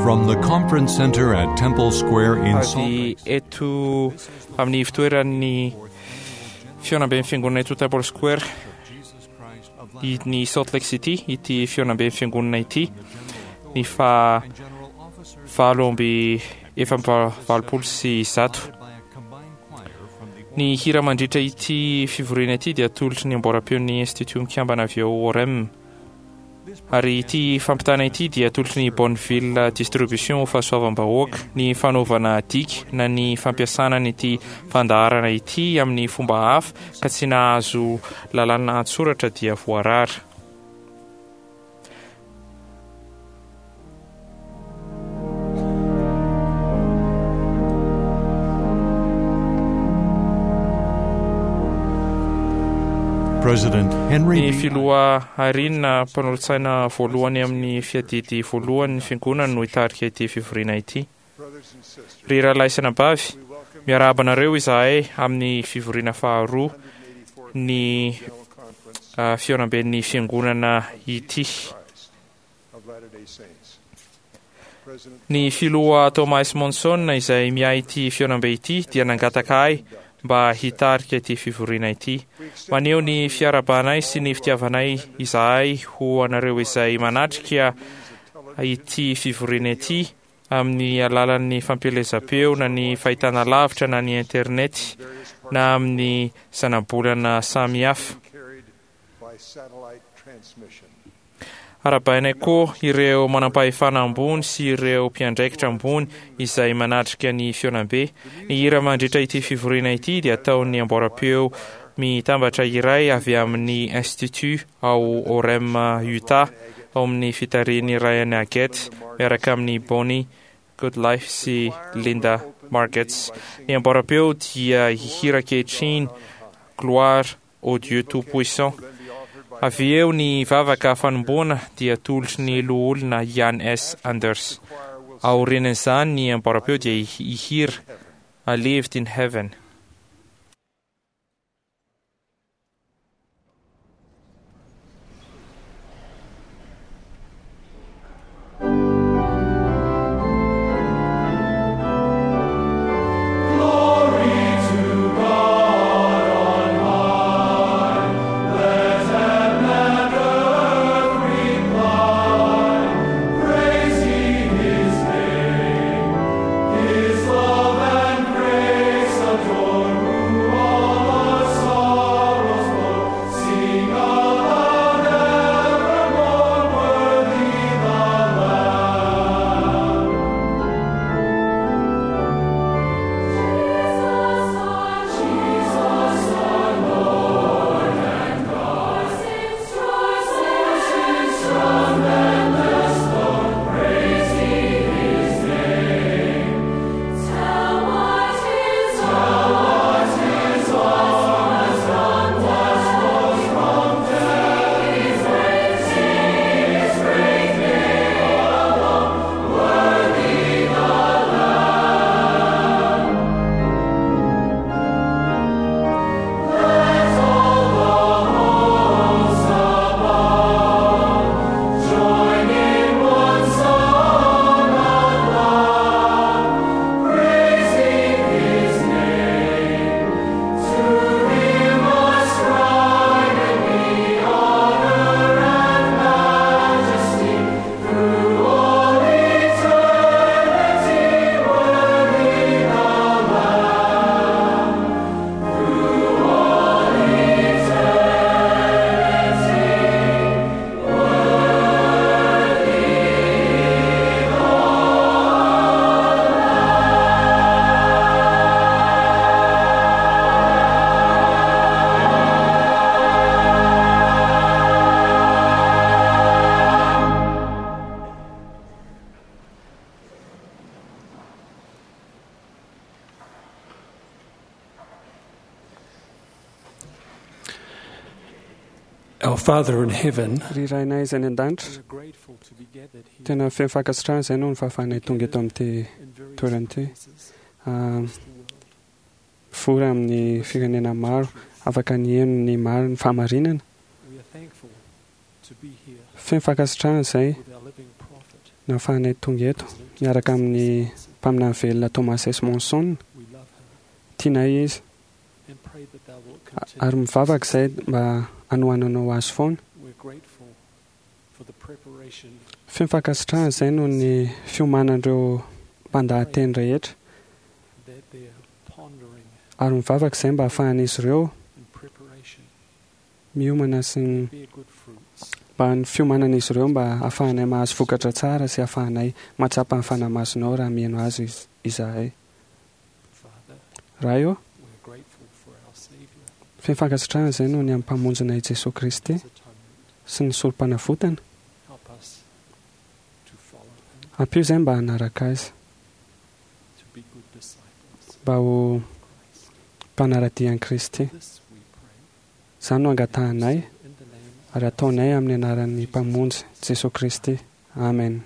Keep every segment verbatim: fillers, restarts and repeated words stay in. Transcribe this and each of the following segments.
From the conference center at Temple Square in Salt Avy Lake eto amin'ny fitoeran'ny fihaonamben'ny fiangonana eto Temple Square Jesus Christ of i- ny Salt Lake City ity fihaonamben'ny fiangonana ity ny fa and general officers valo amby efa amby valopolo sy zato. by a combined choir from the Ny hira mandritra ity fivoriana ity dia atolotry ny amboram-peon'ny Institut mikambana avy ao Orem. Ary ity fampitana ity dia atolotry ny Bonneville Distribution ho fahasoavam-bahoaka. Ny fanaovana dika na ny fampiasana ity fandaharana ity amin'ny fomba hafa ka tsy nahazo lalàna an-tsoratra dia voarara. President Henry Ny B. filoha Arina mpanolotsaina voalohany amin'ny fiadidy voalohany ny fiangonana no hitarika ity fivoriana ity. Ry rahalahy sy anabavy, miarahaba anareo izahay amin'ny fivoriana faharoa ny ah, fihaonamben'ny fiangonana ity. Ny filoha Thomas Monson izay miahy ity fihaonambe ity dia nangataka ahy mba hitarika ity fivoriana ity. Maneho ny fiarahabanay sy ny fitiavanay izahay ho anareo izay manatrika ity fivoriana ity amin'ny alalan'ny fampielezam-peo na ny fahitana lavitra na ny internet na amin'ny zanabolana samihafa. carried by satellite transmission. Arahabainay koa ireo manam-pahefana ambony sy ireo mpiandraikitra ambony izay manatrika ny fihaonambe. Ny hira mandritra ity fivoriana ity dia ataon'ny amboram-peo mitambatra iray avy amin'ny Institut ao Orem, Utah, ao amin'ny fitarihin'ny Ryan Agate miaraka amin'ny Bonnie Goodlife sy Linda Margets. Ny amboram-peo dia hihira ankehitriny Gloire au Dieu Tout-Puissant. Avy eo ny vavaka fanomboana dia atolotry ny loholona Ian S. Anders. Aorian'izany ny amboram-peo dia hihira I Lived in Heaven. His love and grace Our Father in heaven, Ry Rainay izay any an-danitra, we are grateful to be gathered here tena feno fankasitrahana izay noho ny fahafahanay tonga eto amin'ity in various toerana ity. places Ah, across the world. Mivory amin'ny firenena maro, afaka niheno ny maro ny fahamarinana. We are thankful to be here Feno fankasitrahana izay with our living prophet, nahafahanay tonga eto President miaraka amin'ny mpaminany velona Thomas S. Monson. Tianay izy ary mivavaka izay mba hanohananao azy foana. Feno fankasitrahana izay noho ny fiomanan'ireo mpandahateny rehetra ary mivavaka izay mba hahafahan'izy ireo miomana sy mba ny fiomanan'izy ireo mba hahafahanay mahazo vokatra tsara sy hahafahanay mahatsapa ny Fanahy Masinao raha mihaino azy izahay. Ray ô, feno fankasitrahana izay noho ny amin'ny mpamonjinay Jesoa Kristy sy ny sorom-panavotana. Ampio izay mba hanaraka azy, mba ho mpanara-dia an'i Kristy. Izany no angatahanay ary ataonay amin'ny anaran'ny Mpamonjy Jesoa Kristy. Amen.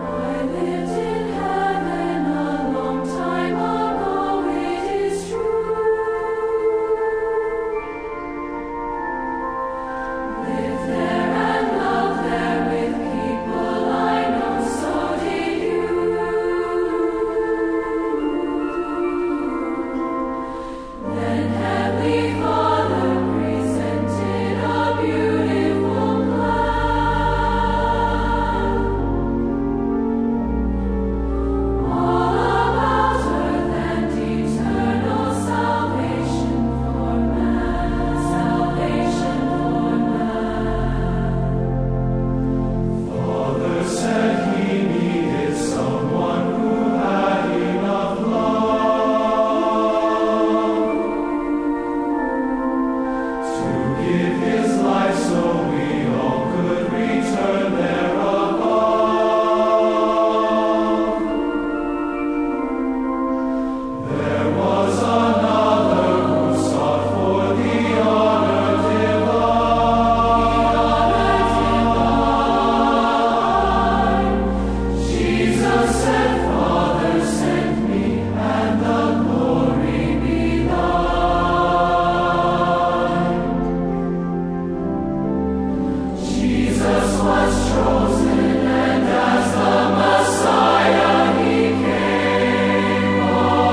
I lived in heaven a long time ago, it is true. Lived there and loved there with people I know, so did you. Then Heavenly Father presented a beautiful plan. All about earth and eternal salvation for man, salvation for man. Father said he needed someone who had enough love to give his life so we all could return there above. There was another who sought for the honor divine. Jesus said, Father, send me, and the glory be thine. Jesus was chosen, and as the Messiah he came on,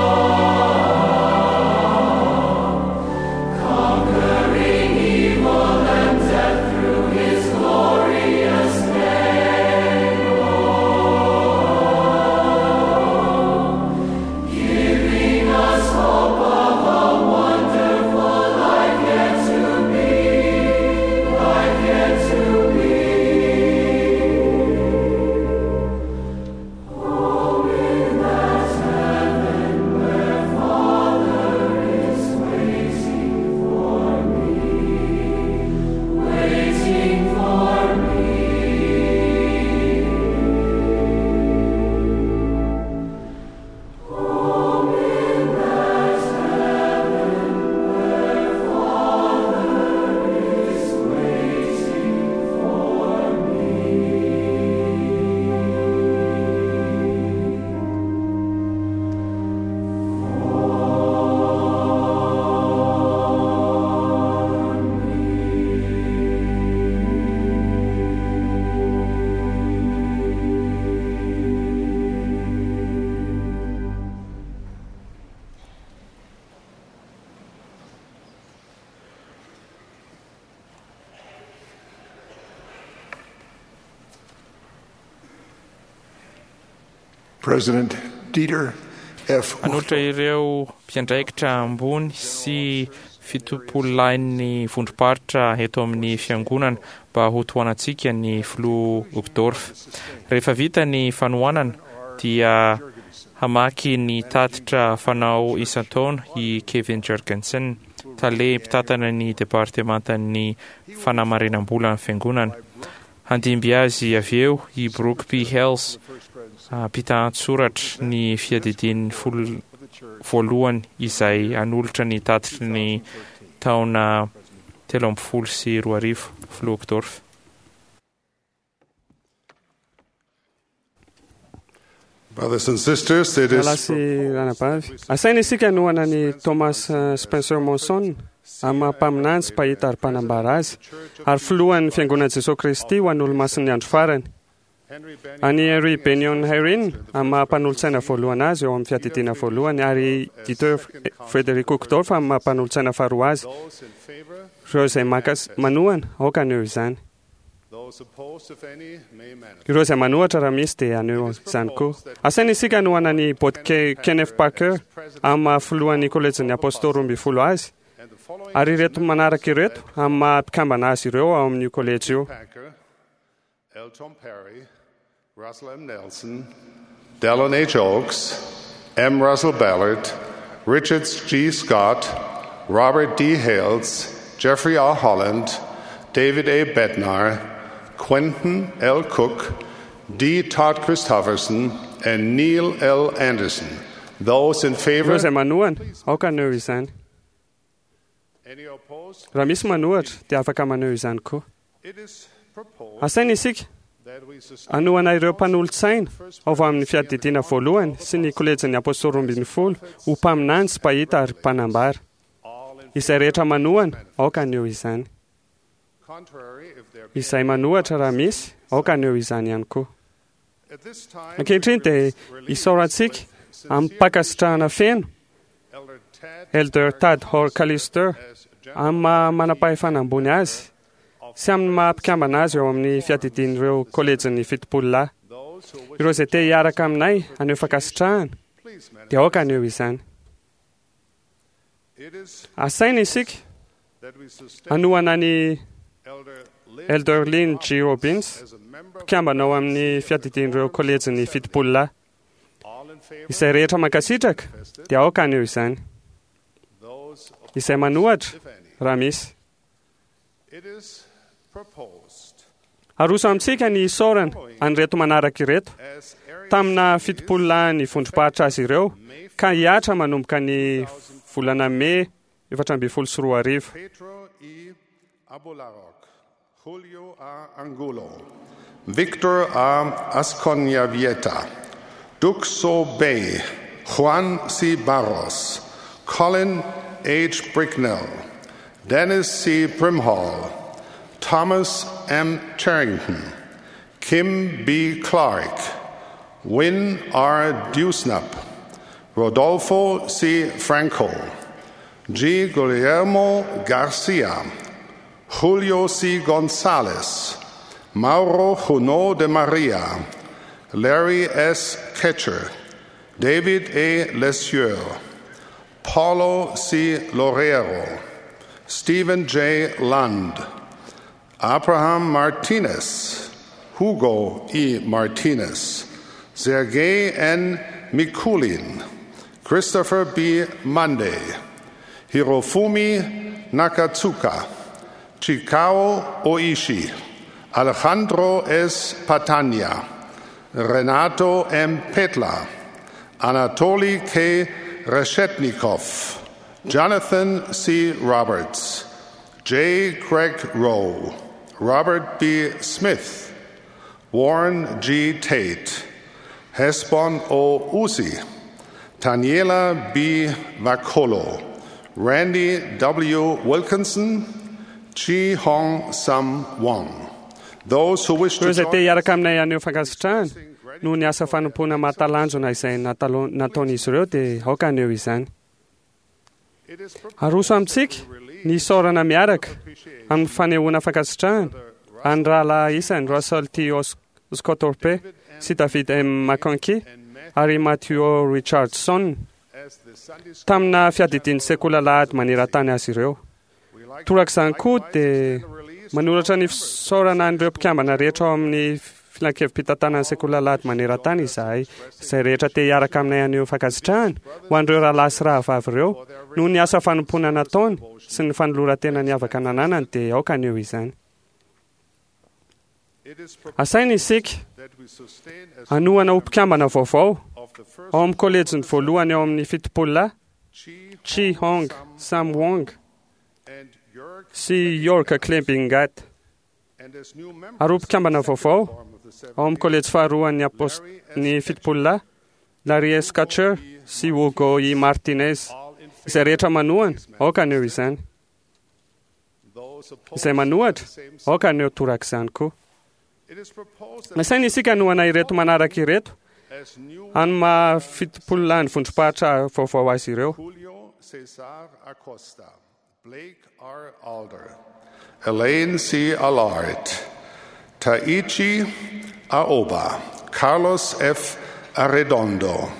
conquering evil and death through his glorious name. Giving us hope of a wonderful life yet to be, life yet to be. Home in that heaven where Father is waiting for me, waiting for me. Home in that heaven where Father is waiting for me. President Dieter F. Hanolotra ireo mpiandraikitra ambony sy fitopololahin'ny vondrom-paritra eto amin'ny fiangonana mba ho tohanantsika ny filoha Uchtdorf. Rehefa vita ny fanohanana dia hamaky ny tatitra fanao isan-taona i Kevin Jorgensen, tale mpitantana ny departemantan'ny fanamarinam-bola ny fiangonana. Handimby azy avy eo i Brooke P. Hales, mpitantsoratra ny fiadidian'ny folo voalohany izay hanolotra ny tatitry ny taona telo amby folo sy roa arivo, filoha Uchtdorf. Brothers and sisters, it Rahalahy is sy ranabavy, asaina isika hanohana ny Thomas eh, Spencer Monson amin'ny maha mpaminany sy mpahita ary mpanambara azy ary filohan'ny fiangonan'i Jesosy Kristy ho an'ny olomasin'ny andro farany. An'i Henry Benyon Herrin amin'ny maha mpanolotsaina voalohany azy eo amin'ny fiadidiana voalohany ary Dieter Frederick Uchtdorf amin'ny maha mpanolotsaina faharoa azy. those in favor, Ireo izay makas- manohana, aoka haneho izany. those opposed, if any, may manifest. Ireo izay manohatra raha misy dia haneho izany koa. Asaina isika hanohana ny Bot Ke- Kenneth Parker amin'ny maha filohan'ny kolejin'ny apôstôly roa ambin'ny folo azy And the following ary ireto manaraka ireto amin'ny maha mpikambana azy ireo ao amin'io kolejy io. Packer, L. Tom Perry, Russell M. Nelson, Dallin H. Oaks, M. Russell Ballard, Richard G. Scott, Robert D. Hales, Jeffrey R. Holland, David A. Bednar, Quentin L. Cook, D. Todd Christofferson, and Neil L. Anderson. Those in Ireo favor, izay manohana, aoka haneho izany. any opposed? Raha misy manohatra dia afaka maneho izany koa. It is proposed Asaina isika that we sustain hanohana ireo mpanolotsaina ao amin'ny fiadidiana voalohany sy ny kolejin'ny apôstôly roa ambin'ny folo ho mpaminany sy mpahita ary mpanambara. all in Izay rehetra manohana, aoka haneho izany. contrary if there be Izay manohatra raha misy, aoka haneho izany ihany koa. At this time, Ankehitriny dia isaorantsika amin'ny-pankasitrahana feno Elder Tad Elder Tad Horkalister as general amin'ny maha manam-pahefana ambony azy sy amin'ny maha mpikambana azy eo amin'ny fiadidian'ireo kolejin'ny fitopolo lahy. those who wish Ireo izay te hiaraka aminay haneho fankasitrahana please manifest. dia aoka haneho izany. It is Asaina isika that we sustain hanohana ny Elder Lynn Elder Lynn G. Robbins as a member of mpikambana ao amin'ny fiadidian'ireo kolejin'ny fitopolo lahy. all in favor Izay rehetra mankasitraka dia aoka haneho izany. those opposed, Izay manohatra if any. raha misy. It is proposed Aroso amintsika ny isaorana an'ireto manaraka ireto as area tamina fitopolo lahy ny vondrom-paritra azy ireo ka hihatra manomboka ny volana mey efatra ambin'ny folo sy roa arivo. Pedro E. Abularok, Julio A. Angulo, Victor A. Asconyavieta, Duxo Bay, Juan C. Barros, Colin H. Bricknell, Dennis C. Brimhall, Thomas M. Charrington, Kim B. Clark, Wynne R. Dewsnup, Rodolfo C. Franco, G. Guillermo Garcia, Julio C. Gonzalez, Mauro Junot de Maria, Larry S. Ketcher, David A. Lesieur, Paulo C. Lorero, Stephen J. Lund, Abraham Martinez, Hugo E. Martinez, Sergei N. Mikulin, Christopher B. Monday, Hirofumi Nakatsuka, Chikao Oishi, Alejandro S. Patania, Renato M. Petla, Anatoly K. Reshetnikov, Jonathan C. Roberts, J. Craig Rowe, Robert B. Smith, Warren G. Tate, Hesbon O. Uzi, Taniela B. Vakolo, Randy W. Wilkinson, Chi Hong Sam Wong. Those who wish Ireo to izay te join hiaraka aminay haneho fankasitrahana noho ny asa fanompoana mahatalanjona izay natalo- nataon'izy ireo dia aoka haneho izany. It is proposed Aroso amintsika ny isaorana miaraka amin'ny fanehoana fankasitrahana an'ny rahalahy isany Russell T. Os- Scottorpe sy David M. McConkie ary Matthew Richardson as the Sunday school tamina fiadidian'ny sekoly alahady maneran-tany azy ireo. we like Torak'izany koa dia manoratra ny fisaorana an'ireo mpikambana rehetra ao amin'ny filankevi-pitantanan'ny sekoly alahady maneran-tany izahay izay rehetra te hiaraka aminay haneho fankasitrahana ho an'ireo rahalahy sy rahavavy ireo noho ny asa fanompoana nataony sy ny fanoloran-tena niavaka nananany dia aoka haneho izany. it is proposed Asaina isika that we sustain as hanohana ho mpikambana vaovao of the first ao amin'ny kolejiny voalohany ao amin'ny fitopolo lahy Chi Chi Hong Sam Wong and Jörg sy York Klebingat and as new members ary ho mpikambana vaovao of the ao amin'ny kolejy faharoan'ny apos- ny fitopolo lahy Larry S. Catcher sy Hugo E. Martinez. Izay rehetra manohana, aoka haneho izany. Izay manohitra, aoka haneho torak'izany koa. Nasaina isika hanohana ireto manaraka ireto amin'ny maha fitopololahin'ny vondrom-paritra vaovao azy ireo. Julio Cesar Acosta, Blake R. Alder, Elaine C. Allard, Taichi Aoba, Carlos F. Arredondo,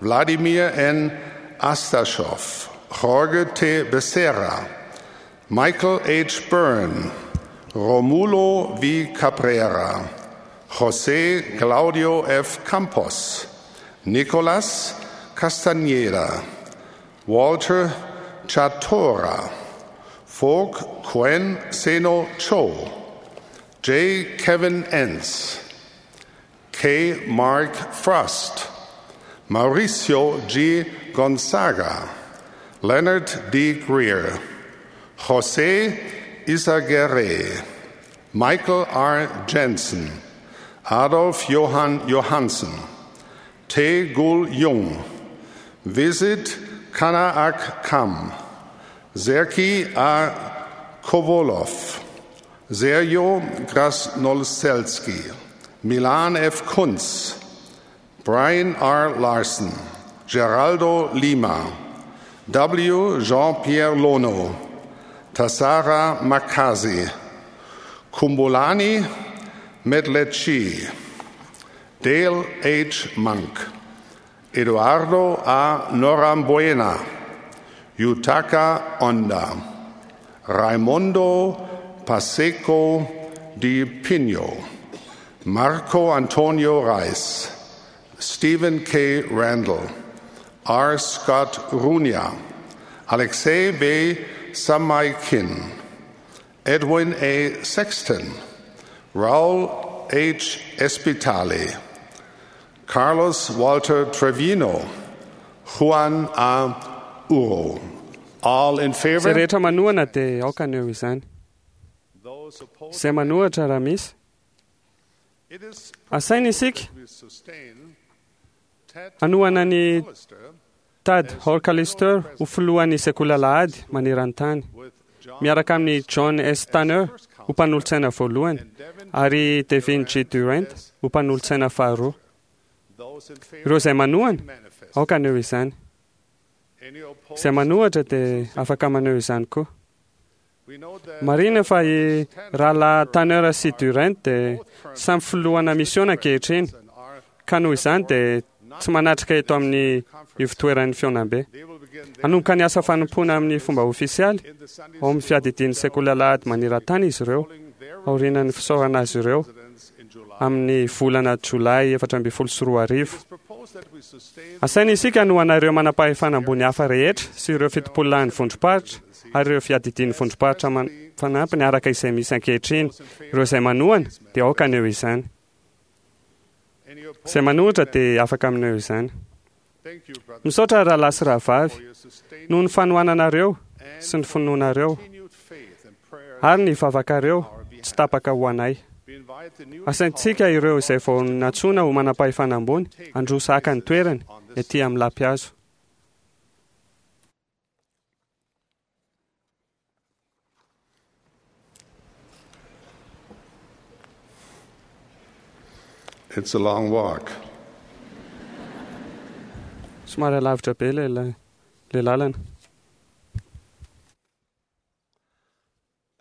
Vladimir N. Astashov, Jorge T. Becerra, Michael H. Byrne, Romulo V. Cabrera, José Claudio F. Campos, Nicolas Castañeda, Walter Chatora, Folk Quen Seno Cho, J. Kevin Entz, K. Mark Frost, Mauricio G. Gonzaga, Leonard D. Greer, Jose Izaguirre, Michael R. Jensen, Adolf Johann Johansen, Tae Gul Jung, Visit Kanaak Kam, Zerki A. Kovolov, Sergio Krasnolselski, Milan F. Kunz, Brian R. Larson, Geraldo Lima, W. Jean-Pierre Lono, Tassara Makazi, Kumbulani Medlechi, Dale H. Monk, Eduardo A. Norambuena, Yutaka Onda, Raimondo Paseco di Pino, Marco Antonio Reis, Stephen K. Randall, R. Scott Runia, Alexei V. Samaikin, Edwin A. Sexton, Raul H. Espitale, Carlos Walter Trevino, Juan A. Uro. All in Izay favor? rehetra manohana dia aoka haneho izany. Those opposed? Izay manohitra raha misy. It is Asaina isika we sustain Ted hanohana ny Hollister Tad Horkalister ho filohan'ny sekoly alahady maneran-tany with John miaraka amin'ny John S. Tanner ho mpanolotsaina voalohany ary Devin G. Durant ho mpanolotsaina faharoa. Those in favor Ireo izay manohana, manifest. aoka haneho izany. Any opposed? Izay manohitra dia afaka maneho izany koa. We know that Marina fa i rahalahy Tanner sy Durant dia samy filohana misiona ankehitriny and are ka noho izany dia tsy manatrika eto amin'ny ivotoeran'ny fihaonambe. they will begin their Hanomboka ny asa fanompoana amin'ny fomba ofisialy in the Sunday ao amin'ny fiadidian'ny sekoly alahady maneran-tany izy ireo aorian'ny fisaorana azy ireo presidents in July. amin'ny volana jolay efatra ambin'ny folo sy roa arivo. It's proposed that we sustain Asaina isika hanohana ireo manam-pahefana ambony hafa rehetra sy ireo fitopololahin'ny vondrom-paritra ary ireo fiadidian'ny vondrom-paritra man- fanampiny araka izay misy ankehitriny. Ireo izay manohana dia aoka haneho izany. any opposed. Izay manohitra dia afaka maneho izany. Thank you, brothers, Misaotra rahalahy sy rahavavy for your sustained noho ny fanohananareo and sy ny finoanareo continued faith and prayer. ary ny vavakareo tsy tapaka ho anay. We invite the newly Asaintsika ireo izay vao nantsoina ho manam-pahefana ambony handroso haka ny toerany ety amin'ny lapihazo. It's a long walk. Somary alavitra be ilay la- ilay lalana.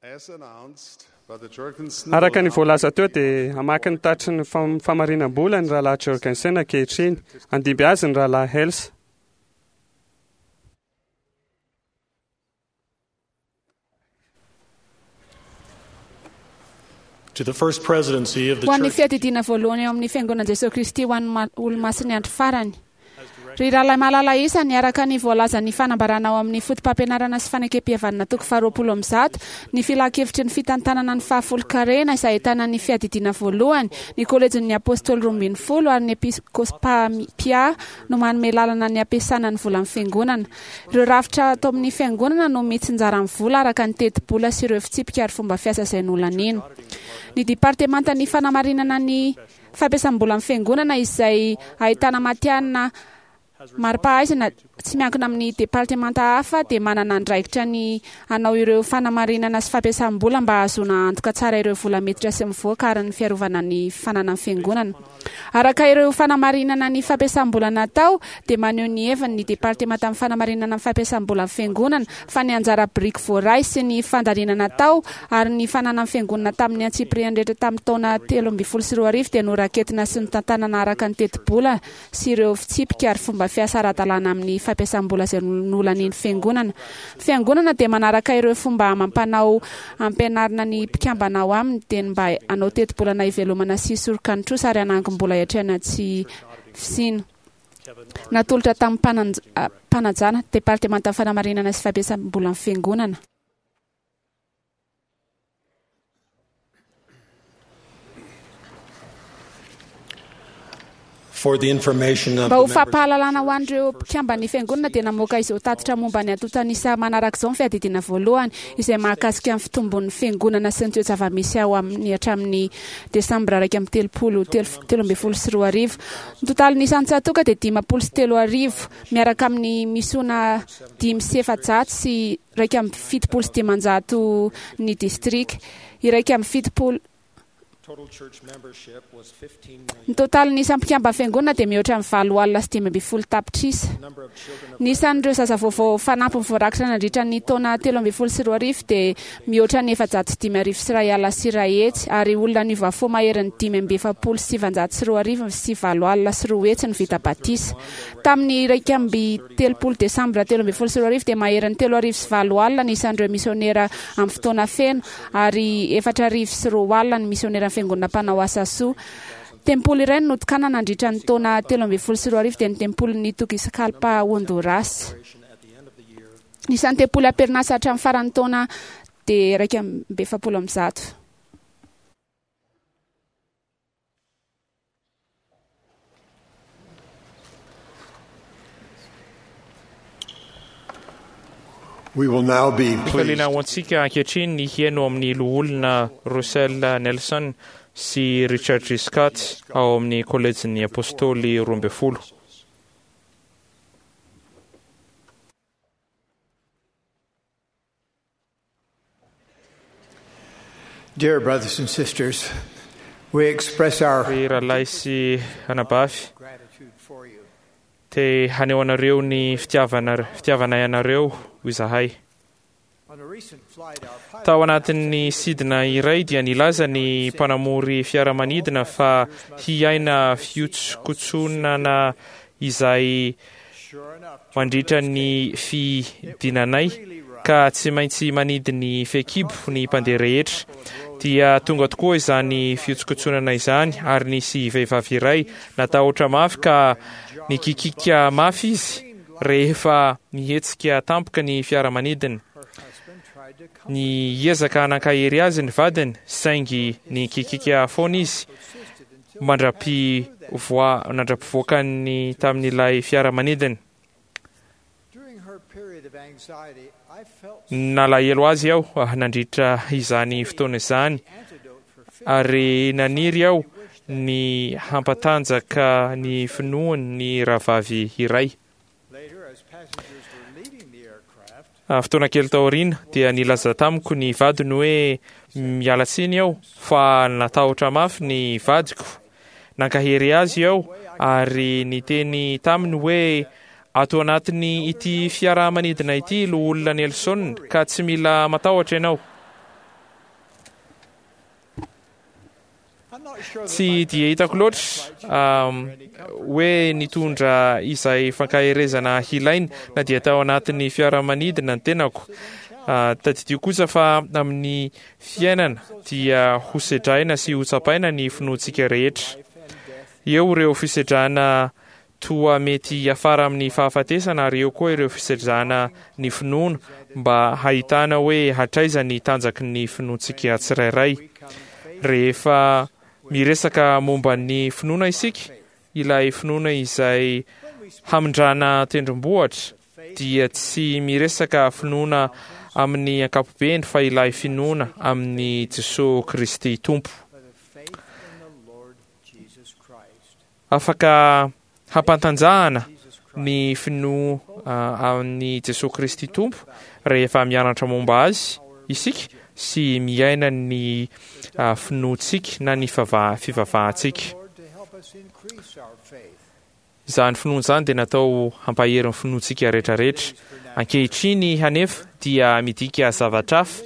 As announced by the Jurgensen Araka ny voalaza teo dia hamaky ny tatry ny fam- famarinam-bola ny rahalahy Jorgensen ankehitriny. Handimby azy ny rahalahy Hels. To the first presidency of the Ho an'ny Church fiadidiana voalohany eo amin'ny fiangonan'i Jesosy Kristy ho an'ny ma- olomasin'ny andro farany. Ry rahalahy malala isany araka ny voalazan'ny fanambarana ao amin'ny foto-pampianarana sy fanekempihavanana toko faharoapolo amby zato ny filan-kevitry ny fitantanana ny fahafolonkarena izay ahitana ny fiadidiana voalohany ny kolejin'ny apôstôly roa ambin'ny folo ary ny episkôpapia no manome lalana ny ampiasana ny volan'ny fiangonana. Ireo rafitra atao amin'ny fiangonana no mitsinjara ny vola araka ny tetibola sy ireo fitsipika ary fomba fiasa izay nolanina. Ny departemantan'ny fanamarinana ny fampiasam-bola amin'ny fiangonana izay ahitana matihanina mari-pahaizana tsy miankina amin'ny departemanta hafa dia manana andraikitra ny hanao ireo fanamarinana sy fampiasam-bola mba hahazoana antoka tsara ireo vola miditra sy mivoaka ary ny fiarovana ny fananan'ny fiangonana. Araka ireo fanamarinana ny fampiasam-bola natao dia maneho ny heviny ny departemanta amin'ny fanamarinana ny fampiasam-bola ny fiangonana fa ny anjara biriky voaray sy ny fandaniana natao ary ny fananan'ny fiangonana tamin'ny antsipiriany rehetra tamin'ny taona telo ambin'ny folo sy roa arivo dia noraketina sy notantanana araka ny tetibola sy ireo fitsipika ary fomba fiasa ara-dalàna amin'ny fampiasam-bola izay nolanian'ny fiangonana. Fiangonana dia manaraka ireo fomba amam-panao ampianarina ny mpikambana ao aminy dia ny mba hanao tetibolana hivelomana sy hisoroka ny trosa ary hanangom-bola hiatrehana tsy fisiana. Natolotra tamin'ny mpananj- ah, mpanajana departemanta fanamarinana sy fampiasam-bolan'ny fiangonana. For the information of Mba ho the members, fampahalalana ho an'ireo mpikamban'ny fiangonana dia namoaka izao tatitra momba ny antontan'isa manaraka izao ny fiadidiana voalohany izay mahakasika ny fitombon'ny fiangonana sy ny toe-java-misy ao amin'ny hatramin'ny desambra iraika amby telopolo telo telo ambin'ny folo sy roa arivo. Ny totalin'ny isan'ny tsatoka dia dimampolo sy telo arivo miaraka amin'ny misona dimy sy efajato sy iraika amby fitopolo sy dimanjato ny distrika iraika amby fitopolo. Total church membership was fifteen Ny million. totalin'ny isan'ny mpikamba fiangonana dia mihoatra amin'ny valo alina sy dimy ambin'ny folo tapitrisa. Number of children of Ny isan'ireo zaza vaovao fanampiny voarakitra nandritra ny taona telo ambin'ny folo sy roa arivo dia mihoatra ny efajato sy dimy arivo sy iray alina sy iray hetsy ary olona niova fo maherin'ny dimy amby efapolo sy sivanjato sy roa arivo sy valo alina sy roa hetsy ny vita batisa. Tamin'ny iraika amby telopolo desambra telo ambin'ny folo sy roa arivo dia maherin'ny telo arivo sy valo alina ny isan'ireo misionera amin'ny fotoana feno ary efatra arivo sy roa alina ny misionera fiangonana mpanao asa soa. Tempoly iray no notokanana nandritra ny taona telo ambin'ny folo sy roa arivo dia ny tempolin'ny Tegucigalpa Honduras. at the end of the year Ny isan'ny tempoly am-perinasa hatramin'ny faran'ny taona dia iraika amby efapolo amby zato. We will now be pleased Fifaliana ho antsika ankehitriny ny hihaino amin'ny loholona Russell Nelson sy Richard G. Scott ao amin'ny kolejin'ny Apôstôly roa ambin'ny folo. Dear brothers and sisters, we express our Ry rahalahy sy anabavy, gratitude for you. te haneho anareo ny fitiavana fitiavanay anareo izahay. On a recent flight, our pilot Tao anatin'ny sidina iray dia nilaza ny mpanamory fiaramanidina fa hiaina fihotsokotsonana izay sure enough, mandritra ny fidinanay ka tsy maintsy manidy ny fehikibo ny mpandeha rehetra. Dia tonga tokoa izany fihotsokotsonana izany ary nisy vehivavy iray natahotra mafy ka nikikika mafy izy rehefa nihetsika tampoka ny fiaramanidina. her husband tried to comfort Ny ezaka nankahery azy ny vadiny saingy nikikika foana izy persisted until mandra-pivoa- mandra-pivoakany tamin'ilay fiaramanidina. during her period of anxiety, I felt Nalahelo azy aho ah, nandritra izany fotoana izany antidote for fear. ary naniry aho ny hampatanjaka ny finoany ny rahavavy iray. Later, as passengers were leaving the aircraft, Ah, Fotoana kely taoriana dia nilaza tamiko ny vadiny hoe miala tsiny aho fa natahotra mafy ny vadiko. Nankahery azy aho ary niteny taminy hoe ato anatiny ity fiaramanidina ity loholona Nelson ka tsy mila matahotra ianao. I'm not sure that Tsy my dia hitako loatra um, hoe nitondra izay fankaherezana hilainy na dia tao anatin'ny fiaramanidina ny tenako. Ah, Tadidio kosa fa amin'ny fiainana dia hosedraina sy hotsapaina ny finoantsika rehetra. Eo ireo fisedrana toa mety hiafara amin'ny fahafatesana ary eo koa ireo fisedrana ny finoana mba hahitana hoe hatraiza ny tanjaky ny finoantsika tsirairay. Rehefa miresaka momba ny finoana isika, ilay finoana izay hamindrana tendrombohitra dia tsy miresaka finoana amin'ny ankapobeny fa ilay finoana amin'ny Jesosy Kristy Tompo. for the faith in the Lord Jesus Christ. Afaka hampantanjahana Jesus Christ. ny finoana amin'i Jesosy Kristy Tompo rehefa mianatra momba azy isika sy miaina ny finoantsika na ny fivavahantsika. Izany finoana izany dia natao hampahery ny finoantsika rehetrarehetra. Ankehitriny anefa dia midika zavatra hafa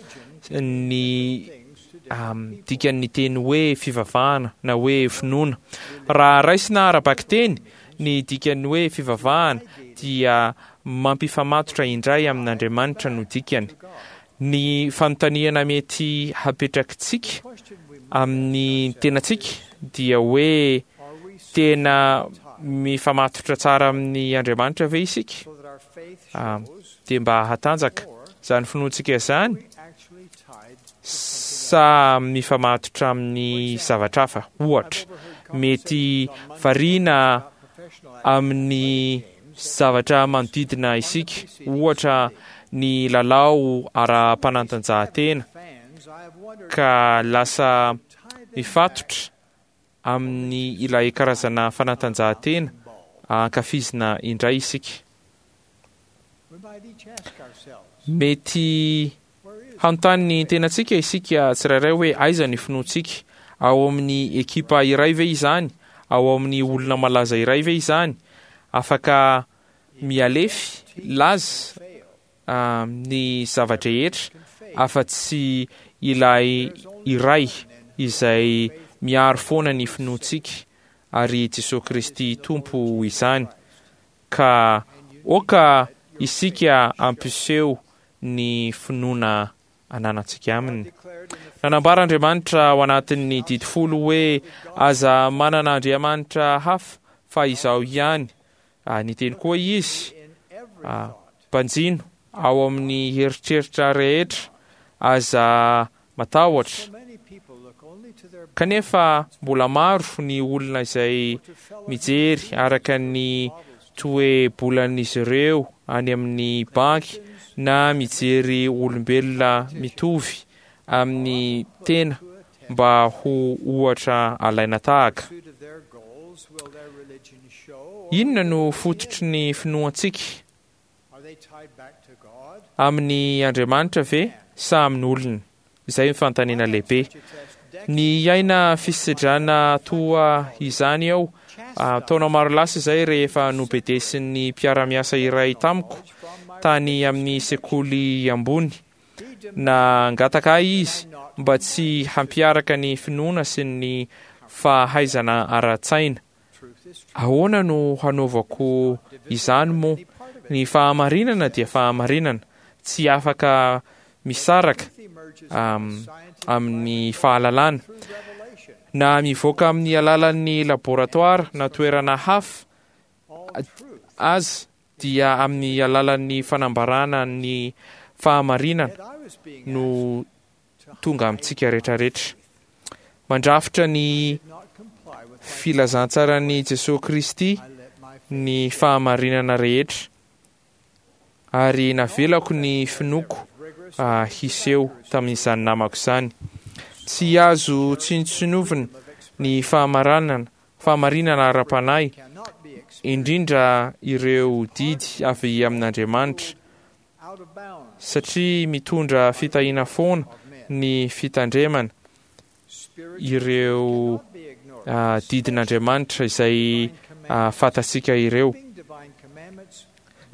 ny dikan'ny teny hoe fivavahana na hoe finoana. Raha raisina ara-bakiteny ny dikan'ny hoe fivavahana dia mampifamatotra indray amin'Andriamanitra no dikany. Ny fanontaniana mety hapetrakitsika amin'ny tenantsika dia hoe tena mifamatotra tsara amin'ny Andriamanitra ve isika? Dia mba hatanjaka izany finoantsika izany sa mifamatotra amin'ny zavatra hafa? Ohatra, mety variana amin'ny zavatra manodidina isika, ohatra ny lalao ara-panatanjahantena, ka lasa mifatotra amin'ny ilay karazana fanatanjahantena ankafizina indray isika. Mety hanontany ny tenantsika isika tsirairay hoe aiza ny finoantsika? Ao amin'ny ekipa iray ve izany? Ao amin'ny olona malaza iray ve izany? Afaka mialefy laza ny zava-drehetra afa-tsy ilay iray izay miaro foana ny finoantsika, ary Jesosy Kristy Tompo izany. Ka oka isika ampiseho ny finoana ananantsika aminy. Nanambara Andriamanitra ao anatin'ny didy folo hoe aza manana andriamanitra hafa fa izaho ihany. Niteny koa izy, banjino ao amin'ny eritreritra rehetra, aza matahotra. Kanefa mbola maro ny olona izay mijery araka ny toe-bolan'izy ireo any amin'ny banky na mijery olombelona mitovy amin'ny tena mba ho ohatra alaina tahaka. Inona no fototry ny finoantsika? Amin'ny Andriamanitra ve sa amin'ny olona? Izay ny fanontaniana lehibe. Ny aina fisedrana toa izany aho taona maro lasa izay rehefa nobedesin'ny mpiara-miasa iray tamiko tany amin'ny sekoly ambony. Nangataka ahy izy mba tsy hampiaraka ny finoana sy ny fahaizana ara-tsaina. Ahoana no hanaovako izany moa? Ny fahamarinana dia fahamarinana, tsy afaka misaraka amin'ny fahalalana. Na mivoaka amin'ny alalan'ny laboratoara na toerana hafa aza dia amin'ny alalan'ny fanambarana ny fahamarinana no tonga amintsika rehetrarehetra. Mandrafitra ny filazantsaran'i Jesosy Kristy ny fahamarinana rehetra, ary navelako ny finoako hiseho tamin'izany namako izany. Tsy azo tsinontsinovina ny fahamarinana, fahamarinana ara-panahy, indrindra ireo didy avy amin'Andriamanitra, satria mitondra fitahiana foana ny fitandremana ireo didin'Andriamanitra izay fantatsika ireo.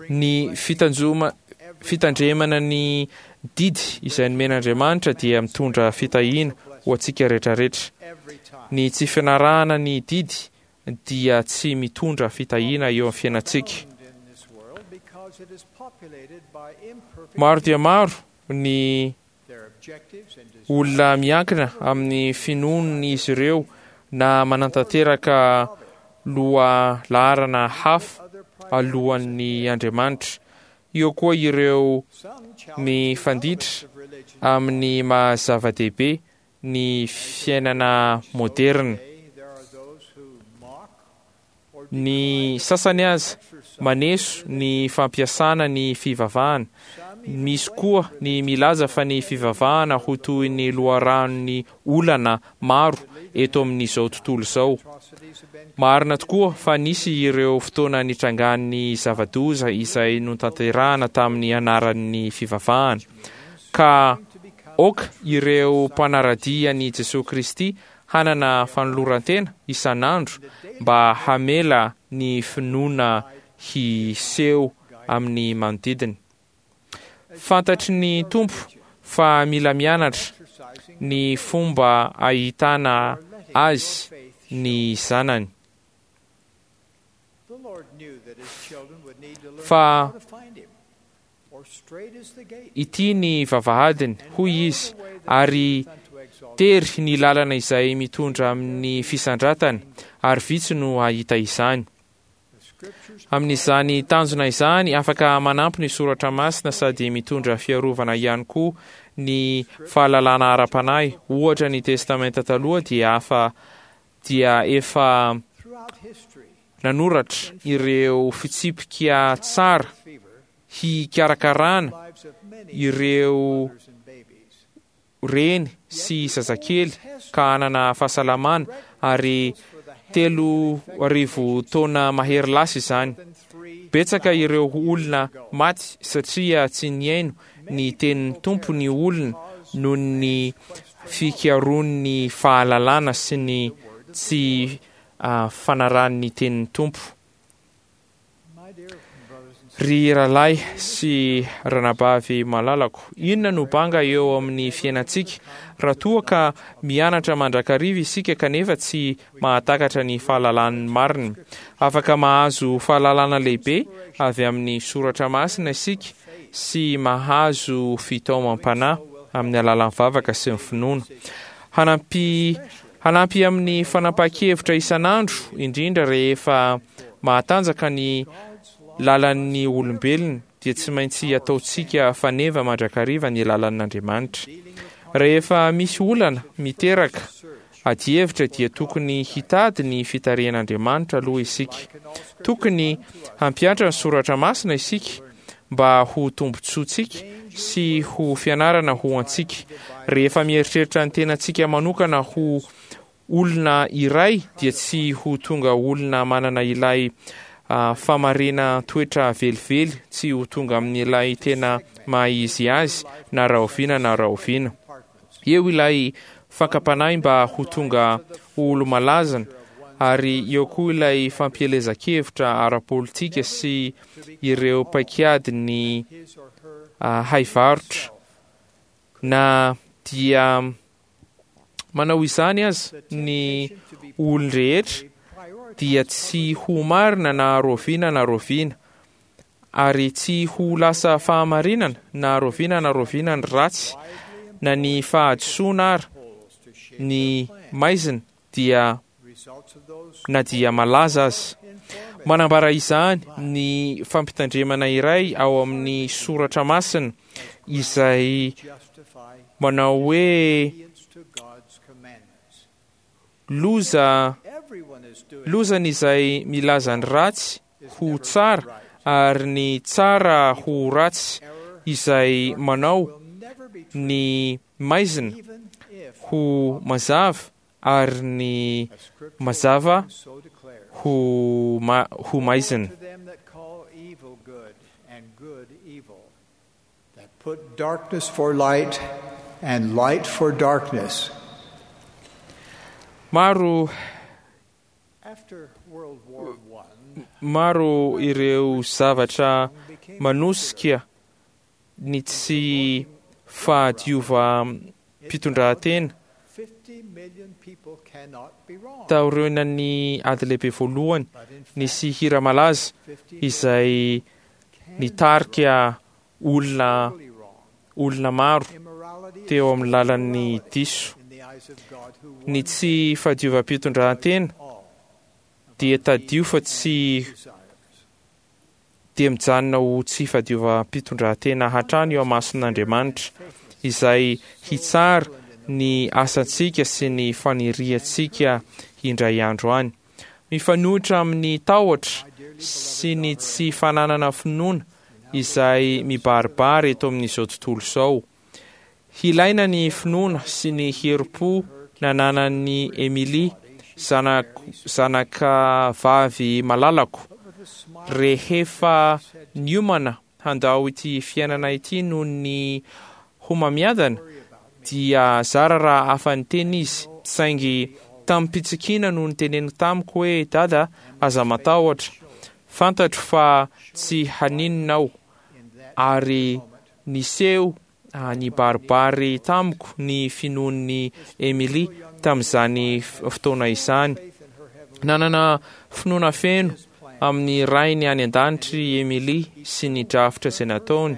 Ny fitanjoma fitandremana ny didy izay nomen'Andriamanitra dia mitondra fitahiana ho antsika rehetrarehetra. Ny tsy fianarahana ny didy dia tsy mitondra fitahiana eo amin'ny fiainantsika. Maro dia maro ny olona miankina amin'ny finoan'izy ireo na manantanteraka loha laharana hafa alohan'ny Andriamanitra. Eo koa ireo mifanditra amin'ny maha zava-dehibe ny fiainana moderina. Ny sasany aza maneso ny fampiasana ny fivavahana, Misy koa ny milaza fa ny fivavahana ho toy ny loharanon'ny olana maro eto amin'izao tontolo izao. Marina tokoa fa nisy ireo fotoana nitrangan'ny zava-doza izay notanterahana tamin'ny anaran'ny fivavahana. Ka aoka ireo mpanara-dia an'i Jesoa Kristy hanana fanoloran-tena isan'andro mba hamela ny finoana hiseho amin'ny manodidina. Fantatry ny Tompo fa mila mianatra ny fomba ahitana azy ny zanany. The Lord knew that his children would need to learn Fa how to find him. For straight is the gate ity ny vavahadiny, hoy izy, ary tery ny lalana izay mitondra amin'ny fisandratana, ary vitsy no hahita izany. Amin'izany tanjona izany, afaka manampy ny soratra masina sady mitondra fiarovana ihany koa ny fahalalana ara-panahy. Ohatra, ny Testamenta Taloha dia afa dia efa throughout history. nanoratra ireo fitsipika tsara hikarakarana ireo reny sy zazakely ka hanana fahasalamana, ary telo arivo taona mahery lasa izany. Betsaka ireo olona maty satria tsy nihaino ny tenin'ny Tompo ny olona noho ny fikarohany fahalalana sy ny tsy ah, fanarahany ny tenin'ny Tompo. My dear brothers and Ry rahalahy sy ranabavy malalako, inona no banga eo amin'ny fiainantsika raha toa ka mianatra mandrakariva isika kanefa tsy mahatakatra ny fahalalan'ny marina? Afaka mahazo fahalalana lehibe avy amin'ny soratra masina isika sy mahazo fitaomam-panahy amin'ny alalan'ny vavaka sy ny finoana. Hanampy hanampy amin'ny fanapahan-kevitra isan'andro, indrindra rehefa mahatanjaka ny lalan'ny olombelona, dia tsy maintsy ataontsika faneva mandrakariva ny lalan'Andriamanitra. Rehefa misy olana miteraka adihevitra dia tokony hitady ny fitarihan'Andriamanitra aloha isika. Tokony hampihatra ny soratra masina isika mba ho tombontsoantsika sy ho fianarana ho antsika. Rehefa mieritreritra ny tenantsika manokana ho olona iray dia tsy ho tonga olona manana ilay ah, famarena toetra velively, tsy ho tonga amin'ilay tena maha izy azy na rahoviana na rahoviana. Eo ilay fakam-panahy mba ho tonga ho olo-malazana, ary eo koa ilay fampielezan-kevitra ara-politika sy ireo paikady ny ah, haivarotra. Na dia manao izany aza ny olon-drehetra dia tsy ho marina na rahoviana na rahoviana, ary tsy ho lasa fahamarinana na rahoviana na rahoviana ny ratsy na ny fahadisoana ary ny maizina dia results of those na dia malaza aza. Manambara izany ny fampitandremana iray ao amin'ny soratra masina izay justify manao hoe obedience to God's commandments. loza Everyone is doing lozany izay milaza ny ratsy ho tsara ary ny tsara ho ratsy, izay manao will never be true, ny maizina even if ho mazava ary ny a scriptural mazava warning so declares. ho ma ho maizina. To them that call evil good and good evil, that put darkness for light and light for darkness. Maro After World War One, maro ireo zavatra manosika ny tsy fahadiovam-pitondran-tena fifty million people cannot be wrong. taorian'ny ady lehibe voalohany. But in fact, Nisy hira malaza fifty izay nitarika olona totally wrong. olona maro Immorality is teo amin'ny lalan'ny immorality diso. in the eyes of God who Ny one tsy fahadiovam-pitondran-tena all dia tadio fa tsy desires. dia mijanona ho tsy fahadiovam-pitondran-tena hatrany eo amason'Andriamanitra izay hitsara ny asantsika sy ny faniriantsika indray andro any. Mifanohitra amin'ny tahotra sy ny tsy fananana finoana izay mibaribary eto amin'izao tontolo izao. Hilaina ny finoana sy ny herim-po nananan'i Emily, zanaka vavy malalako, rehefa niomana handao ity fiainana ity noho ny homamiadana, dia zara raha afa-niteny izy, saingy tamim-pitsikiana no niteneniny tamiko hoe: "Dada, aza matahotra, fantatro fa tsy haninona aho." Ary niseho nibaribary tamiko ny finoan'i Emily tamin'izany fotoana izany. Nanana finoana feno amin'ny Rainy any an-danitra i Emily sy ny drafitra izay nataony,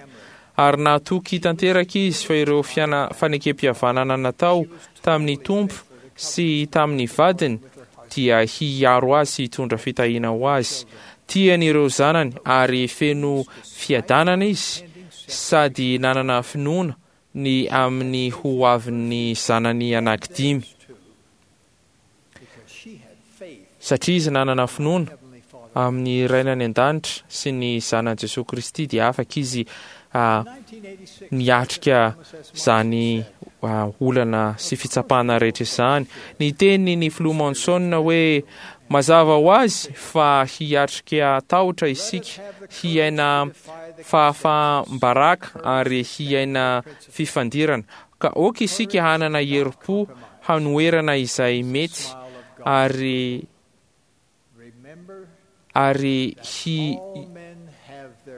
ary natoky tanteraka izy fa ireo fanekem-pihavanana natao tamin'ny Tompo sy tamin'ny vadiny dia hiaro azy sy hitondra fitahiana ho azy. Tiany ireo zanany ary feno fiadanana izy, sady nanana finoana ny amin'ny ho avin'ny zanany anankidimy. Satria izy nanana finoana amin'ny Rainy any an-danitra sy ny zanany Jesosy Kristy, dia afaka izy niatrika izany olana sy fitsapana rehetra izany. Niteny ny filoha Monson hoe: "Mazava ho azy fa hiatrika tahotra isika, hiaina fahafaham-baraka ary hiaina fifandirana. Ka aoka isika hanana herim-po hanoherana izay mety ary ary hi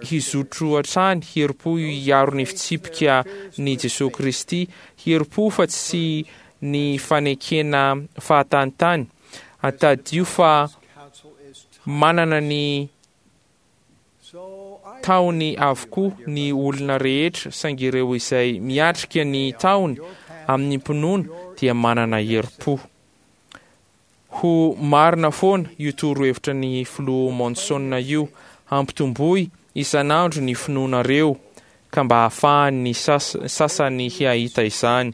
hizotro hatrany herim-po hiaro ny fitsipika ny Jesosy Kristy, herim-po fa tsy ny fanekena fahatanitany. Atadio fa manana ny tahony avokoa ny olona rehetra, saingy ireo izay miatrika ny tahony amin'ny mpinoana dia manana herim-po." Ho marina foana io torohevitra ny filoha Monson io: hampitomboy isan'andro ny finoanareo ka mba hahafahan'ny sasany hahita izany.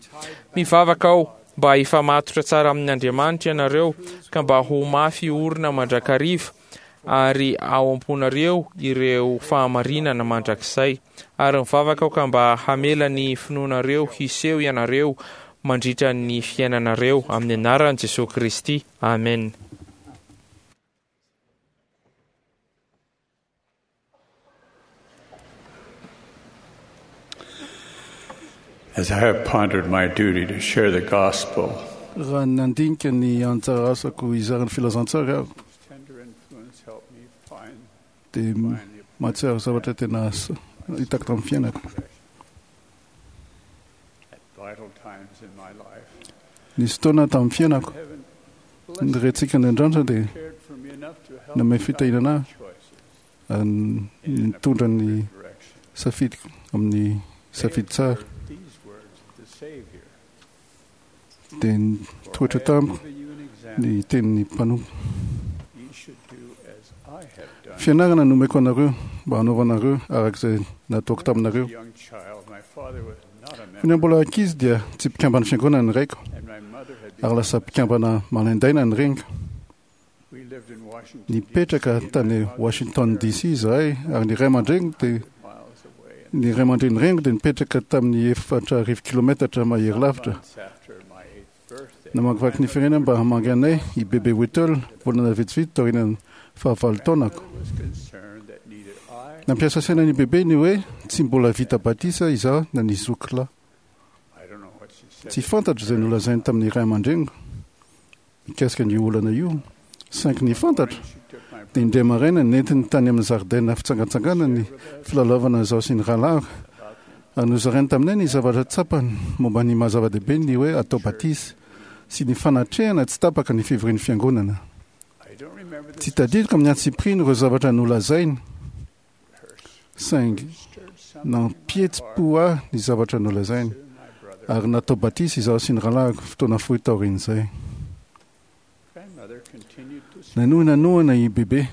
Mivavaka aho mba hifamatotra tsara amin'Andriamanitra ianareo ka mba ho mafy orina mandrakariva ary ao am-ponareo ireo fahamarinana mandrakizay. Ary mivavaka aho ka mba hamela ny finoanareo hiseho ianareo mandritra ny fiainanareo, amin'ny anaran'i Jesosy Kristy. Amen. As I have pondered my duty to share the gospel, raha nandinika ny anjara asako hizara ny filazantsara aho, dia mahatsiaro zavatra tena hitako tamin'ny fiainako. Nisy fotoana tamin'ny fiainako ny Raintsika any an-danitra dia nanome fitahiana ahy ary nitondra ny safidiko amin'ny safidy tsara. Dia nitoetra tamiko ny tenin'ny mpanompo: "Fianarana nomeko anareo mba hanaovanareo araka izay nataoko taminareo." Fony mbola ankizy dia tsy mpikambana fiangonana ny raiko, ary lasa mpikambana malaindaina ny reniko. Nipetraka tany Washington D C izahay, ary ny ray aman-dreniko dia ny ray aman-dreny reniko dia nipetraka tamin'ny efatra arivo kilometatra mahery lavitra. Namakivaky ny firenena mba hamangy anay i Bebe Whittle volana vitsivitsy taorian'ny fahavalo taonako. Nampiasa saina ny Bebe ny hoe tsy mbola vita batisa izaho na ny zoky lahy. Tsy fantatro izay nolazainy tamin'ny ray aman-dreniko mikasika ny olana io, saingy ny fantatro dia indray maraina nentiny tany amin'ny zaridaina fitsangantsangana ny filalaovana izaho sy ny rahalahiko, ary nozarainy taminay ny zavatra tsapany momba ny maha zava-dehibe ny hoe atao batisa sy ny fanatrehana tsy tapaka ny fivorian'ny fiangonana. Tsy tadidiko amin'ny antsipiriany ireo zavatra nolazainy, saingy nampihetsi-po ahy ny zavatra nolazainy, ary natao batisa izaho sy ny rahalahiko fotoana fohy taorian'izay. Nanohy nanohana i Bebe.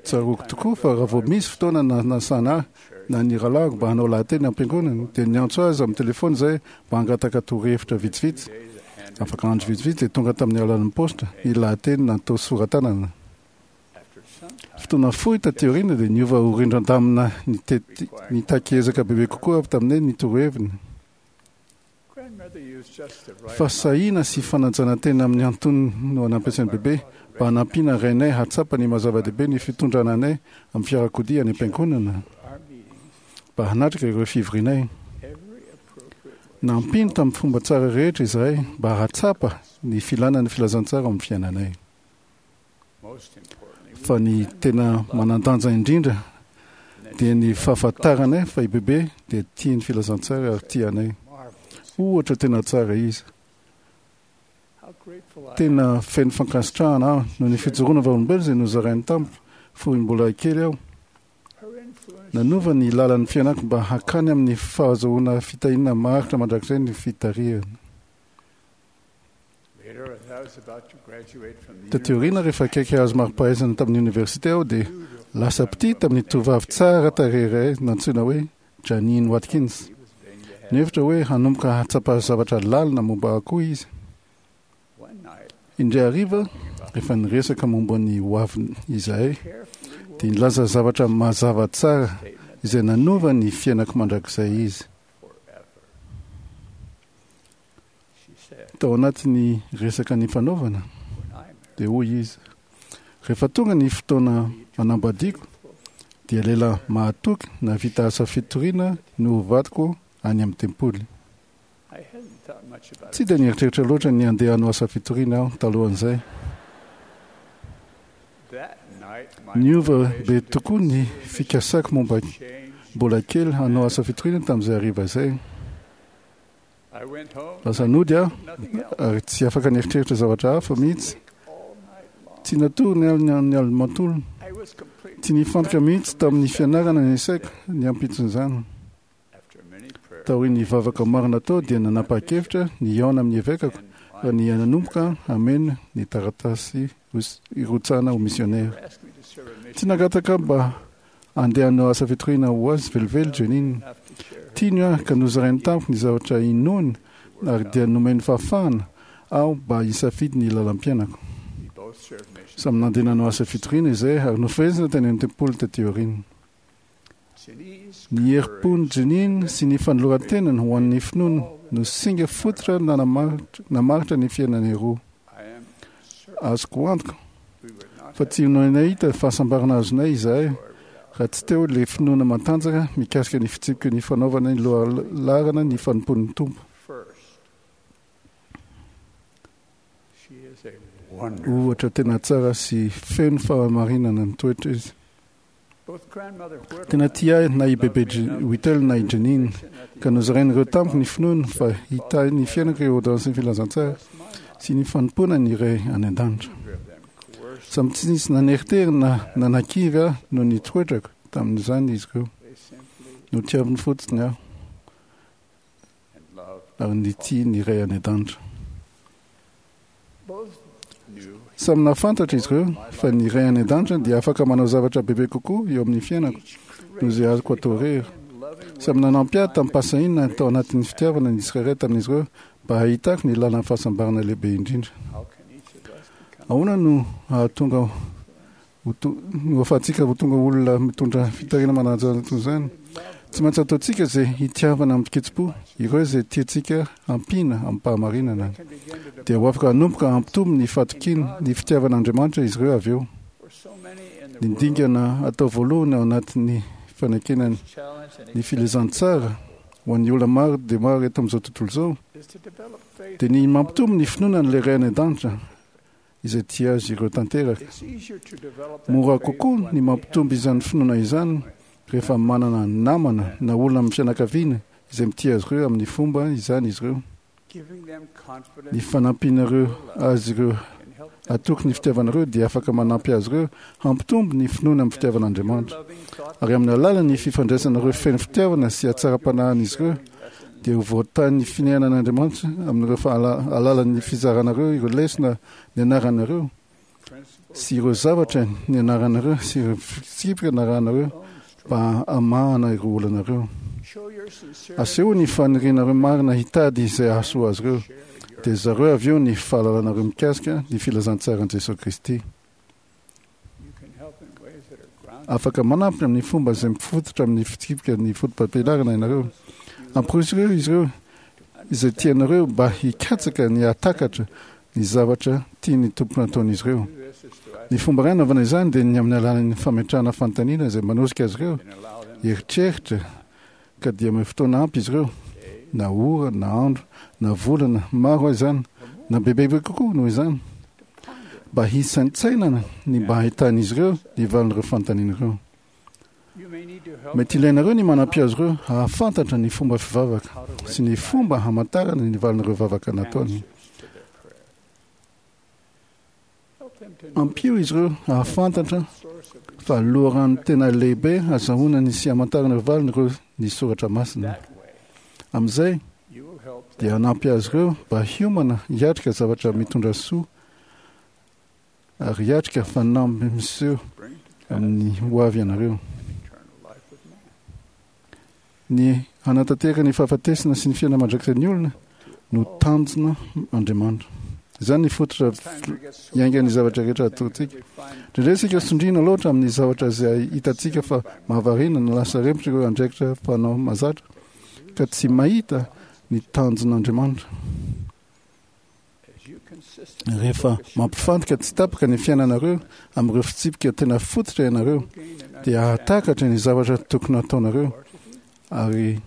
Tsaroako tokoa fa raha vao misy fotoana nanasana ahy na ny rahalahiko mba hanao lahateny am-piangonana, dia niantso azy amin'ny telefona izahay mba hangataka torohevitra vitsivitsy. Afaka andro vitsivitsy dia tonga tamin'ny alalan'ny paositra ny lahateny natao sora-tanana. Fotoana Fotoana fohy taty aoriana dia niova ho rindran-damina nitety nitaky ezaka bebe kokoa avy taminay ny toroheviny. Fahasahiana sy fanajana tena amin'ny antonony no nampiasain'i Bebe mba hanampiana rainay hahatsapa ny maha-zava-dehibe ny fitondrana anay amin'ny fiarakodia any am-piangonana mba hanatrika ireo fivorianay. Nampiany tamin'ny fomba tsara rehetra izahay mba hahatsapa ny filana ny filazantsara ao amin'ny fiainanay. Fa ny tena manan-danja indrindra dia ny fahafantaranay fa i Bebe dia tia ny filazantsara ary tia anay. Ohatra tena tsara izy. Tena feno fankasitrahana aho noho ny fijoroana vavolombelona izay nozarainy tamiko fony mbola kely aho. Nanova ny lalan'ny fiainako mba hankany amin'ny fahazoana fitahiana maharitra mandrakizay ny fitarihana. Taty aoriana, rehefa akaiky hahazo mari-pahaizana tamin'ny oniversite aho, dia lasa mpitia tamin'ny tovovavy tsara tarehy iray nantsoina hoe Janine Watkins. Nihevitra hoe hanomboka hahatsapa zavatra lalina momba ahy koa izy. Indray hariva, rehefa niresaka momba ny hoaviny izahay, dia nilaza zavatra mazava tsara izay nanova ny fiainako mandrakizay izy. Tao anatin'ny resaka nifanaovana, dia hoy izy, Rehefa tonga ny fotoana hanambadiako, dia lehilahy mahatoky nahavita asa fitoriana no ho vadiko any amin'ny tempoly. Tsy dia nieritreritra loatra ny handeha hanao asa fitoriana aho talohan'izay. Niova be tokoa ny fikasako momba mbola kely hanao asa fitoriana tamin'izay hariva izay. Lasa nody aho ary tsy afaka nieritreritra zavatra hafa mihitsy. Tsy natory ny alina ny alina manontolo. Tsy nifantoka mihitsy tamin'ny fianarana ny saiko ny ampitson'izany. Taorian'ny vavaka maro natao dia nanapa-kevitra ny hihaona amin'ny evekako ary ny nanomboka hameno ny taratasy hirotsahana ho misionera. Tsy nangataka mba handeha hanao asa fitoriana ho azy velively Janine. Tiany aho ka nozarainy tamiko ny zavatra inoany ary dia nomeny fahafahana aho mba hisafidy ny lalam-piainako. Samy nandeha nanao asa fitoriana izahay ary nofehezina tany amin'ny tempoly taty aoriana. Ny herim-pon'i Janine sy ny fanoloran-tenany ho an'ny finoany no singa fototra namaritra ny fiainanay roa. Azoko antoka fa tsy ho nahita fahasambarana azonay izahay raha tsy teo ilay finoana matanjaka mikasika ny fitsipiky ny fanaovana ny lohalaharana ny fanompoan'ny Tompo. Ohatra tena tsara sy feno fahamarinana ny toetra izy. Tena tia ahy na i Bebe Whittle na i Janine, ka nozarain'ireo tamiko ny finoany fa hitahy ny fiainako ireo ôrdônansin'ny filazantsara sy ny fanompoana ny Ray any An-danitra. Samy tsy nisy naneritery na nanakivy ahy noho ny toetrako tamin'izany izy ireo. Notiaviny fotsiny aho ary nitia ny Ray any An-danitra. Samy nahafantatra izy ireo fa ny Ray any An-danitra dia afaka manao zavatra bebe kokoa eo amin'ny fiainako noho izay azoko atao irery. Samy nanampy ahy tamim-pahasahiana tao anatin'ny fitiavana ny tsirairay tamin'izy ireo mba hahitako ny lalan'ny fahasambarana lehibe indrindra. Ahoana no hahatonga Ho to, no ahafahantsika ho tonga olona mitondra fitariana manaja toy izany. Tsy maintsy ataontsika izay hitiavana amin-kitsim-po ireo izay tiantsika hampiana amim-pahamarinana. Dia ho afaka hanomboka hampitombo ny fahatokiany ny fitiavan'Andriamanitra izy ireo avy eo. Ny dingana atao voalohany ao anatin'ny fanekena ny filazantsara ho an'ny olona maro dia maro eto amin'izao tontolo izao dia ny mampitombo ny finoana an'ilay Ray any An-danitra izay tia azy ireo tanteraka. Mora kokoa ny mampitombo izany finoana izany rehefa manana namana na olona amin'ny fianakaviana izay mitia azy ireo amin'ny fomba izany izy ireo. Ny fanampianareo azy ireo hatoky ny fitiavanareo dia afaka manampy azy ireo hampitombo ny finoany amin'ny fitiavan'Andriamanitra. Ary amin'ny alalan'ny fifandraisanareo feno fitiavana sy hatsaram-panahin'izy ireo dia ho voatahin'ny finehanan'Andriamanitra amin'ireo alalan'ny fizaranareo ireo lesona nianaranareo sy ireo zavatra nianaranareo sy ireo fitsipika narahanareo mba hamahana ireo olanareo. Asehoy ny fanirianareo marina hitady izay hahasoa azy ireo, dia zareo avy eo ny fahalalanareo mikasika ny filazantsaran'i Jesoa Kristy. Afaka manampy amin'ny fomba izay mifototra amin'ny fitsipika ny fotopampianarana ianareo. Amporisihiko ireo izy ireo izay tianareo mba hikatsaka ny hahatakatra ny zavatra tian'ny Tompo nataon'izy ireo. Ny fomba iray hanaovana izany dia ny amin'ny alalan'ny fametrahana fanontaniana izay manosika azy ireo hieritreritra, ka dia omeo fotoana ampy izy ireo, na ora, na andro, na volana, maro aza izany, na bebebe kokoa noho izany, mba hisaintsainana ny mba hahitan'izy ireo ny valin'ireo fanontaniana ireo. Mety ilainareo ny manampy azy ireo hahafantatra ny fomba fivavaka sy ny fomba hamantarana ny valin'ireo vavaka nataony. Ampio izy ireo hahafantatra fa loharano tena lehibe hazahoana ny sy hamantarana ireo valiny ireo ny soratra masina. Amin'izay dia hanampy azy ireo mba hiomana hiatrika zavatra mitondra soa ary hiatrika fanamby miseho amin'ny hoavy ianareo. Ny hanatanteraka ny fahafatesana sy ny fiainana mandrakizay ny olona no tanjona Andriamanitra. Izany ny fototra iaingan'ny zavatra rehetra ataontsika. Indraindray isika sondriana loatra amin'ny zavatra izay hitantsika fa mahavariana na lasa rempotra ireo andraikitra fanao mahazatra ka tsy mahita ny tanjon'Andriamanitra. Rehefa mampifantoka tsy tapaka ny fiainanareo amin'ireo fitsipika tena fototra ianareo, dia hahatakatra ny zavatra tokony hataonareo ary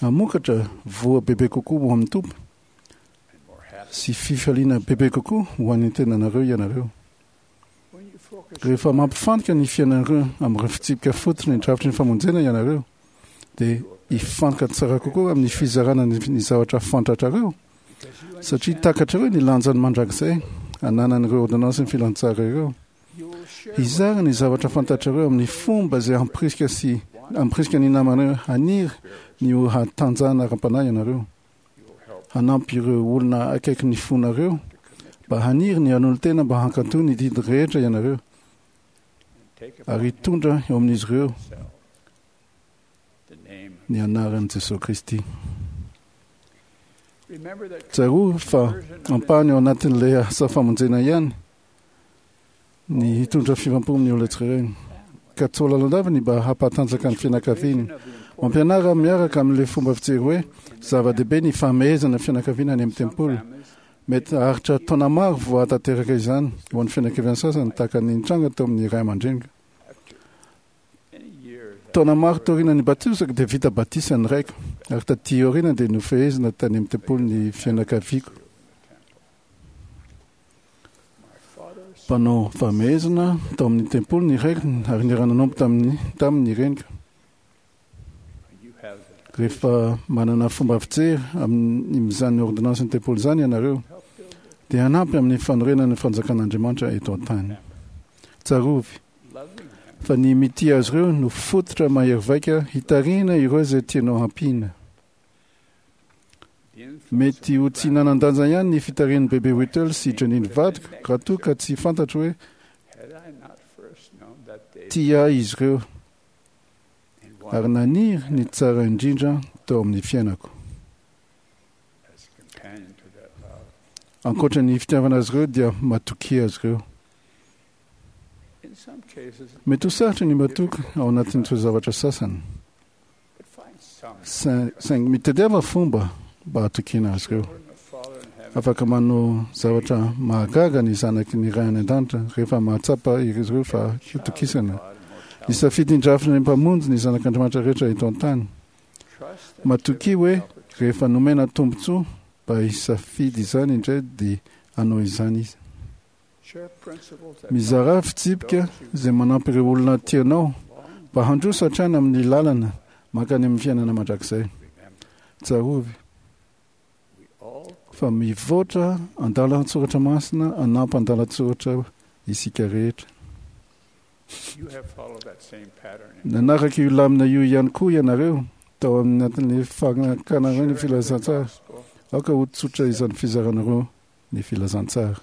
hamokatra voa bebe kokoa ho amin'ny Tompo sy fifaliana bebe kokoa ho an'ny tenanareo ianareo. Rehefa mampifantoka ny fiainanareo amin'ireo fitsipika fototry ny drafitry ny famonjena ianareo, dia hifantoka tsara kokoa amin'ny fizarana ny zavatra fantatrareo, satria takatrareo ny lanjany mandrakizay ananan'ireo ôrdônansin'ny filazantsara ireo. Hizara ny zavatra fantatrareo amin'ny fomba izay hampirisika sy hampirisika ny namanareo haniry ny ho hatanjahana ara-panahy ianareo. Hanampy ireo olona akaiky ny fonareo mba haniry ny hanolo-tena mba hankatò ny didy rehetra ianareo ary hitondra eo amin'izy ireo ny anaran'i Jesoa Kristy. Tsarovy fa ampahany ao anatin'ilay asa famonjena ihany ny hitondra fiovam-po amin'ny olona tsirairay. Ka tsy ho lalandava ny mba hampatanjaka ny fianakaviany. Mampianara miaraka amin'ilay fomba fijery hoe zava-dehibe ny famehezana fianakaviana any amin'ny tempoly. Mety haharitra taona maro vao hahatanteraka izany ho an'ny fianakaviana sasany, tahaka ny nitranga teo amin'ny ray aman-dreniko. Taona maro taorian'ny batisako dia vita batisa ny raiko, ary taty aoriana dia nofehezina tany amin'ny tempoly ny fianakaviako. Mpanao famehezana tao amin'ny tempoly ny raiko ary niara-nanompo tamin'ny taminy ny reniko. Rehefa manana fomba fijery amin'izany ôrdônansin'ny tempoly izany ianareo, dia hanampy amin'ny fanorenana ny fanjakan'Andriamanitra eto an-tany. Tsarovy fa ny mitia azy ireo no fototra mahery vaika hitarihina ireo izay tianao hampiana. Mety ho tsy nanan-danja ihany ny fitarihan'i Bebe Whittle sy Janine vadiko raha toa ka tsy fantatro hoe tia ahy izy ireo ary naniry ny tsara indrindra tao amin'ny fiainako. Ankoatra ny fitiavana azy ireo dia matokia azy ireo. Mety ho sarotra ny matoky ao anatin'ny toe-javatra sasany. Saingy mitadiava fomba mba hatokiana azy ireo. Afaka manao zavatra mahagaga ny zanaky ny Ray any An-danitra rehefa mahatsapa izy ireo fa hitokisana. Nisafidy ny drafitry ny Mpamonjy ny zanak'Andriamanitra rehetra eto an-tany. Matokia hoe rehefa nomena tombontsoa mba hisafidy izany indray dia hanao izany Izy. Mizarà fitsipika izay manampy ireo olona tianao mba handroso hatrany amin'ny lalana mankany amin'ny fiainana mandrakizay. Tsarovy fa mivoatra andalan-tsoratra masina hanampy andalan-tsoratra isika rehetra. Nanaraka io lamina io ihany koa ianareo tao anatin'ny fankanareo ny filazantsara. Aoka ho tsotra izany fizaranareo ny filazantsara.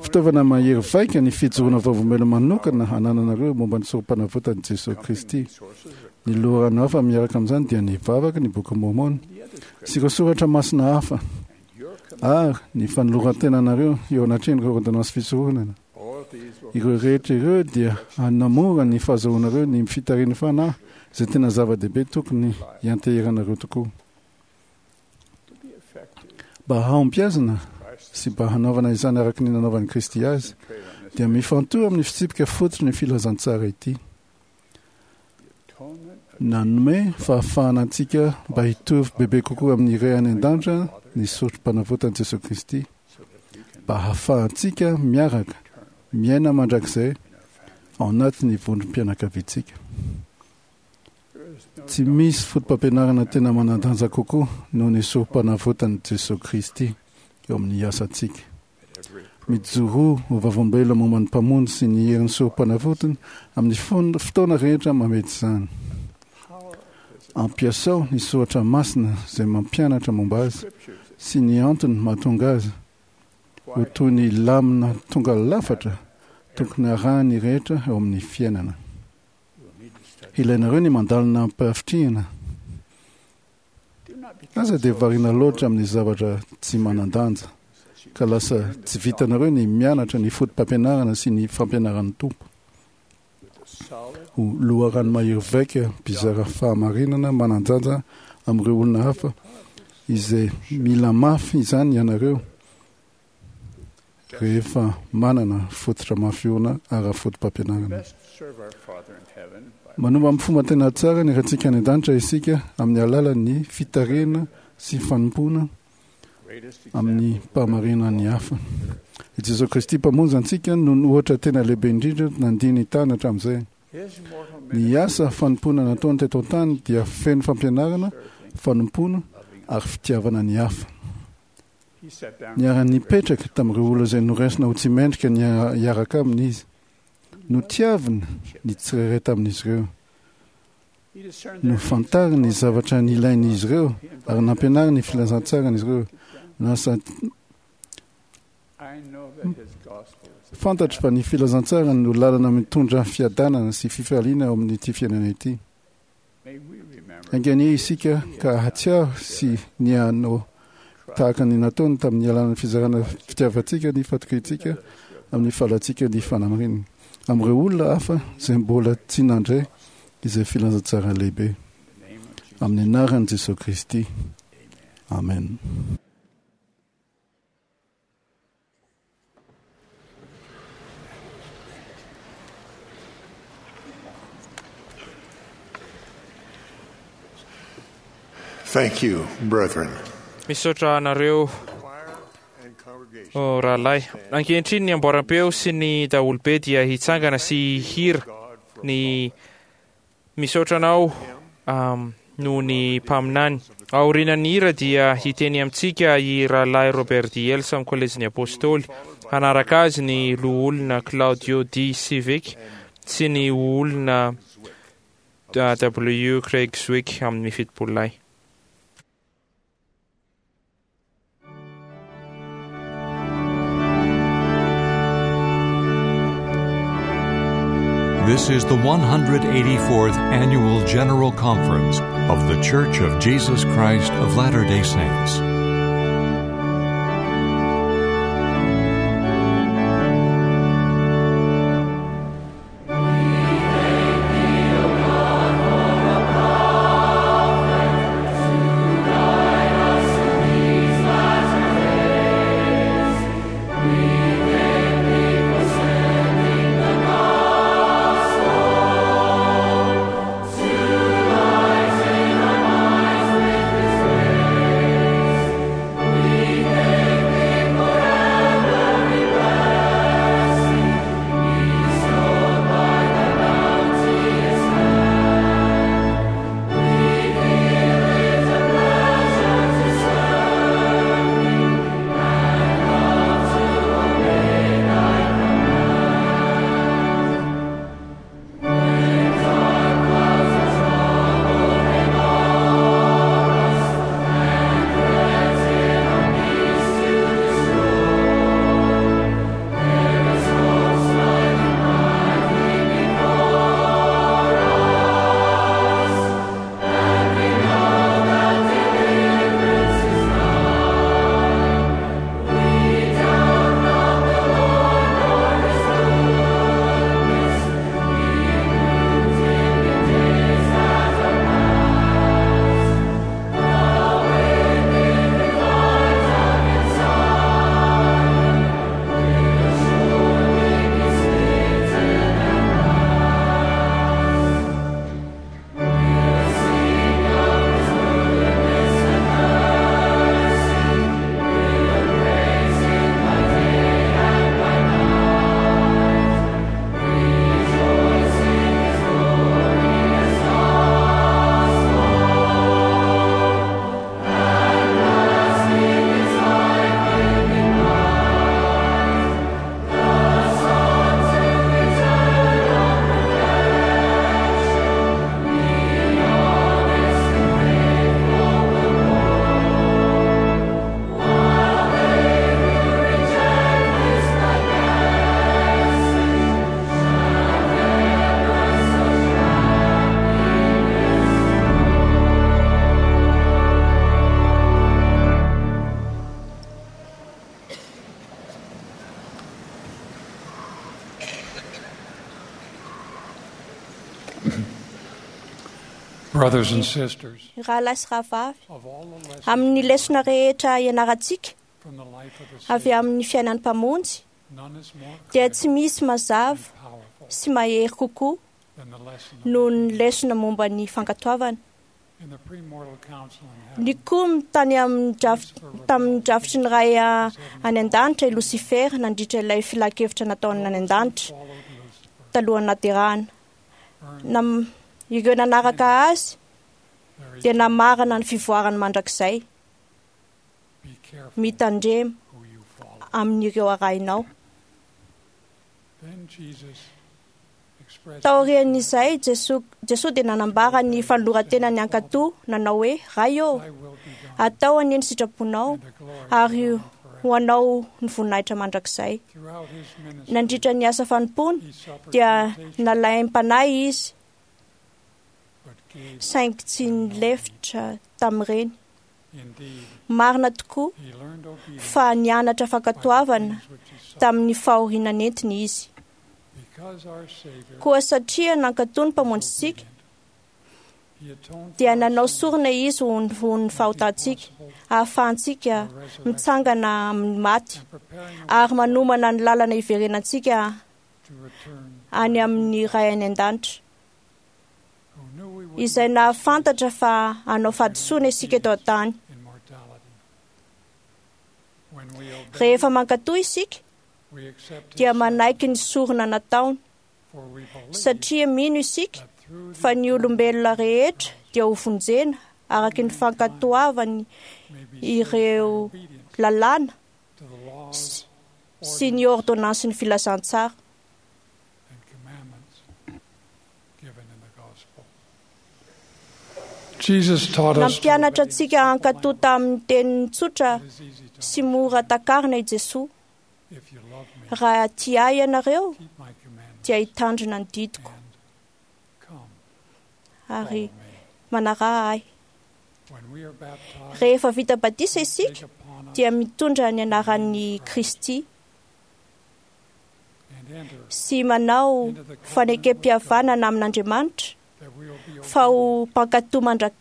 Fitaovana mahery vaika ny fijoroana vavolombelona manokana anananareo momba ny Sorompanavotan'i Jesoa Kristy. Ny loharano hafa miaraka amin'izany dia ny vavaka, ny Bokin'i Môrmôna, sy ireo soratra masina hafa, ary ny fanoloran-tenanareo eo anatrehan'ireo ôrdônansy fisoronana. Ireo rehetra ireo dia hanamora ny fahazoanareo ny fitarihan'ny Fanahy, izay tena zava-dehibe tokony hianteheranareo tokoa. Mba hahombiazana sy mba hanaovana izany araka ny nanaovan'i Kristy azy, dia mifantoha amin'ny fitsipika fototry ny filazantsara ity. Nanome fahafahana antsika mba hitovy bebe kokoa amin'ny Ray any an-danitra ny sorom-panavotan'i Jesosy Kristy, mba hahafahantsika miaraka miaina mandrakizay ao anatin'ny vondrom-pianakaviantsika. Tsy misy foto-pampianarana tena manan-danja kokoa noho ny sorom-panavotan'i Jesosy Kristy eo amin'ny asantsika. Mijoroa ho vavolombelona momba ny Mpamonjy sy ny herin'ny sorom-panavotany amin'ny fotoana rehetra mamety izany. Ampiasao ny soratra masina izay mampianatra momba azy sy ny antony mahatonga azy ho toy ny lamina tonga lafatra tokony arahan'ny rehetra eo amin'ny fiainana. Ilainareo ny mandalina am-pahavitrihana. Aza dia variana loatra amin'ny zavatra tsy manan-danja, ka lasa tsy vitanareo ny mianatra ny foto-pampianarana sy ny fampianaran'ny Tompo. Ho loharano mahery vaika mpizara fahamarinana manan-danja amin'ireo olona hafa izay mila mafy izany ianareo rehefa manana fototra mafy orina ara-foto-pampianarana. Manompo amin'ny fomba tena tsara ny Raintsika any an-danitra isika amin'ny alalan'ny fitarihana sy fanompoana amin'ny mpahamarinana ny hafa. I Jesosy Kristy Mpamonjy antsika no ohatra tena lehibe indrindra nandia ny tany hatramin'izay. Ny asa fanompoana nataony teto an-tany dia feno fampianarana, fanompoana ary fitiavana ny hafa. Niara-nipetraka tamin'ireo olona izay noraisina ho tsy mendrika ny hiaraka aminy izy. Notiaviny ny tsirairay tamin'izy ireo. Nofantariny ny zavatra nilain'izy ireo ary nampianariny ny filazantsarany izy ireo. Lasa fantatro fa ny filazantsarany no lalana mitondra fiadanana sy fifaliana ao amin'ity fiainana ity. Enga anie isika ka hahatsiaro sy ny hanao tahaka ny nataony tamin'ny alalan'ny fizarana fitiavantsika ny fatokiantsika amin'ny fahalantsika ny fanamarinana amin'ireo olona hafa izay mbola tsy nandray izay filazantsara lehibe. Amin'ny anaran'i Jesosy Kristy. Amen. Thank you, brethren. Misaotra anareo oh, rahalahy. Ankehitriny ny amboaram-peo sy ny daholobe dia hitsangana sy hihira ny Misaotra anao um, noho ny mpaminany. Aorianan'ny hira dia hiteny amintsika i Rahalahy Robert D. Hales amin'ny Kolejin'ny Apôstôly. Hanaraka azy ny loholona Claudio D. Civic sy ny olona W. Craig Zwick amin'ny fitopolo lahy. This is the one hundred eighty-fourth Annual General Conference of The Church of Jesus Christ of Latter-day Saints. Brothers and sisters, Rahalahy sy rahavavy, amin'ny lesona rehetra ianarantsika avy amin'ny fiainan'ny Mpamonjy, dia tsy misy mazava sy mahery kokoa noho ny lesona momba ny fankatoavana. Nikomy tany amin'ny draf- tamin'ny drafitry ny Ray any an-danitra i Losifera nandritra ilay filan-kevitra nataony any an-danitra talohan'ny naterahana. Nam- ireo nanaraka azy dia namarana ny fivoarany mandrakizay. Mitandrema amin'ireo arahinao. Taorian'izay, Jesoa Jesoa dia nanambara ny fanoloran-tenany hankatò, nanao hoe: "Ray ô, atao anie ny sitraponao, ary ho anao ny voninahitra mandrakizay." Nandritra ny asa fanompoany dia nalaim-panahy izy, saingy tsy nilefitra tamin'ireny. Marina tokoa fa nianatra fankatoavana tamin'ny fahoriana nentiny izy. Koa satria nankatò ny Mpamonjintsika, dia nanao sorona izy ho ny fahotantsika, ahafahantsika mitsangana amin'ny maty ary manomana ny lalana hiverenantsika any amin'ny Ray any an-danitra, izay nahafantatra fa hanao fahadisoana isika eto an-tany. Rehefa mankatò isika, dia manaiky ny sorona nataony, satria mino isika fa ny olombelona rehetra dia ho vonjena araka ny fankatoavany ireo lalàna sy ny ordonnansin'ny filazantsara. Nampianatra antsika hankatò tamin'ny teniny tsotra sy mora takarina i Jesoa. Raha tia ahy ianareo, dia hitandrina ny didiko ary manaraha ahy. Rehefa vita batisa isika, dia mitondra ny anaran'i Kristy sy manao fanekem-pihavanana amin'Andriamanitra fa ho mpankatò mandra-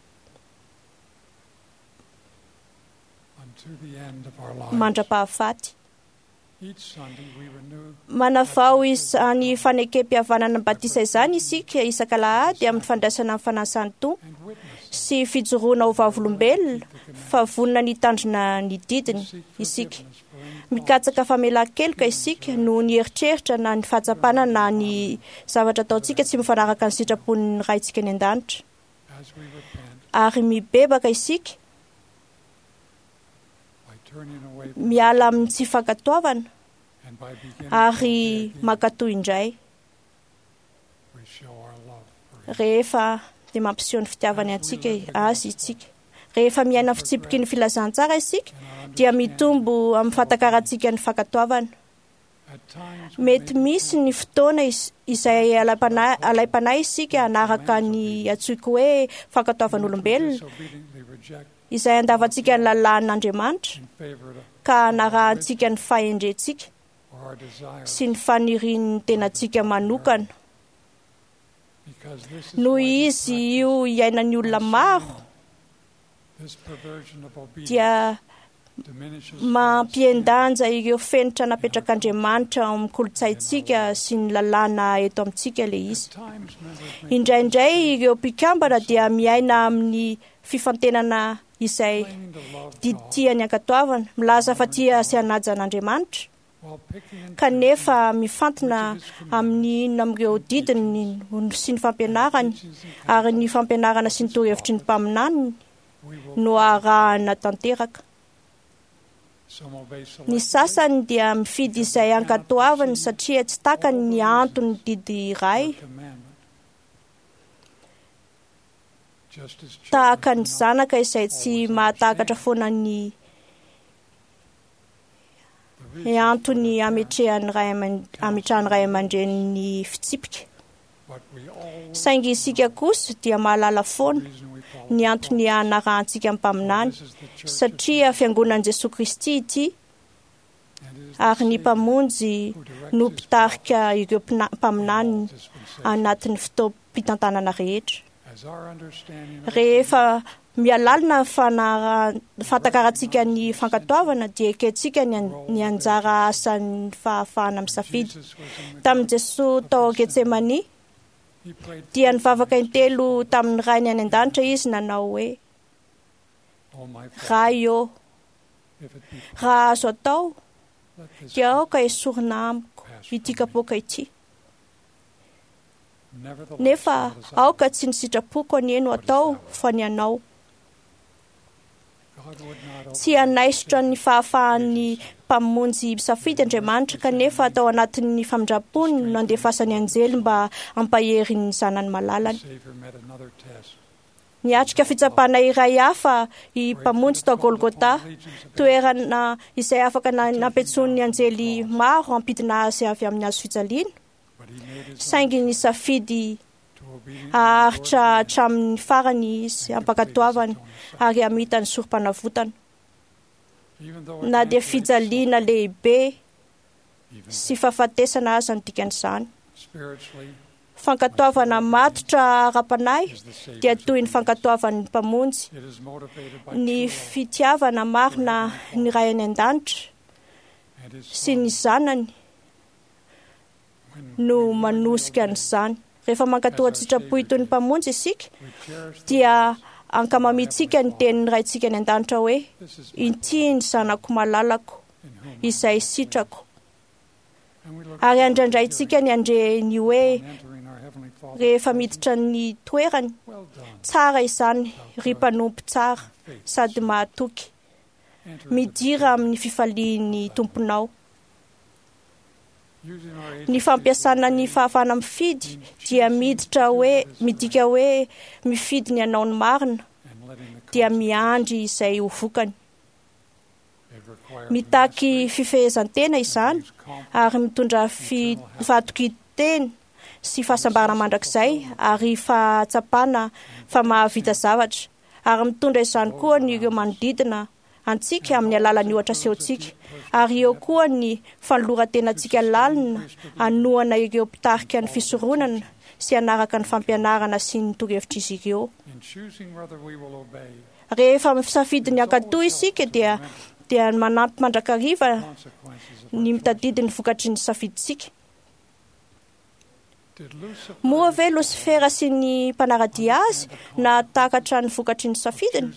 mandra-pahafaty. Manavao izany fanekem-pihavanana batisa izany isika isak'alahady amin'ny fandraisana ny fanasan'ny Tompo sy fijoroana ho vavolombelona fa vonona ny hitandrina ny didiny isika. Mikatsaka famelan-keloka isika noho ny eritreritra na ny fahatsapana na ny zavatra ataontsika tsy mifanaraka ny sitrapon'ny Raintsika any an-danitra. Ary mibebaka isika miala amin'ny tsy fankatoavana ary mankatò indray. Rehefa dia mampiseho ny fitiavany antsika azy isika. Rehefa miaina fitsipiky ny filazantsara isika, dia mitombo amin'ny fahatakarantsika ny fankatoavana. Mety misy ny fotoana izay alaim-panahy isika hanaraka ny antsoiko hoe fankatoavan'olombelona, izay andavantsika ny lalàn'Andriamanitra ka hanarahantsika ny fahendrentsika sy ny fanirian'ny tenantsika manokana. Noho izy io iainan'ny olona maro, dia mampihen-danja ireo fenitra napetrak'Andriamanitra ao amin'ny kolontsaintsika sy ny lalàna eto amintsika ilay izy. Indraindray ireo mpikambana dia miaina amin'ny fifantenana izay didy tiany ankatoavana, milaza fa tia sy hanaja an'Andriamanitra, kanefa mifantina amin'ny inona amin'ireo didiny sy ny fampianarany ary ny fampianarana sy ny torohevitry ny mpaminaniny no arahana tanteraka. Ny sasany dia mifidy izay ankatoavany satria tsy takany ny antony didy iray, tahaka ny zanaka izay tsy mahatakatra foana ny antony ametrehan'ny ray aman- ametrahan'ny ray aman-dreniny fitsipika. Saingy isika kosa dia mahalala foana ny antony hanarahantsika ny mpaminany, satria fiangonan'i Jesoa Kristy ity ary ny Mpamonjy no mpitarika ireo mpina- mpaminany anatin'ny fotoam-pitantanana rehetra. Rehefa mihalalina ny fahatakarantsika ny fankatoavana dia ekentsika ny anjara asan'ny fahafahana misafidy. Tamin'i Jesoa tao Getsemania dia nivavaka intelo tamin'ny Rainy any an-danitra izy nanao hoe: Ray ô, raha azo atao dia aoka esorina amiko ity kapoaka ity. Nefa aoka tsy ny sitrapoko anie no atao fa ny anao. Tsy hanaisotra ny fahafahan'ny Mpamonjy misafidy Andriamanitra, kanefa tao anatin'ny famindrampony no nandefasany anjely mba hampahery ny zanany malalany. Niatrika fitsapana iray hafa i Mpamonjy tao Golgota, toerana izay afaka nampiantsoan'ny anjely maro hampidina azy avy amin'ny hazo fijaliana, saingy nisafidy haharitra hatramin'ny farany izy hampankatoavana ary hamita ny sorom-panavotana. Na dia fijaliana lehibe sy fahafatesana aza ny dikan'izany. Fankatoavana matotra ara-panahy dia toy ny fankatoavan'ny Mpamonjy, ny fitiavana marina ny Ray any an-danitra sy ny Zanany no manosika an'izany. Rehefa mankatò an-tsitrapo toy ny Mpamonjy isika dia ankamamiantsika ny tenin'ny Raintsika any an-danitra hoe: Ity ny zanako malalako izay sitrako. Ary andrandraintsika ny handre ny hoe rehefa miditra ny toerany: Tsara izany, ry mpanompo tsara sady mahatoky, midira amin'ny fifalian'ny tomponao. Ny fampiasana ny fahafahana mifidy dia miditra hoe midika hoe mifidy ny hanao ny marina, dia miandry izay ho vokany. Mitaky fifehezan-tena izany ary mitondra fahatokian-tena sy fahasambarana mandrakizay ary fahatsapana fa mahavita zavatra, ary mitondra izany koa ny ireo manodidina antsika amin'ny alalan'ny ohatra asehontsika, ary eo koa ny fanoloran-tenantsika lalina hanohana ireo mpitarika ny fisoronana sy hanaraka ny fampianarana sy ny torohevitr'izy ireo. Rehefa misafidy ny hankatò isika dia dia manampy mandrakariva ny mitadidy ny vokatry ny safidintsika. Moa ve Losifera sy ny mpanara-dia azy nahatakatra ny vokatry ny safidiny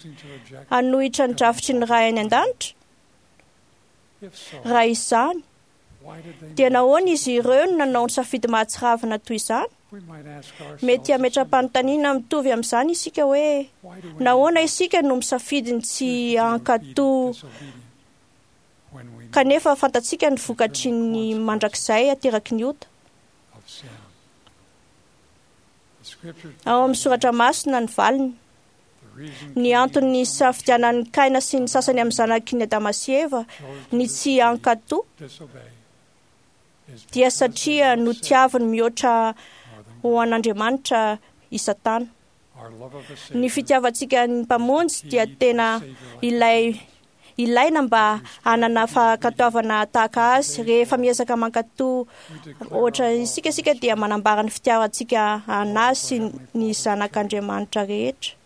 hanohitra ny drafitry ny Ray any an-danitra? Raha izany, dia nahoana izy ireo no nanao ny safidy mahatsiravina toy izany? Mety hametra-panontaniana mitovy amin'izany isika hoe: nahoana isika no misafidy ny tsy hankatò kanefa fantatsika ny vokatry ny mandrakizay ateraky ny ota? Ao amin'ny soratra masina ny valiny. Ny antony nisafidianan'i Kaina sy ny sasany amin'ny zanaky ny Adama sy Eva ny tsy hankatò dia satria notiaviny mihoatra ho an'Andriamanitra i Satana. Ny fitiavantsika ny Mpamonjy dia tena ilay ilaina mba hanana fankatoavana tahaka azy. Rehefa miezaka mankatò ohatra isika isika dia manambara ny fitiavantsika anazy sy ny zanak'Andriamanitra rehetra.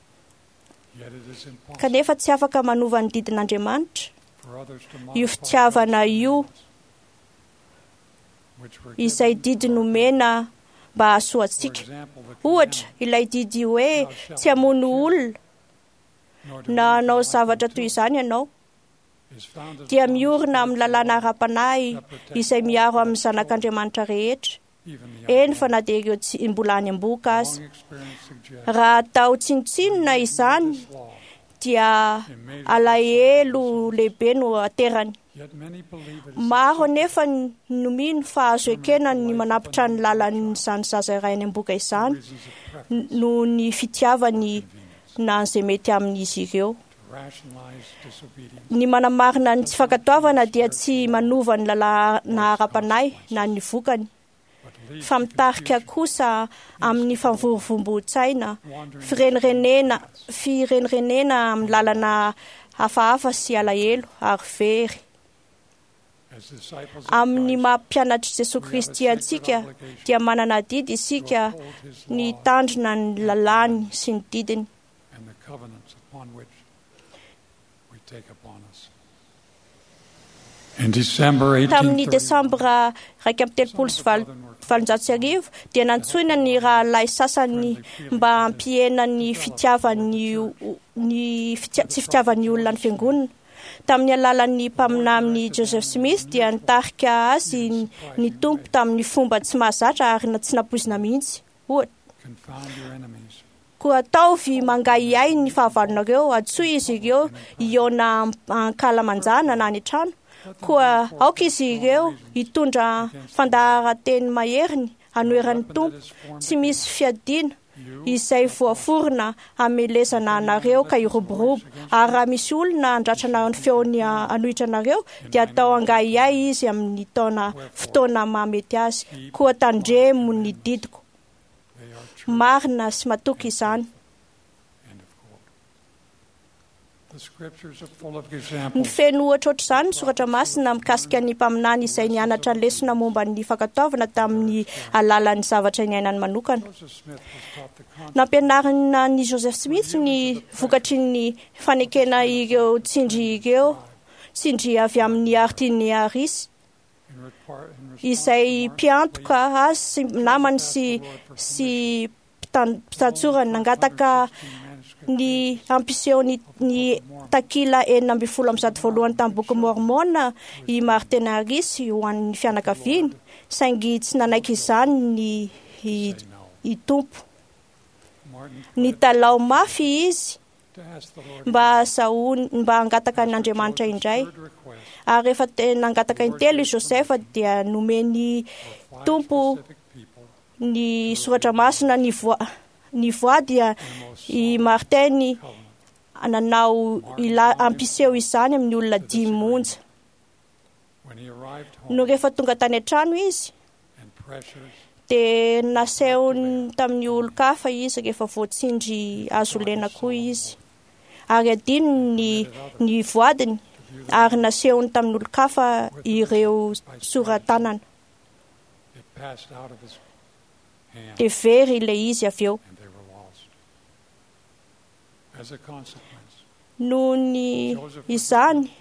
Kanefa tsy afaka manova ny didin'Andriamanitra io fitiavana io, izay didy nomena mba hahasoa antsika. Ohatra, ilay didy hoe tsy hamono olona na hanao zavatra toy izany ianao dia miorina amin'ny lalàna ara-panahy izay miaro amin'ny zanak'Andriamanitra rehetra, eny fa na dia ireo tsy mbola any am-bohoka aza. Raha atao tsinontsinona izany dia alahelo lehibe no aterany. Maro anefa no mino fa azo ekena ny manapitra ny lalan'izany zaza iray any am-bohoka izany noho ny fitiavany na izay mety amin'izy ireo. Ny manamarina ny tsy fankatoavana dia tsy manova ny lalàna ara-panahy na ny vokany, fa mitarika kosa amin'ny famvorovomboan-tsaina, firenirenena firenirenena amin'ny lalana hafahafa sy alahelo ary very. Amin'ny maha mpianatr'i Jesosy Kristy antsika dia manana adidy isika ny hitandrina ny lalàny sy ny didiny. Tamin'ny desambra iraika amby telopolo sy valonjato sy arivo dia nantsoina ny rahalahy sasany mba hampihena ny fitiavan'ny ny fitia, tsy fitiavan'ny olona ny fiangonana. Tamin'ny alalan'ny mpaminany Joseph Smith dia nitarika azy ny Tompo tamin'ny fomba tsy mahazatra ary tsy nampoizina mihitsy. Ohatra, koa ataovy mangahiahy ny fahavalonareo, antsoy izy ireo hihaona ankalamanjana na any an-trano. Koa aoka izy ireo hitondra fandaharan-teny maheriny hanoheran'ny Tompo, tsy misy fiadiana izay voaforona hamelezana anareo ka hiroborobo. Ary raha misy olona handratrana ny feony hanohitra anareo dia atao angahiahy izy amin'ny taona fotoana mahamety azy. Koa tandremo ny didiko. Marina sy matoky izany. Ny feno ohatra ohatr'izany ny soratra masina mikasika ny mpaminany izay nianatra lesona momba ny fankatoavana tamin'ny alalan'ny zavatra niainany manokana. Nampianarina ny Joseph Smith ny vokatry ny fanekena ireo tsindry ireo tsindry avy amin'ny Martin Harris izay mpiantoka azy sy namany sy sy mpitantsorany. Nangataka ny hampiseho ny, ny takila enina ambin'ny folo amby zato voalohany tamin'ny boky Mormona i Martin Harris ho an'ny fianakaviany, saingy tsy nanaiky izany ny i, i Tompo. Nitalaho mafy izy mba hahazahoany mba hangataka an'Andriamanitra indray. Ary rehefa nangataka intelo i Joseph dia nomeny Tompo ny soratra masina ny voa ny voa dia i Martin nanao ila hampiseho izany amin'ny olona dimy monja. No rehefa tonga tany an-trano izy dia nasehony tamin'ny olon-kafa izy rehefa voatsindry azo lena koa izy. Ary adinony ny ny voadiny ary nasehony tamin'ny olon-kafa ireo sora-tanana. Dia very ilay izy avy eo. Noho ny izany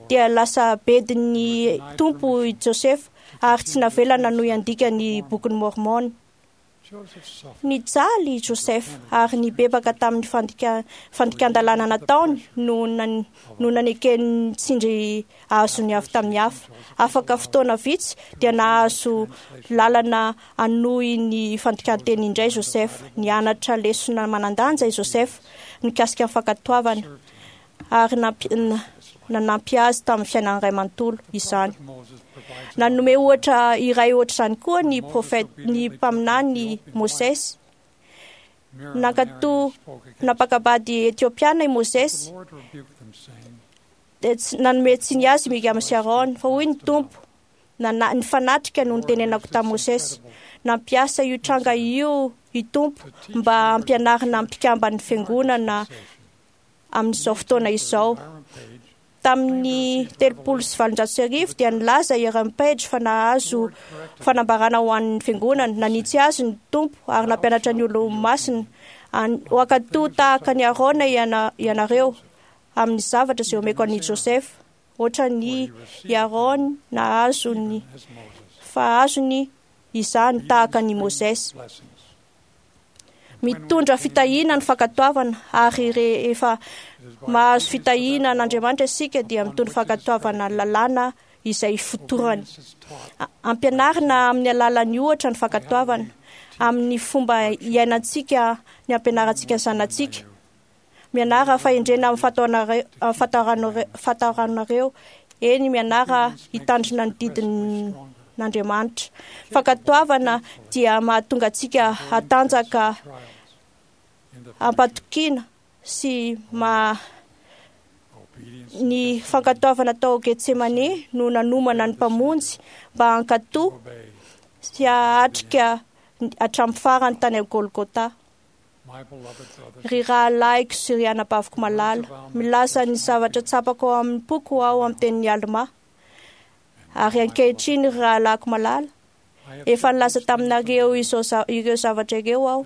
dia lasa bedin'ny Tompo i Josefa ary tsy navela nanohy handika ny bokin'i Mormona. Nijaly i Joseph ary nibebaka tamin'ny fandika fandikan-dalàna nataony no no nanekeny tsindry azony avy tamin'ny hafa. Afaka fotoana vitsy dia nahazo lalana hanohy ny fandikan-teny indray Joseph. Nianatra lesona manan-danja i Joseph mikasika ny fankatoavana ary nanampy azy tamin'ny fiainany iray manontolo izany. Nanome ohatra iray ohatr'izany koa ny profeta ny mpaminany Mosesy. Nankatò nampakabady Etiopiana i Mosesy dia nanome tsiny azy Miriam sy Aaron, fa hoy ny Tompo, nana nifanatrika no nitenenako tamin'i Mosesy. Nampiasa io tranga io i Tompo mba hampianarina mpikamban'ny fiangonana amin'izao fotoana izao. Tamin'ny telopolo sy valonjato sy arivo dia nilaza i Aaron Page fa nahazo fanambarana ho an'ny fiangonana. Nanitsy azy ny Tompo ary nampianatra ny olo-masina ho hankatò tahaka ny Aarona ianareo amin'ny zavatra izay omeko an'i Joseph. Ohatra ny i Aaron nahazo ny fa azony izany tahaka ny Mosesy. Mitondra fitahiana ny fankatoavana, ary rehefa mahazo fitahiana an'Andriamanitra isika dia mitondra fankatoavana ny lalàna izay fotorany. Ampianarina amin'ny alalan'ny ohatra ny fankatoavana, amin'ny fomba iainantsika ny ampianarantsika ny zanatsika. Mianara fahendrena amin'ny fahataranareo, eny mianara hitandrina ny didin'Andriamanitra. Fankatoavana dia mahatonga antsika hatanjaka ampatokiana sy ma ny fankatoavana tao Getsemane no nanomana ny Mpamonjy mba hankatò sy hahatrika hatramin'ny farany tany Golgotha. Ry rahalahiko sy ry anabaviko malala, milaza ny zavatra tsapako ao amin'ny poko aho amin'ny tenin'i Alma. Ary ankehitriny, ry rahalahiko malala, efa nilaza taminareo izao za- ireo zavatra ireo aho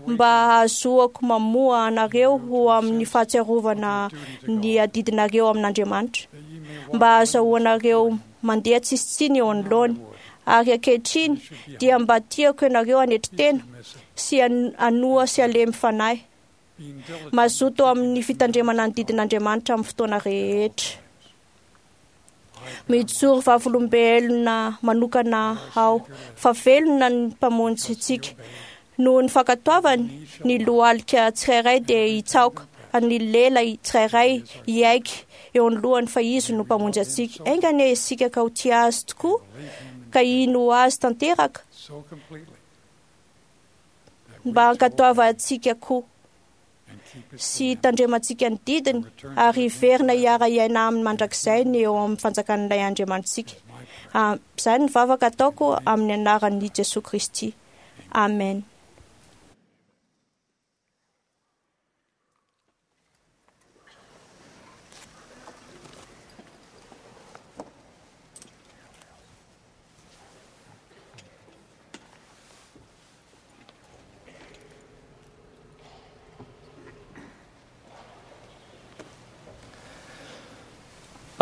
mba hahazoako mamoha anareo ho amin'ny fahatsiarovana ny adidinareo amin'Andriamanitra, mba hahazahoanareo mandeha tsisy tsiny eo anoloany. Ary ankehitriny dia mba tiako ianareo hanetry tena sy han- hanoa sy halemy fanahy, mazoto amin'ny fitandremana ny didin'Andriamanitra amin'ny fotoana rehetra. Mijoro vavolombelona manokana aho fa velona ny Mpamonjy antsika. Noho ny fankatoavany, ny lohalika tsirairay dia hitsaoka ny lela tsirairay hiaiky eo anoloany fa Izy no Mpamonjy antsika. Enga anie isika ka ho tia Azy tokoa, ka hino Azy tanteraka, mba hankatoavantsika koa sy hitandremantsika ny didiny ary hiverina hiara-hiaina aminy mandrakizay ny eo amin'ny fanjakan'ilay Andriamanitsika. Ah, Izany ny vavaka ataoko amin'ny anaran'i Jesoa Kristy. Amen.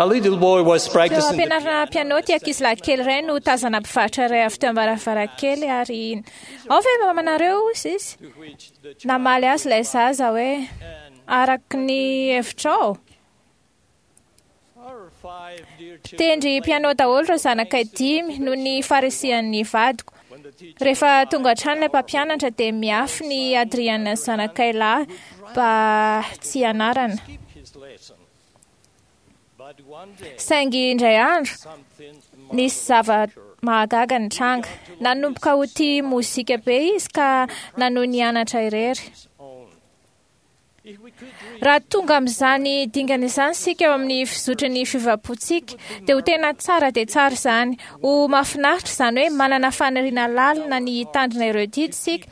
A little boy was Teo practicing the am-pianarana piano ty ankizilahy kely iray no tazana mpivarotra iray avy teo am-baravarankely ary ao ve mamanareo izy izy? Namaly azy ilay zaza hoe araka ny hevitrao. Mpitendry piano daholo ireo zanakay dimy noho ny farisihan'ny vadiko. Rehefa tonga hatrany ilay mpampianatra dia miafy ny Adriana zanakay lahy mba tsy hianarana. Saingy indray andro, nisy zava-mahagaga nitranga. Nanomboka ho tia mozika be izy ka nanohy nianatra irery. Raha tonga amin'izany dingana izany isika eo amin'ny fizotry ny fiovam-pontsika, dia ho tena tsara dia tsara izany. Ho mahafinaritra izany hoe manana faniriana lalina ny hitandrina ireo didy isika,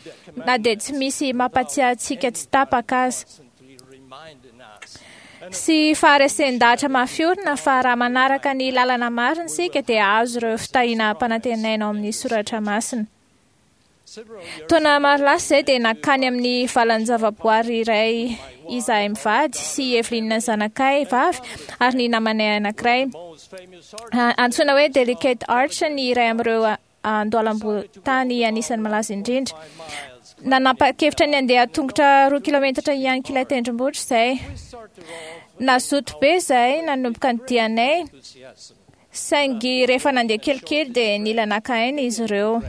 na dia tsy misy mampatsiahy antsika tsy tapaka aza. Sy faharesen-dahatra mafy orina fa raha manaraka ny lalana marina isika dia hahazo ireo fitahiana ampanantenaina ao amin'ny soratra masina. Taona maro lasa izay dia nankany amin'ny valan-javaboary iray izahay mivady sy Evelyn zanakay vavy ary ny namanay anankiray. Antsoina hoe Delicate Arch ny iray amin'ireo andohalam-botany anisan'ny malaza indrindra. Nanapa-kevitra ny handeha tongotra roa kilometatra ihany ilay tendrombohitra izay. Nazoto be izahay nanomboka ny dianay, saingy rehefa nandeha kelikely dia nila naka aina izy ireo.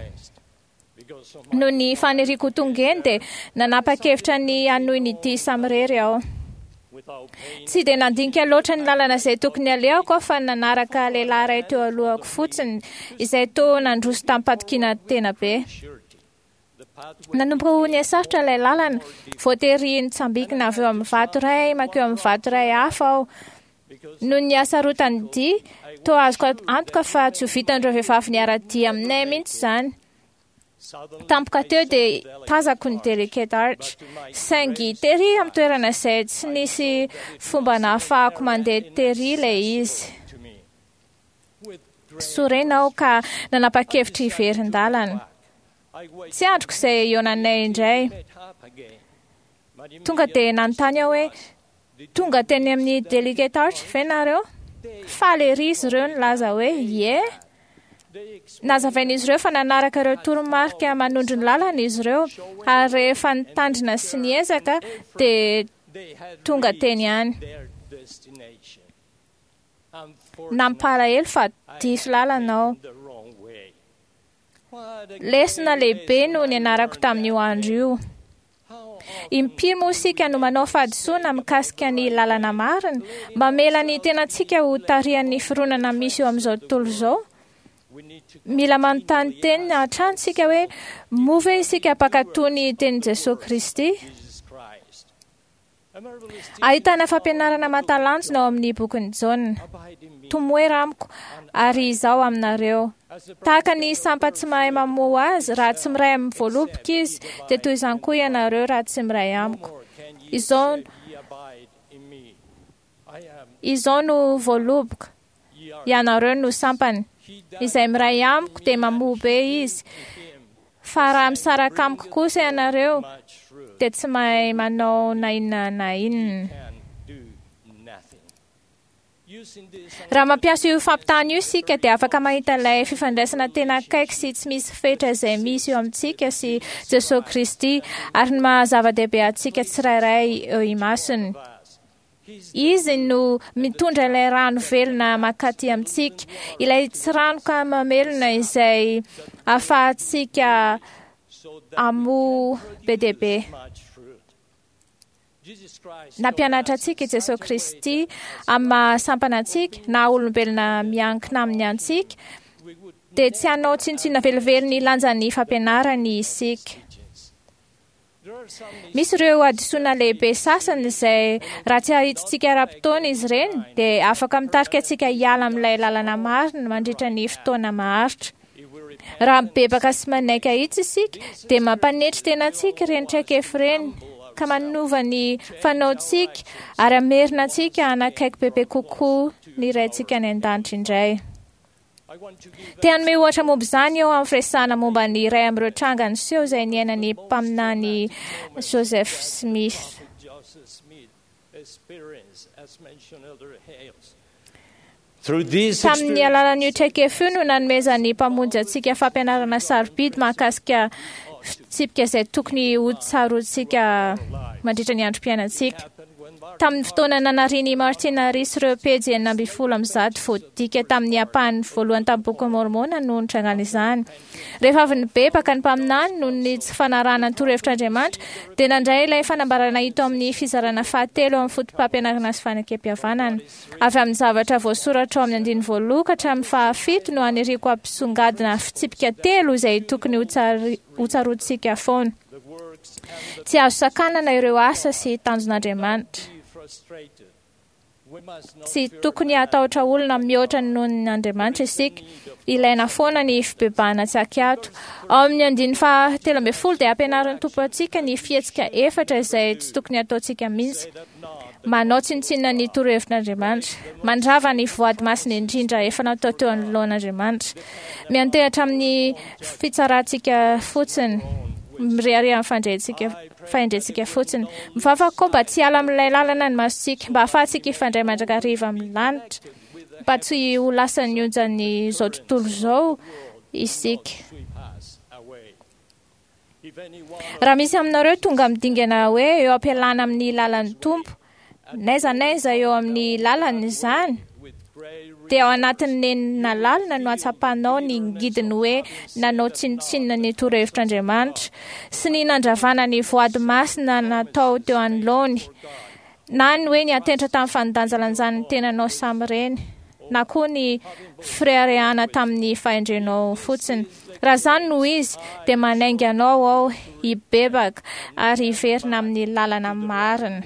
Noho ny faniriako ho tonga eny dia nanapa-kevitra ny hanohy ny dia samirery aho. Tsy dia nandinika loatra ny lalana izay tokony alehako aho fa nanaraka lehilahy iray teo alohako fotsiny izay toa nandroso tamim-patokiana tena be. Nanomboka ho nihasarotra ilay lalana, voatery nitsambikina avy eo amin'ny vato iray mankeo amin'ny vato iray hafa aho. Noho ny hasarotan'ny dia, toa azoko antoka fa tsy ho vitan'ireo vehivavy niara-dia aminay mihitsy izany. Tampoka teo dia tazako ny Delicate Arch, saingy tery amin'ny toerana izay tsy nisy fomba nahafahako mandeha tery ilay izy. Sorena aho ka nanapa-kevitra hiverin-dalana. Tsy andriko izay hihaonanay indray. Tonga dia nanontany aho hoe, tonga teny amin'ny Delicate Arch ve nareo? Faly ery izy ireo nilaza hoe, ie. Nazavain'izy ireo fa nanaraka ireo toromarika manondro ny lalana izy ireo, ary rehefa nitandrina sy niezaka dia tonga teny ihany. Nampalahelo fa diso lalana aho. Lesona lehibe no nianarako tamin'io andro io. Impiry moa isika no manao fahadisoana mikasika ny lalana marina, mamela ny tenantsika ho tarihan'ny fironana misy eo amin'izao tontolo izao? Mila manontany tena hatrany isika hoe, moa ve isika mpankatò ny tenin'i Jesoa Kristy? Ahitana fampianarana mahatalanjona ao amin'ny bokin'i Jaona. Tomoera amiko, ary izaho aminareo. Tahaka ny sampa tsy mahay mamoa azy, raha tsy miray amin'ny voaloboka izy, dia toy izany koa ianareo raha tsy miray amiko. Izao, izao no voaloboka, Ianareo no sampany. Izay miray amiko dia mamoa be izy. Fa raha misaraka amiko kosa ianareo dia tsy mahay manao na inona na inona. Raha mampiasa io fampitahana io isika dia afaka mahita ilay fifandraisana tena akaiky sy tsy misy fetra izay misy eo amintsika sy Jesosy Kristy ary ny maha zava-dehibe antsika tsirairay eo imasony. Izy no mitondra ilay rano velona mankaty amintsika, ilay tsiranoka mamelona izay ahafahantsika hamoa be dia be. Nampianatra antsika i Jesosy Kristy amin'ny maha sampana antsika na olombelona miankina aminy antsika, dia tsy hanao tsinontsinona velively ny lanjan'ny fampianarany isika. Misy ireo hadisoana lehibe sasany izay raha tsy ahitsitsika ara-potoana izy ireny dia afaka mitarika antsika hiala amin'ilay lalana marina mandritra ny fotoana maharitra. Raha mibebaka sy manaiky ahitsy isika dia mampanetry tena antsika ireny traikefa ireny ka manova ny fanaontsika ary hamerina antsika hanakaiky bebe kokoa ny Raintsika any an-danitra indray. Te hanome ohatra momba izany eo amin'ny firesahana momba ny iray amin'ireo tranga niseho izay niainan'ny mpaminany Joseph Smith. Tamin'ny alalan'io traikefa io no nanomezan'ny Mpamonjy antsika fampianarana sarobidy mahakasika fitsipika izay tokony ho tsaroantsika mandritra ny androm-piainantsika. Tamin'ny fotoana nanarian'i Martin Harris ireo pejy enina ambin'ny folo amby zato voadika tamin'ny ampahany voalohany tamin'ny Bokin'i Môrmôna no nitrangana izany. Rehefa avy nibebaka ny mpaminany noho ny tsy fanarahana ny torohevitr'Andriamanitra, dia nandray ilay fanambarana hita ao amin'ny fizarana fahatelo amin'ny fotopampianarana sy fanekempihavanana. Avy amin'ny zavatra voasoratra ao amin'ny andininy voalohany ka hatramin'ny fahafito no aniriako hampisongadina fitsipika telo izay tokony hotsaroantsika foana. Tsy azo sakanana ireo asa sy tanjon'Andriamanitra. Tsy tokony hatahotra olona mihoatra noho ny Andriamanitra isika. Ilaina foana ny fibebahana tsy ankiato. Ao amin'ny andininy fahatelo ambin'ny folo dia ampianarin'ny Tompo antsika ny fihetsika efatra izay tsy tokony hataontsika mihitsy. Manao tsinontsinona ny torohevitr'Andriamanitra. Mandrava ny voady masina indrindra efa natao teo anoloan'Andriamanitra. Miantehatra amin'ny fitsarantsika fotsiny. Mirehareha amin'ny fandrentsika fahendrentsika fotsiny. Mivavaka koa mba tsy hiala amin'ilay lalana ny masontsika, mba hahafahantsika hifandray mandrakariva amin'ny lanitra, mba tsy ho lasan'ny onjan'izao tontolo izao isika. Raha misy aminareo tonga amin'ny dingana hoe eo am-pialana amin'ny lalan'ny Tompo, n'aiza n'aiza eo amin'ny lalany izany, dia ao anatin'ny nenina lalina no hatsapanao ny ngidiny hoe nanao tsinontsinona ny torohevitr'Andriamanitra sy ny nandravana ny voady masina natao teo anoloany, na ny hoe niantehitra tamin'ny fandanjalanjan'ny tenanao samirery, na koa ny fireharehana tamin'ny fahendrenao fotsiny. Raha izany no izy, dia manainga anao aho hibebaka ary hiverina amin'ny lalana marina.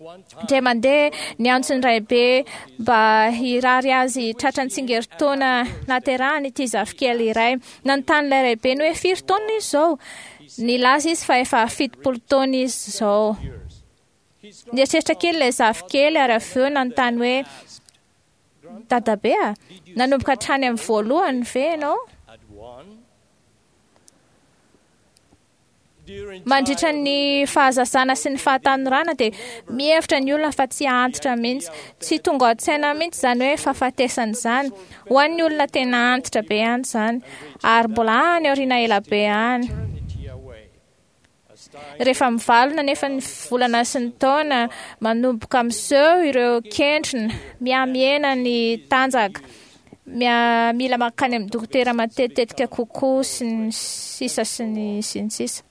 Indray mandeha niantso ny raibe mba hirary azy tratra ny tsingerin-taona nahaterahany ity zafikely iray. Nanontany ilay raibeny hoe firy taona izy izao? Nilaza izy fa efa fitopolo taona izy izao. Nieritreritra kely ilay zafikely ary avy eo nanontany hoe Dadabe a, nanomboka hatrany amin'ny voalohany ve ianao? Mandritra ny fahazazana sy ny fahatanorana dia mihevitra ny olona fa tsy antitra mihitsy. Tsy tonga ao an-tsaina mihitsy izany hoe fahafatesana izany. Ho an'ny olona tena antitra be any izany, ary mbola any aoriana ela be any. Rehefa mivalona nefa ny volana sy ny taona, manomboka miseho ireo kentrina, mihamihena ny tanjaka, mila mankany amin'ny dokotera matetitetika kokoa sy ny sisa sy ny sy ny sisa.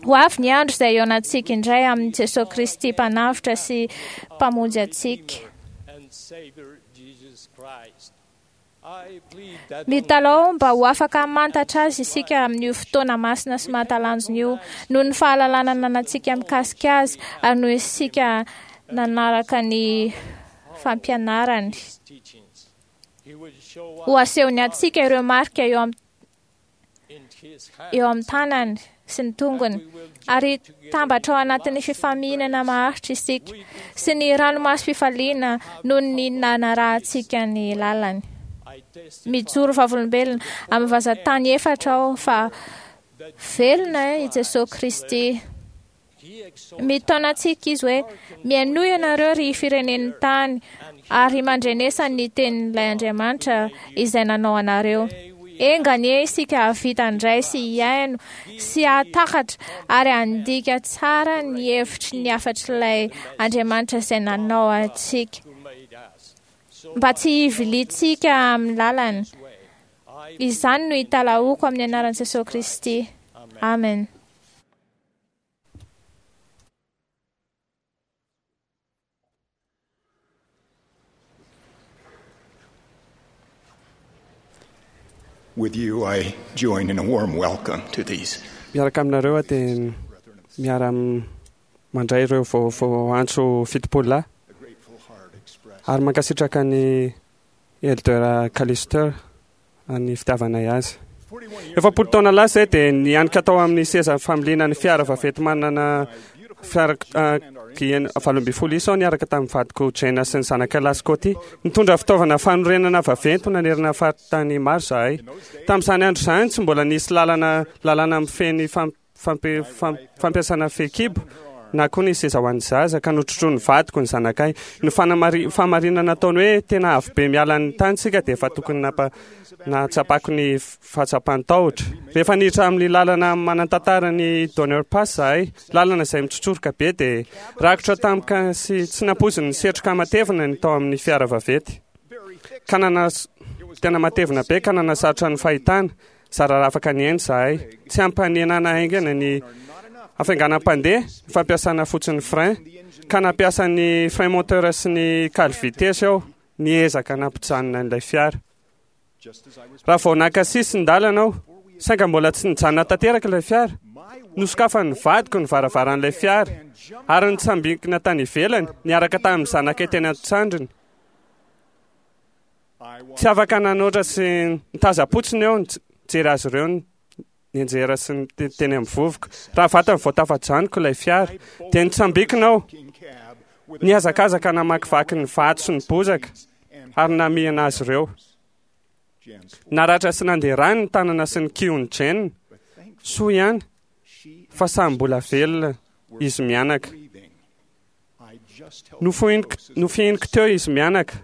Ho avy ny andro izay hihaonantsika indray amin'i Jesosy Kristy Mpanavotra sy Mpamonjy antsika. Mitalaho mba ho afaka hamantatra Azy isika amin'io fotoana masina sy mahatalanjona io, noho ny fahalalana ananantsika mikasika Azy ary noho isika nanaraka ny fampianarany. Ho asehony antsika ireo marika eo amin'ny eo amin'ny tanany sy ny tongony, ary tambatra ao anatin'ny fifamihinana maharitra isika sy ny ranomasom-pifaliana noho ny nanarahantsika ny lalany. Mijoro vavolombelona amin'ny vazan-tany efatra aho fa velona i Jesosy Kristy. Mitaona antsika izy hoe mihainoa ianareo ry firenen'ny tany ary mandrenesa ny tenin'ilay Andriamanitra izay nanao anareo. Enga anie isika hahavita handray sy hihaino sy hahatakatra ary handika tsara ny hevitry ny hafatr'ilay Andriamanitra izay nanao antsika, mba tsy hiviliantsika amin'ny lalany. Izany no italahoako amin'ny anaran'i Jesosy Kristy. Amen. With you, I join in a warm welcome to these. Miaraka aminareo aho dia miara mandray ireo vaovao antso fitopolo lahy ary mankasitraka ny Elder Callister ny fitiavanay azy. Efapolo taona lasa izay dia nianika tao amin'ny seza familiana ny fiara vaventy manana fiara valo ambin'ny folo isa aho niaraka tamin'ny vadiko Jane sy ny zanakay lahy Scotty. Nitondra fitaovana fanorenana vaventy nanerana faritany maro izahay. Tamin'izany andro izany tsy mbola nisy lalana lalàna mifehy ny fampiasana fehikibo na koa ny seza ho an'ny zaza, ka notrotroin'ny vadiko ny zanakay. Ny fahamarinana nataony hoe tena avo be miala ny tany isika dia efa tokony nampa nahatsapako ny fahatsapan-tahotra. Rehefa niditra amin'ny lalana manan-tantara ny Donner Pass izahay, lalana izay mitsotsoroka be, dia rakotra tampoka sy tsy nampoiziny ny setroka matevina ny tao amin'ny fiara vaventy. Ka nana tena matevina be ka nanasarotra ny fahitana. Zara raha afaka nihaino izahay. Tsy hampanenana haingana ny hafainganam-pandeha ny fampiasana fotsiny frein, ka nampiasa ny frein moteur sy ny cale vitesse aho niezaka nampijanona an'ilay fiara. Raha vao naka sisin-dalana aho, sainga mbola tsy nijanona tanteraka ilay fiara, nosokafan'ny vadiko ny varavaran'ilay fiara ary nitsambikina tany ivelany niaraka tamin'ny zanakay teny an-tsandriny. Tsy afaka nanoatra sy nitazam-potsiny aho nijery azy ireo nianjera sy teny amin'ny vovoka. Raha vatany vao tafajanoko ilay fiara, dia nitsambikina aho, nihazakazaka namakivaky ny vato sy ny bozaka ary namihina azy ireo. Naratra sy nandeha rà ny tanana sy ny kihon'i Jane. Soa ihany fa samy mbola velona izy mianaka. Nofohiniko, nofihiniko teo izy mianaka,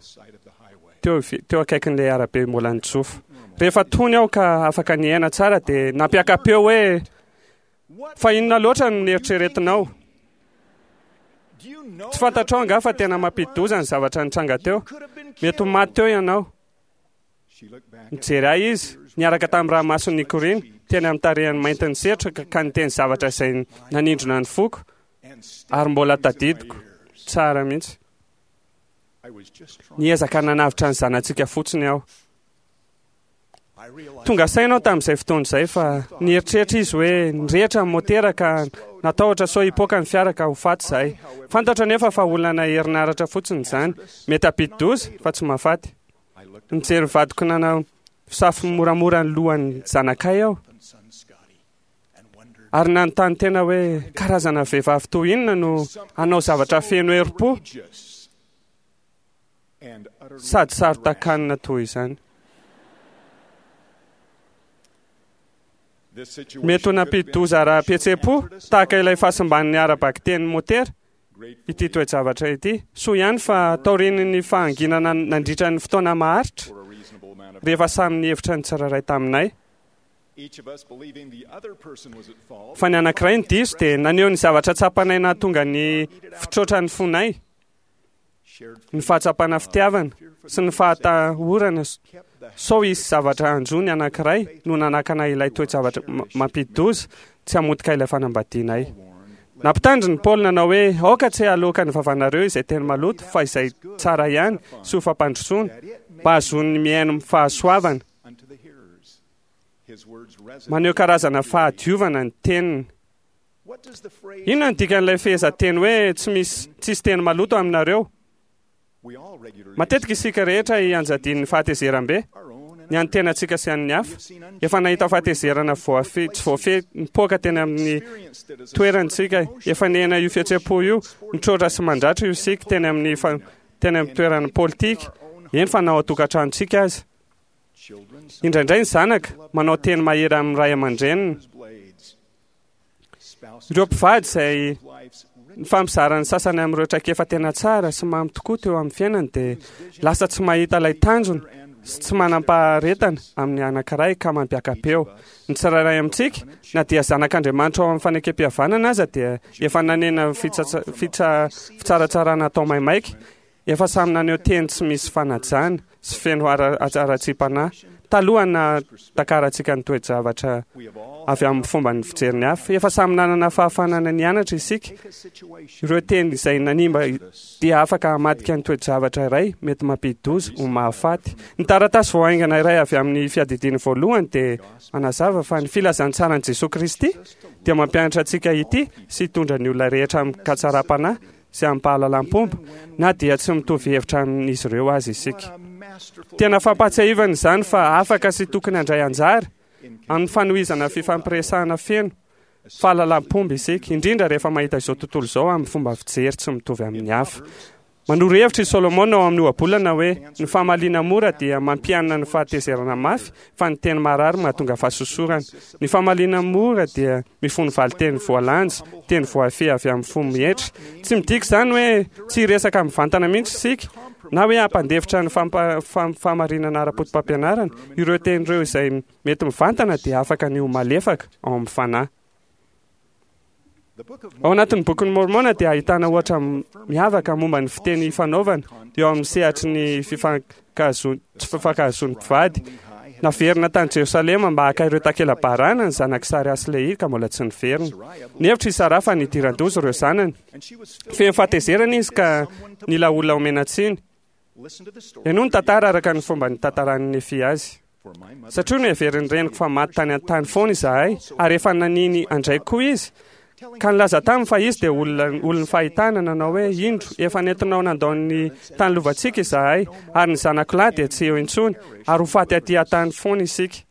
teo, teo akaikin'ilay arabe mbola nitsofa. Rehefa tony aho ka afaka niaina tsara dia nampiaka-peo hoe, Fa inona loatra no neritreretinao? Tsy fantatrao angaha fa tena mampidi-doza ny zavatra nitranga teo? Mety ho maty teo ianao. Nijery ahy izy, niaraka tamin'ny ranomasony nikoriana, teny amin'ny tarehiny mainty nisetroka ka niteny zavatra izay nanindrona ny foko, ary mbola tadidiko tsara mihitsy. Niezaka nanavotra ny zanatsika fotsiny aho. Tonga saina aho tamin'izay fotoana izay fa nieritreritra izy hoe nirehitra ny motera ka natahotra sao hipoaka ny fiara ka ho faty izahay. Fantatro anefa fa olana herinaratra fotsiny izany. Mety hampidi-doza fa tsy mahafaty. Nijery ny vadiko nanafosafo moramora ny lohan'ny zanakay aho ary nanontany tena hoe karazana vehivavy toy inona no hanao zavatra feno herim-po sady saro-takanina toy izany. Mety ho nampidi-doza ara-pihetseham-po tahaka ilay fahasimban'ny ara-bakiteny motera ity toe-javatra ity. Soa ihany fa taorian'ny fahanginana nandritra ny fotoana maharitra, rehefa samy nihevitra ny tsirairay taminay fa ny anankiray no diso, dia naneho ny zavatra tsapanay nahatonga ny fitroatran'ny fonay. Ny fahatsapana fitiavana sy ny fahatahorana sao hisy zavatra hanjo ny anankiray no nanakana ilay toe-javatra mampidi-doza tsy hamotika ilay fanambadianay. Nampitandrina i Paoly nanao hoe, Aoka tsy haloaka ny vavanareo izay teny maloto, fa izay tsara ihany sy ho fampandrosoana, mba hahazoan'ny mihaino fahasoavana. Maneho karazana fahadiovana ny teniny. Inona no dikan'ilay fehezanteny hoe tsy misy tsisy teny maloto aminareo? Matetika isika rehetra ianjadian'ny fahatezeram-be, ny an'ny tenantsika sy an'ny hafa. Efa nahita fahatezerana voafehy tsy voafehy nipoaka teny amin'ny toerantsika. Efa niaina io fihetseham-po io, mitroatra sy mandratra io isika teny amin'ny fa- teny amin'ny toerana politika, eny fa na ao an-tokantranontsika aza. Indraindray ny zanaka manao teny mahery amin'ny ray aman-dreniny. Ireo mpivady izay nifampizara ny sasany amin'ireo traikefa tena tsara sy mamy tokoa teo amin'ny fiainany dia lasa tsy mahita ilay tanjona sy tsy manam-paharetana amin'ny anankiray ka mampiaka-peo. Ny tsirairay amintsika, na dia zanak'Andriamanitra ao amin'ny fanekem-pihavanana aza, dia efa nanena fitsatsa- fitsa- fitsaratsarana atao maimaika, efa samy naneho teny tsy misy fanajana sy feno ara- haratsiam-panahy talohan'ny nahatakarantsika ny toe-javatra avy amin'ny fomba ny fijeriny hafa. Efa samy nanana fahafahana nianatra isika. Ireo teny izay nanimba dia afaka hamadika ny toe-javatra iray mety mampidi-doza ho mahafaty. Ny taratasy vao haingana iray avy amin'ny fiadidiany voalohany dia manazava fa ny filazantsaran'i Jesoa Kristy dia mampianatra antsika ity sy hitondra ny olona rehetra amin-katsaram-panahy sy amim-pahalalam-pomba, na dia tsy mitovy hevitra amin'izy ireo aza isika. Tena fampahatsiahivana izany fa afaka sy tokony handray anjara amin'ny fanohizana fifampiresahana feno fahalalam-pomba isika, indrindra rehefa mahita izao tontolo izao amin'ny fomba fijery tsy mitovy amin'ny hafa. Manoro hevitra i Solomona ao amin'ny ohabolana hoe ny famaliana mora dia mampianina ny fahatezerana mafy, fa ny teny marary mahatonga fahasosorana. Ny famaliana mora dia mifono valin-teny voalanja, teny voafehy avy amin'ny fo mietry. Tsy midika izany hoe tsy hiresaka mivantana mihitsy isika, na hoe hampandefitra ny fampa- fam- fahamarinana ara-poto-pampianarana. Ireo teny ireo izay mety mivantana dia afaka ny ho malefaka ao amin'ny fanahy. Ao anatin'ny bokin'ny Mormona dia ahitana ohatra miavaka momba ny fiteny ifanaovana eo amin'ny sehatry ny fifankahazo- tsy fifankahazoan'ny mpivady. Naverina tany Jerosalema mba haka ireo takela-barana ny zanak'i Saraha sy Lehia ka mbola tsy niverina. Nihevitra i Saraha fa nidiran-doza ireo zanany. Feno fahatezerana izy ka nila olona omena tsiny. Henoy ny tantara araka ny fomba nitantaran'i Nefia azy. Satria noheverin'ny reniko fa maty tany an-tany foana izahay, ary efa naniny andraiko koa izy, ka nilaza taminy fa izy dia olona olon'ny fahitana, nanao hoe, Indro, efa nentinao nandao ny tany lovantsika izahay, ary ny zanako lahy dia tsy eo intsony, ary ho faty aty an-tany foana isika.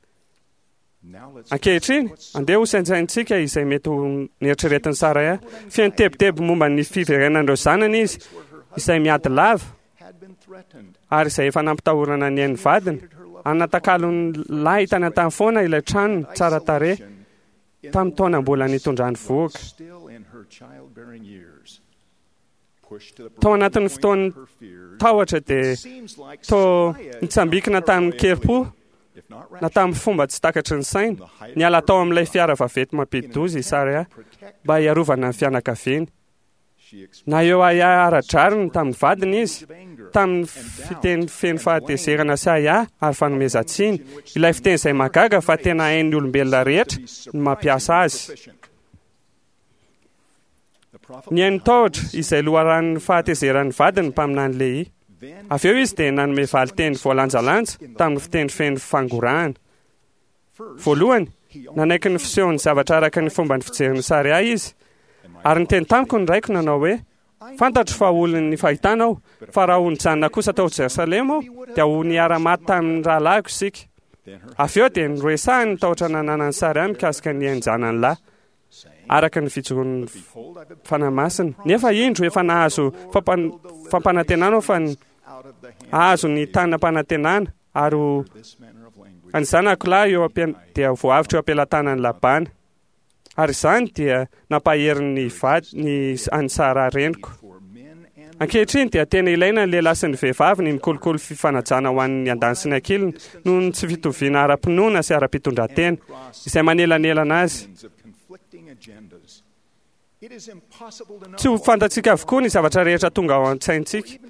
Ankehitriny, andeha ho saintsaintsika izay mety ho neritreretin'i Saraha. Feno tebiteby momba ny fiverenan'ireo zanany izy, izay miady lava, ary izay efa nampitahorana ny ain'ny vadiny, ary natakalony lahy tany an-tany foana ilay tranony tsara tarehy tamin'ny taona mbola nitondrany vohoka. Tao anatin'ny fotoan'ny tahotra dia toa nitsambikina tamin-kerim-po na tamin'ny fomba tsy takatry ny saina, niala tao amin'ilay fiara vaventy mampidi-doza i Saraha mba hiarovana ny fianakaviany. Na eo ahiahy ara-drariny tamin'ny vadiny izy, tamin'ny fiteny feno fahatezerana sy ahiahy ary fanomezan-tsiny, ilay fiteny izay mahagaga fa tena hain'ny olombelona rehetra ny mampiasa azy. Nihaino tahotra izay loharanon'ny fahatezeran'ny vadiny ny mpaminany Lehia. Avy eo izy dia nanome valin-teny voalanjalanja tamin'ny fiteny feno fangorahana. Voalohany, nanaiky ny fisehon'ny zavatra araka ny fomba ny fijerin'i Sariah izy. Ary niteny tamiko ny raiko nanao hoe, Fantatro fa olon'ny fahitana aho, fa raha ho nijanona kosa tao Jerosalema aho, dia ho niara-maty tamin'ny rahalahiko isika. Avy eo dia noresahiny ny tahotra nananan'i Sariah mikasika ny ain-janany lahy, araka ny fijoroan'ny Fanahy Masina. Nefa indro efa nahazo fampanantenana aho fa hahazo ny tany nampanantenana, ary ho ny zanako lahy eo am-pian- dia voavotra eo am-pelatanan'i Labana. Ary izany dia nampahery ny vady ny an'i Saraha reniko. Ankehitriny dia tena ilaina ny lehilahy sy ny vehivavy ny mikolokolo fifanajana ho an'ny andaniny sy ny ankiliny noho ny tsy fitoviana ara-pinoana sy ara-pitondran-tena izay manelanelana azy. Tsy ho fantatsika avokoa ny zavatra rehetra tonga ao an-tsaintsika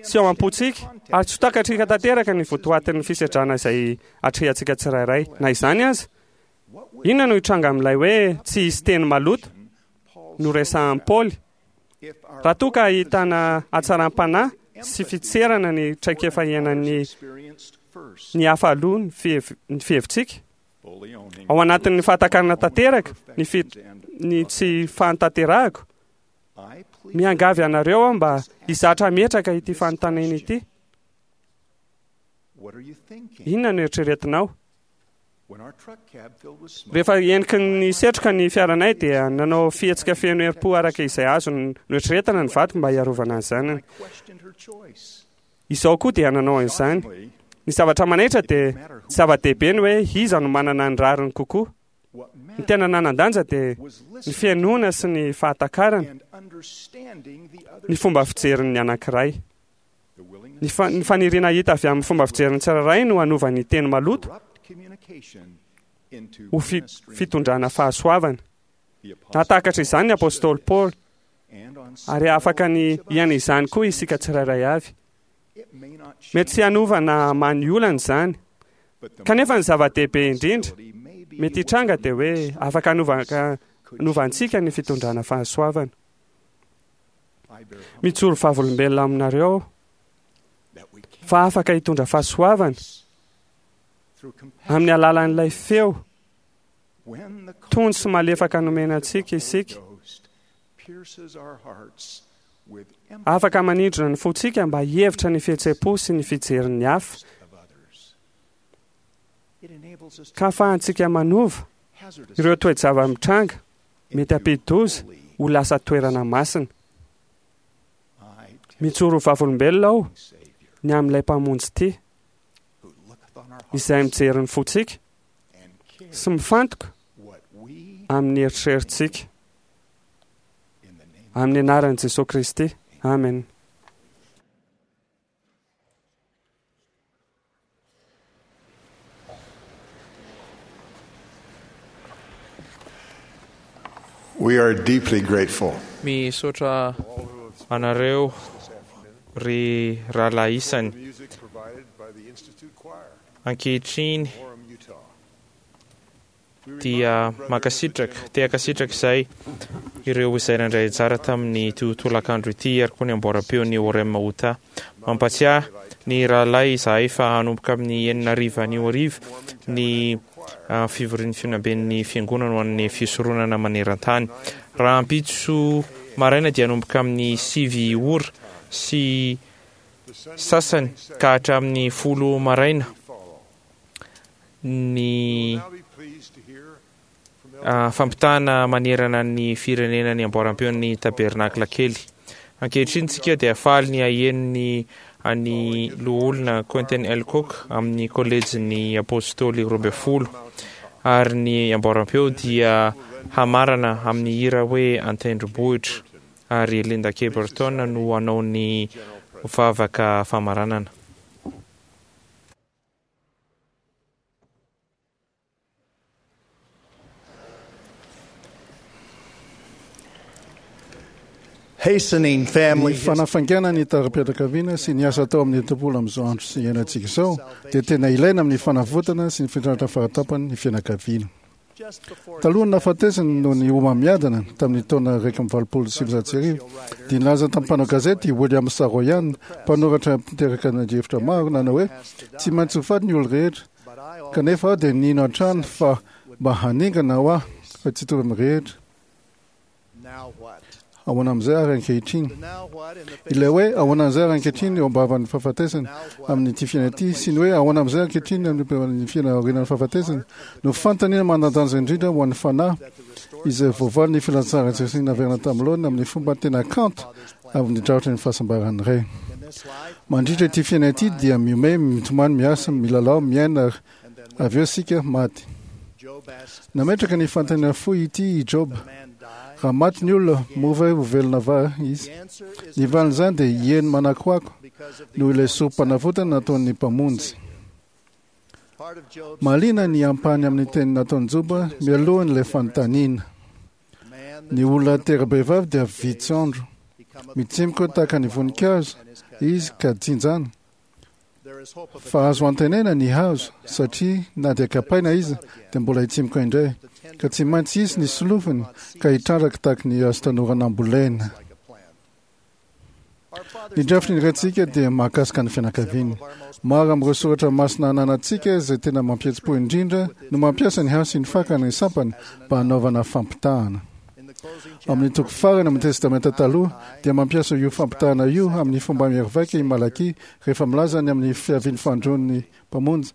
sy ao am-pontsika, ary tsy ho takatrika tanteraka ny votoatin'ny fisedrana izay atrehantsika tsirairay. Na izany aza, inona no hitranga amin'ilay hoe tsy hisy teny maloto noresahan'i Paoly, raha toa ka ahitana hatsaram-panahy sy fitserana ny traikefa iainan'ny ny hafa aloha ny fihevitsika? Ao anatin'ny fahatakarana tanteraka ny fi, ny tsy fahantanterahako, miangavy anareo aho mba hizatra hametraka ity fanontaniana ity. Inona no eritreretinao? Rehefa heniky ny setroka ny fiaranay dia nanao fihetsika feno herim-po araka izay azony noeritreretina ny vadiko mba hiarovana ny zanany. Izao koa dia nanao an'izany. Ny zavatra manaitra dia tsy zava-dehibe ny hoe iza no manana ny rariny kokoa. Ny tena nanan-danja dia ny fihainoana sy ny fahatakarana ny fomba fijerin'ny anankiray. Ny fa- ny faniriana hita avy amin'ny fomba fijerin'ny tsirairay no hanova ny teny maloto ho fi- fitondrana fahasoavana. Nahatakatra izany ny apostoly Paoly, ary afaka ny hiaina izany koa isika tsirairay avy. Mety tsy hanova na hamaha ny olana izany, kanefa ny zava-dehibe indrindra mety hitranga dia hoe afaka hanova hanova antsika ny fitondrana fahasoavana. Mijoro vavolombelona aminareo aho fa afaka hitondra fahasoavana amin'ny alalan'ilay feo tony sy malefaka nomena antsika isika. Afaka manindrona ny fontsika mba hihevitra ny fihetseham-po sy ny fijerin'ny hafa, ka ahafahantsika manova ireo toe-java-mitranga mety hampidi-doza ho lasa toerana masina. Mijoro ho vavolombelona aho ny amin'ilay Mpamonjy tia, izay mijery ny fontsika sy mifantoka amin'ny eritreritsika. Amin'ny anaran'i Jesoa Kristy. Amen. We are deeply grateful. Misaotra anareo ry rahalahy isany. Ankehitriny dia mankasitraka, te hankasitraka izay ireo izay nandray anjara tamin'ny ity tolakandro ity ary koa ny amboaram-peon'ny Orem Utah. Mampatsiahy ny rahalahy izahay fa hanomboka amin'ny enina hariva anio hariva ny fivorian'ny fihaonamben'ny fiangonana ho an'ny fisoronana maneran-tany. Rahampitso maraina dia hanomboka amin'ny sivy ora sy sasany ka hatramin'ny folo maraina ny fampitana manerana ny firenena ny amboaram-peon'ny Tabernakla kely. Ankehitriny tsika dia faly ny haheno ny an'ny loholona Quentin L. Cook amin'ny kolejin'ny Apôstôly roa ambin'ny folo, ary ny amboaram-peo dia hamarana amin'ny hira hoe An-tendrombohitra, ary Linda K. Burton no hanao ny vavaka famaranana. Hastening family Ny fanafaingana ny taram-pianakaviana sy ny asa atao amin'ny tempoly amin'izao andro sy iainantsika izao dia tena ilaina amin'ny fanavotana sy ny fitratra fahatapany ny fianakaviana. Talohan'ny nahafatesany noho ny homamiadana tamin'ny taona iraika amby valopolo sy sivinjato sy arivo dia nilaza tamin'ny mpanao gazety i William Saroyan, mpanoratra mpiteraka adihevitra maro, nanao hoe tsy maintsy ho faty ny olo rehetra, kanefa aho dia nino hatrany fa mba haningana ho ahy fa tsy hitovy amin'ny rehetra. Ahoana amin'izay ary ankehitriny? Ilay hoe ahoana amin'izay ary ankehitriny eo am-bavan'ny fahafatesana amin'ity fiainana ity sy ny hoe ahoana amin'izay ankehitriny amin'ny fiainana aorianan'ny fahafatesana no fanontaniana manan-danja indrindra ho an'ny fanahy izay voavaly ny filazantsaran'i Jesosy naverina tamin'ny laoniny amin'ny fomba tena kanto avy nidrafitra ny fahasambaran'ny Ray. Mandritra ity fiainana ity dia mihomehy, mitomany, miasa, milalao, miaina ary avy eo isika maty. Nametraka ny fanontaniana fohy ity i Joba. Raha maty ny olona, moa ve ho velona va izy? Ny valin'izany dia eny manakoako, noho ilay sorom-panavotana nataon'ny Mpamonjy. Mahaliana ny ampahany amin'ny teny nataon'i Joba mialohan'ilay fanontaniana. Ny olona tera-behivavy dia vitsy andro. Mitsimoka tahaka ny voninkazo izy ka jinjana. Fa azo antenaina ny hazo, satria na dia kapaina izy dia mbola hitsimoka indray, ka tsy maintsy hisy ny solofony ka hitrandraka tahaka ny hazo tanora nambolena. Ny drafitry ny Raintsika dia mahakasika ny fianakaviana. Maro amin'ireo soratra masina ananantsika izay tena mampihetsi-po indrindra no mampiasa ny hazo sy ny fakany ny sampany mba hanaovana fampitahana. Amin'ny toko farany amin'ny Testamenta Taloha dia mampiasa io fampitahana io amin'ny fomba mierivaika i Malakia rehefa milaza ny amin'ny fiavian'ny fandroan'ny Mpamonjy.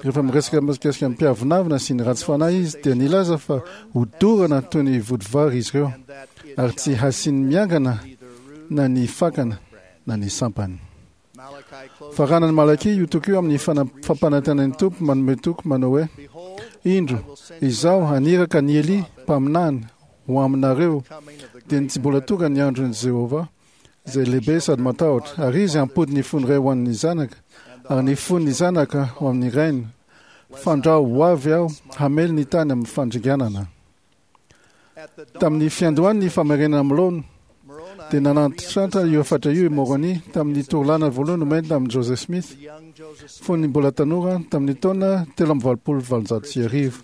Rehefa miresaka mikasika ny mpiavonavona sy ny ratsy fanahy izy dia nilaza fa hodorana toy ny vodivary izy ireo ary tsy hasiany miangana na ny fakana na ny sampany. Faranan'i Malakia io toko io amin'ny fampanantenan'ny Tompo manome toky manao hoe, Indro, izaho haniraka an'i Elia mpaminany ho aminareo, dia ny tsy mbola tonga ny andron'i Jehovah, izay lehibe sady matahotra, ary izy hampody ny fon'ny ray ho an'ny zanaka, ary ny fon'ny zanaka ho amin'ny rainy, fandrao ho avy aho hamely ny tany amin'ny fandringanana. Tamin'ny fiandohan'ny famerenana amin'ny laoniny, dia nanantitrantitra io hafatra io i Moroni tamin'ny torolana voalohany nomeny tamin'i Joseph Smith fony mbola tanora tamin'ny taona telo amby valopolo valonjato sy arivo.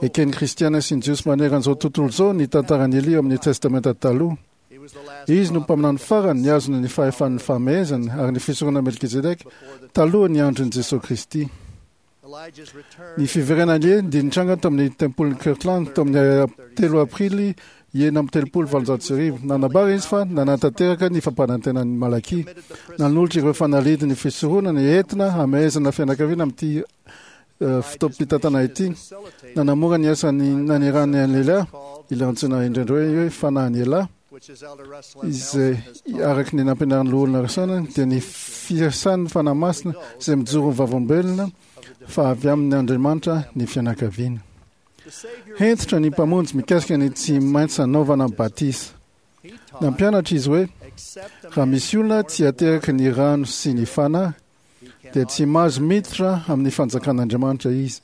Eken'ny Kristiana sy ny Jiosy maneran'izao tontolo izao ny tantaran'i Elia ao amin'ny Testamenta Taloha. Izy no mpaminany farany nihazona ny fahefan'ny fahamehezana ary ny fisoronana Melkizedeka talohan'ny andron'i Jesoa Kristy. Ny fiverenan'i Elia dia nitranga tao amin'ny tempolin'i Kirtland tao amin'ny telo aprily enina amby telopolo valonjato sy arivo. Nanambara izy fa nanatanteraka ny fampanantenan'i Malakia, nanolotra ireo fanalahidin'ny fisoronana entina hamehezana fianakaviana amin'ity fotoam-pitantana ity. Nanamora ny asany nanirahany an'i Elia, ilay antsoina indraindray hoe fanahin'i Elia, izay araka ny nampianarin'ny loholona Rasana dia ny fiasan'ny Fanahy Masina izay mijoro ho vavolombelona fa avy amin'ny Andriamanitra ny fianakaviana. Hentitra ny Mpamonjy mikasika ny tsy maintsy hanaovana batisa. Nampianatra izy hoe raha misy olona tsy ateraky ny rano sy ny Fanahy dia tsy mahazo miditra amin'ny fanjakan'Andriamanitra izy.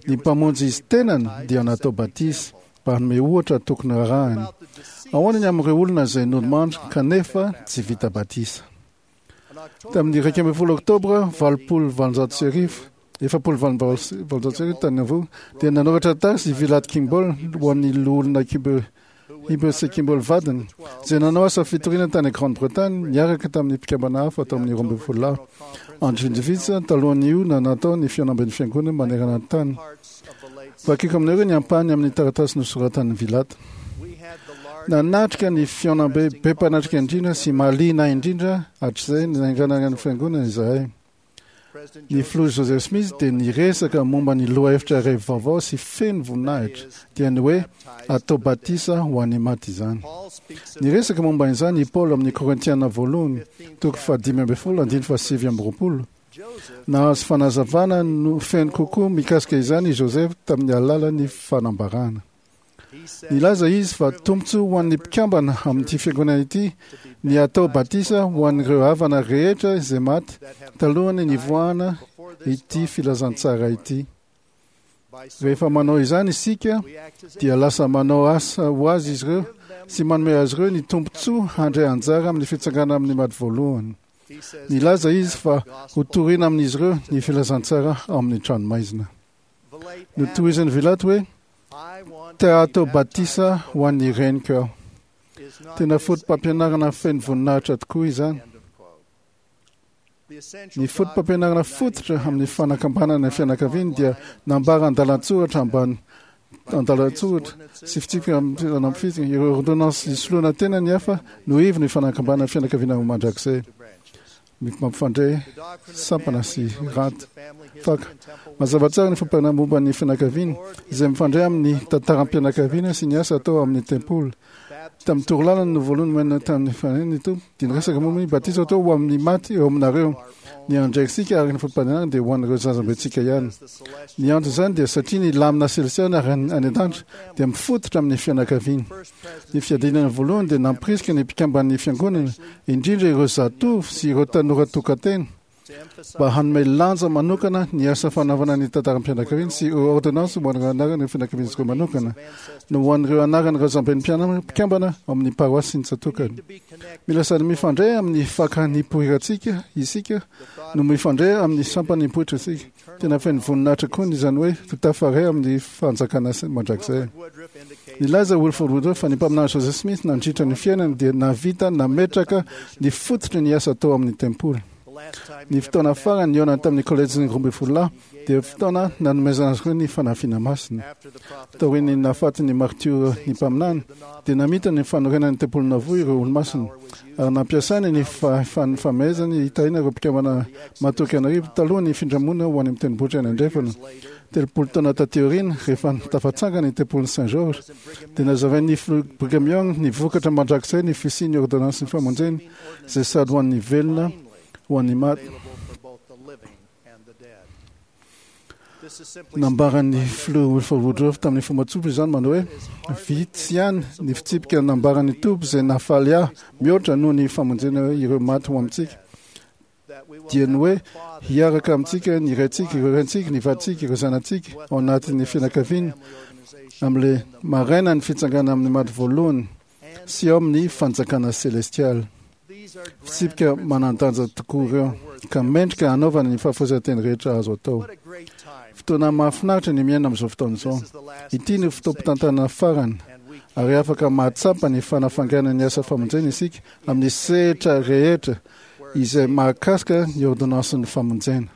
Ny Mpamonjy izy tenany dia natao batisa mba hanome ohatra tokony rarahany. Ahoana ny amin'ireo olona izay nodimandry kanefa tsy vita batisa? Tamin'ny iraika ambin'ny folo Oktobra valopolo valonjato sy arivo, efapolo valonjato sy arivo tany Nauvoo, dia nanoratra taratasy i Vilate Kimball ho an'ny loholona Hibbert sy Kimball vadiny, izay nanao asa fitoriana tany Grande-Bretagne niaraka tamin'ny mpikambana hafa tao amin'ny roa ambin'ny folo lahy. Andro vitsivitsy talohan'io no natao ny fihaonamben'ny fiangonana manerana ny tany. Vakiko aminareo ny ampahany amin'ny taratasy nosoratan'i Vilate. Nanatrika ny fihaonambe be mpanatrika indrindra sy mahaliana indrindra hatrizay nanganana ny fiangonana izahay. Ny filoha Joseph Smith dia niresaka momba ny lohahevitra iray vaovao sy feno voninahitra, dia ny hoe atao batisa ho an'ny maty izany. Niresaka momba izany i Paoly amin'ny Korintiana voalohany, toko fahadimy ambin'ny folo, andininy fahasivy amby roapolo. Nahazo fanazavana no feno kokoa mikasika izany i Joseph tamin'ny alalan'ny fanambarana. Nilaza izy fa tombontsoa ho an'ny mpikambana amin'ity fiangonana ity ny hatao batisa ho an'ireo havana rehetra izay maty talohan'ny nivoahana ity filazantsara ity. Rehefa manao izany isika dia lasa manao asa ho azy izy ireo sy manome azy ireo ny tombontsoa handray anjara amin'ny fitsanganana amin'ny maty voalohany. Nilaza izy fa hotorina amin'izy ireo ny filazantsara ao amin'ny tranomaizina. Notohizan'i Vilate hoe, Te hatao batisa ho an'ny reniko aho. Tena fotopampianarana feno voninahitra tokoa izany. Ny fotopampianarana fototra amin'ny fanakambanana ny fianakaviana dia nambara andalan-tsoratra ambany andalan-tsoratra sy fitsipika amin'ny ireo ordonnances nisoloana tena ny hafa no ivon'ny fanakambanana ny fianakaviana ho mandrakizay. Mampifandray sampana sy rad faka. Mazava tsara ny fampianarana momba ny fianakaviana, izay mifandray amin'ny tantaram-pianakaviana sy ny asa atao amin'ny tempoly. Tamin'ny torolalana no voalohany nomena tamin'ny Fanahy ny Tompo, dia niresaka momba ny batisa atao ho amin'ny maty eo aminareo. Ny andraikitsika araka ny fampianarana dia ho an'ireo zazambentsika ihany. Ny anton'izany dia satria ny lamina selesiana ary any an-danitra dia mifototra amin'ny fianakaviana. Ny fiadiana voalohany dia nampirisika ny mpikamban'ny fiangonana, indrindra ireo zatovo sy ireo tanora tokan-tena, mba hanome lanja manokana ny asa fanaovana ny tantaram-pianakaviana sy ireo ôrdônansy ho an'ireo anaran'ireo fianakavian'izy ireo manokana, no ho an'ireo anaran'ny razamben'ny mpikambana ao amin'ny paroasy sy ny tsatòkany. Mila sady mifandray amin'ny faka nipoirantsika isika no mifandray amin'ny sampana nipoitrantsika. Tena feno voninahitra koa ny izany hoe ho tafaray amin'ny fanjakana mandrakizay. Nilaza Wilford Woodruff fa ny mpaminany Joseph Smith nandritra ny fiainany dia nahavita nametraka ny fototry ny asa atao amin'ny tempoly. Ny fotoana farany nihaonany tamin'ny kolejin'ny roa ambin'ny folo lahy dia fotoana nanomezana azy ireo ny fanafiana masina. Taorian'ny nahafatin'ny martiora ny mpaminany dia namita ny fanorenan'ny tempoly Nauvoo ireo olomasina ary nampiasainy ny fahefan'ny famehezany hitahiana ireo mpikambana matoky an'arivo talohan'ny fifindramonina ho any amin'ny tendrombohitra any andrefana. Telopolo taona taty aoriana, rehefa tafatsangana ny tempolin'i Saint George, dia nazavain'ny filoha Brigham Young ny vokatra mandrakizay ny fisian'ny ôrdônansin'ny famonjena izay sady ho an'ny velona ho an'ny maty. Nambaran'ny filoha Wilford Woodruff tamin'ny fomba tsotra izany manao hoe, Vitsy ihany ny fitsipika nambaran'ny Tompo izay nahafaly ahy mihoatra noho ny famonjena ireo maty ho amintsika, dia ny hoe hiaraka amintsika ny raintsika, ireo raintsika, ny vadintsika, ireo zanatsika ao anatin'ny fianakaviana amin'ilay maraina ny fitsangana amin'ny maty voalohany sy ao amin'ny fanjakana selestialy. Fitsipika manan-danja tokoa ireo, ka mendrika hanaovana ny fahafoizan-teny rehetra azo atao. Fotoana mahafinaritra ny miaina amin'izao fotoana izao. Ity no fotoam-pitantanana farany, ary afaka mahatsapa ny fanafanganana ny asa famonjena isika amin'ny sehatra rehetra izay mahakasika ny ôrdônansin'ny famonjena.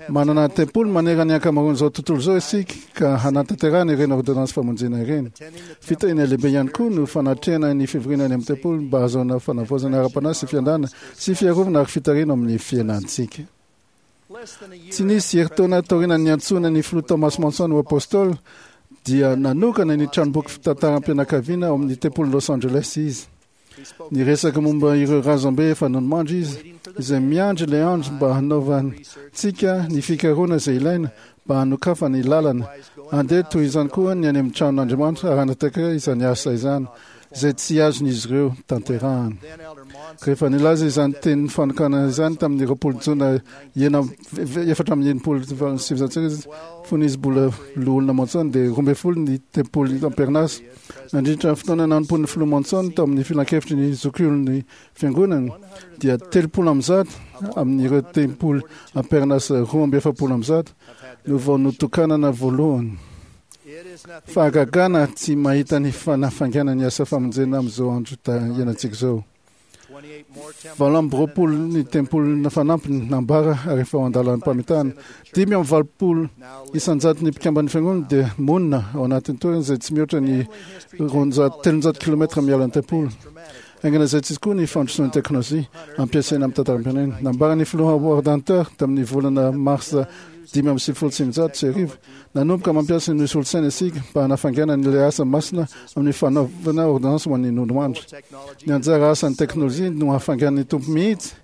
Manana tempoly manerana ny ankamaroan'izao tontolo izao isika ka hanatanterahana ireny ôrdônansy famonjena ireny. Fitahiana lehibe ihany koa no fanatrehana ny fivoriana any amin'ny tempoly mba hahazoana fanavaozana ara-panahy sy fiandana sy fiarovana ary fitarihana amin'ny fiainantsika. Tsy nisy herintaona taorian'ny niantsoana ny filoha Thomas Monson ho apôstôly dia nanokana ny tranomboky fitantaram-pianakaviana ao amin'ny tempolin'i Los Angeles izy. Niresaka momba ireo razambe efa nodimandry izy, izay miandry ilay andro mba hanaovantsika ny fikarohana izay ilaina mba hanokafana ny lalana. Handeha toy izany koa ny any amin'ny tranon'Andriamanitra ary hanatanteraka izany asa izany, izay tsy azon'izy ireo tanterahana. Rehefa nilaza izany teny fanokanana izany tamin'ny roapolo jona enina efatra amby enimpolo sy sivinjato sy arivo izy, fony izy mbola loholona Monson, dia roa ambin'ny folo ny tempoly am-perinasa. Nandritra ny fotoana nanompoan'ny filoha Monson tao amin'ny filankevitry ny zokiolon'ny fiangonana dia telopolo amby zato amin'ireo tempoly am-perinasa roa amby efapolo amby zato no vao notokanana voalohany. Fahagagana tsy mahita ny fanafaingana ny asa famonjena amin'izao andro iainantsika izao. Valo amby roapolo ny tempoly fanampiny nambara ary efa ao an-dalam-pamitana. Dimy amby valopolo isan-jaton'ny mpikamban'ny fiangonana dia monina ao anatin'ny toerana izay tsy mihoatra ny roanjato, telonjato kilometra miala ny tempoly. Haingana izay tsy koa ny fandrosoan'ny teknolojia ampiasaina amin'ny tantaram-pirenena. Nambaran'ny filoha Howard Hunter tamin'ny volana marsa dimy amby sivifolo sy sivinjato sy arivo, Nanomboka mampiasa ny solosaina isika mba hanafainganana ilay asa masina amin'ny fanaovana ôrdônansy ho an'ny nodimandry. Ny anjara asan'ny teknolojia no hafainganin'ny Tompo mihitsy.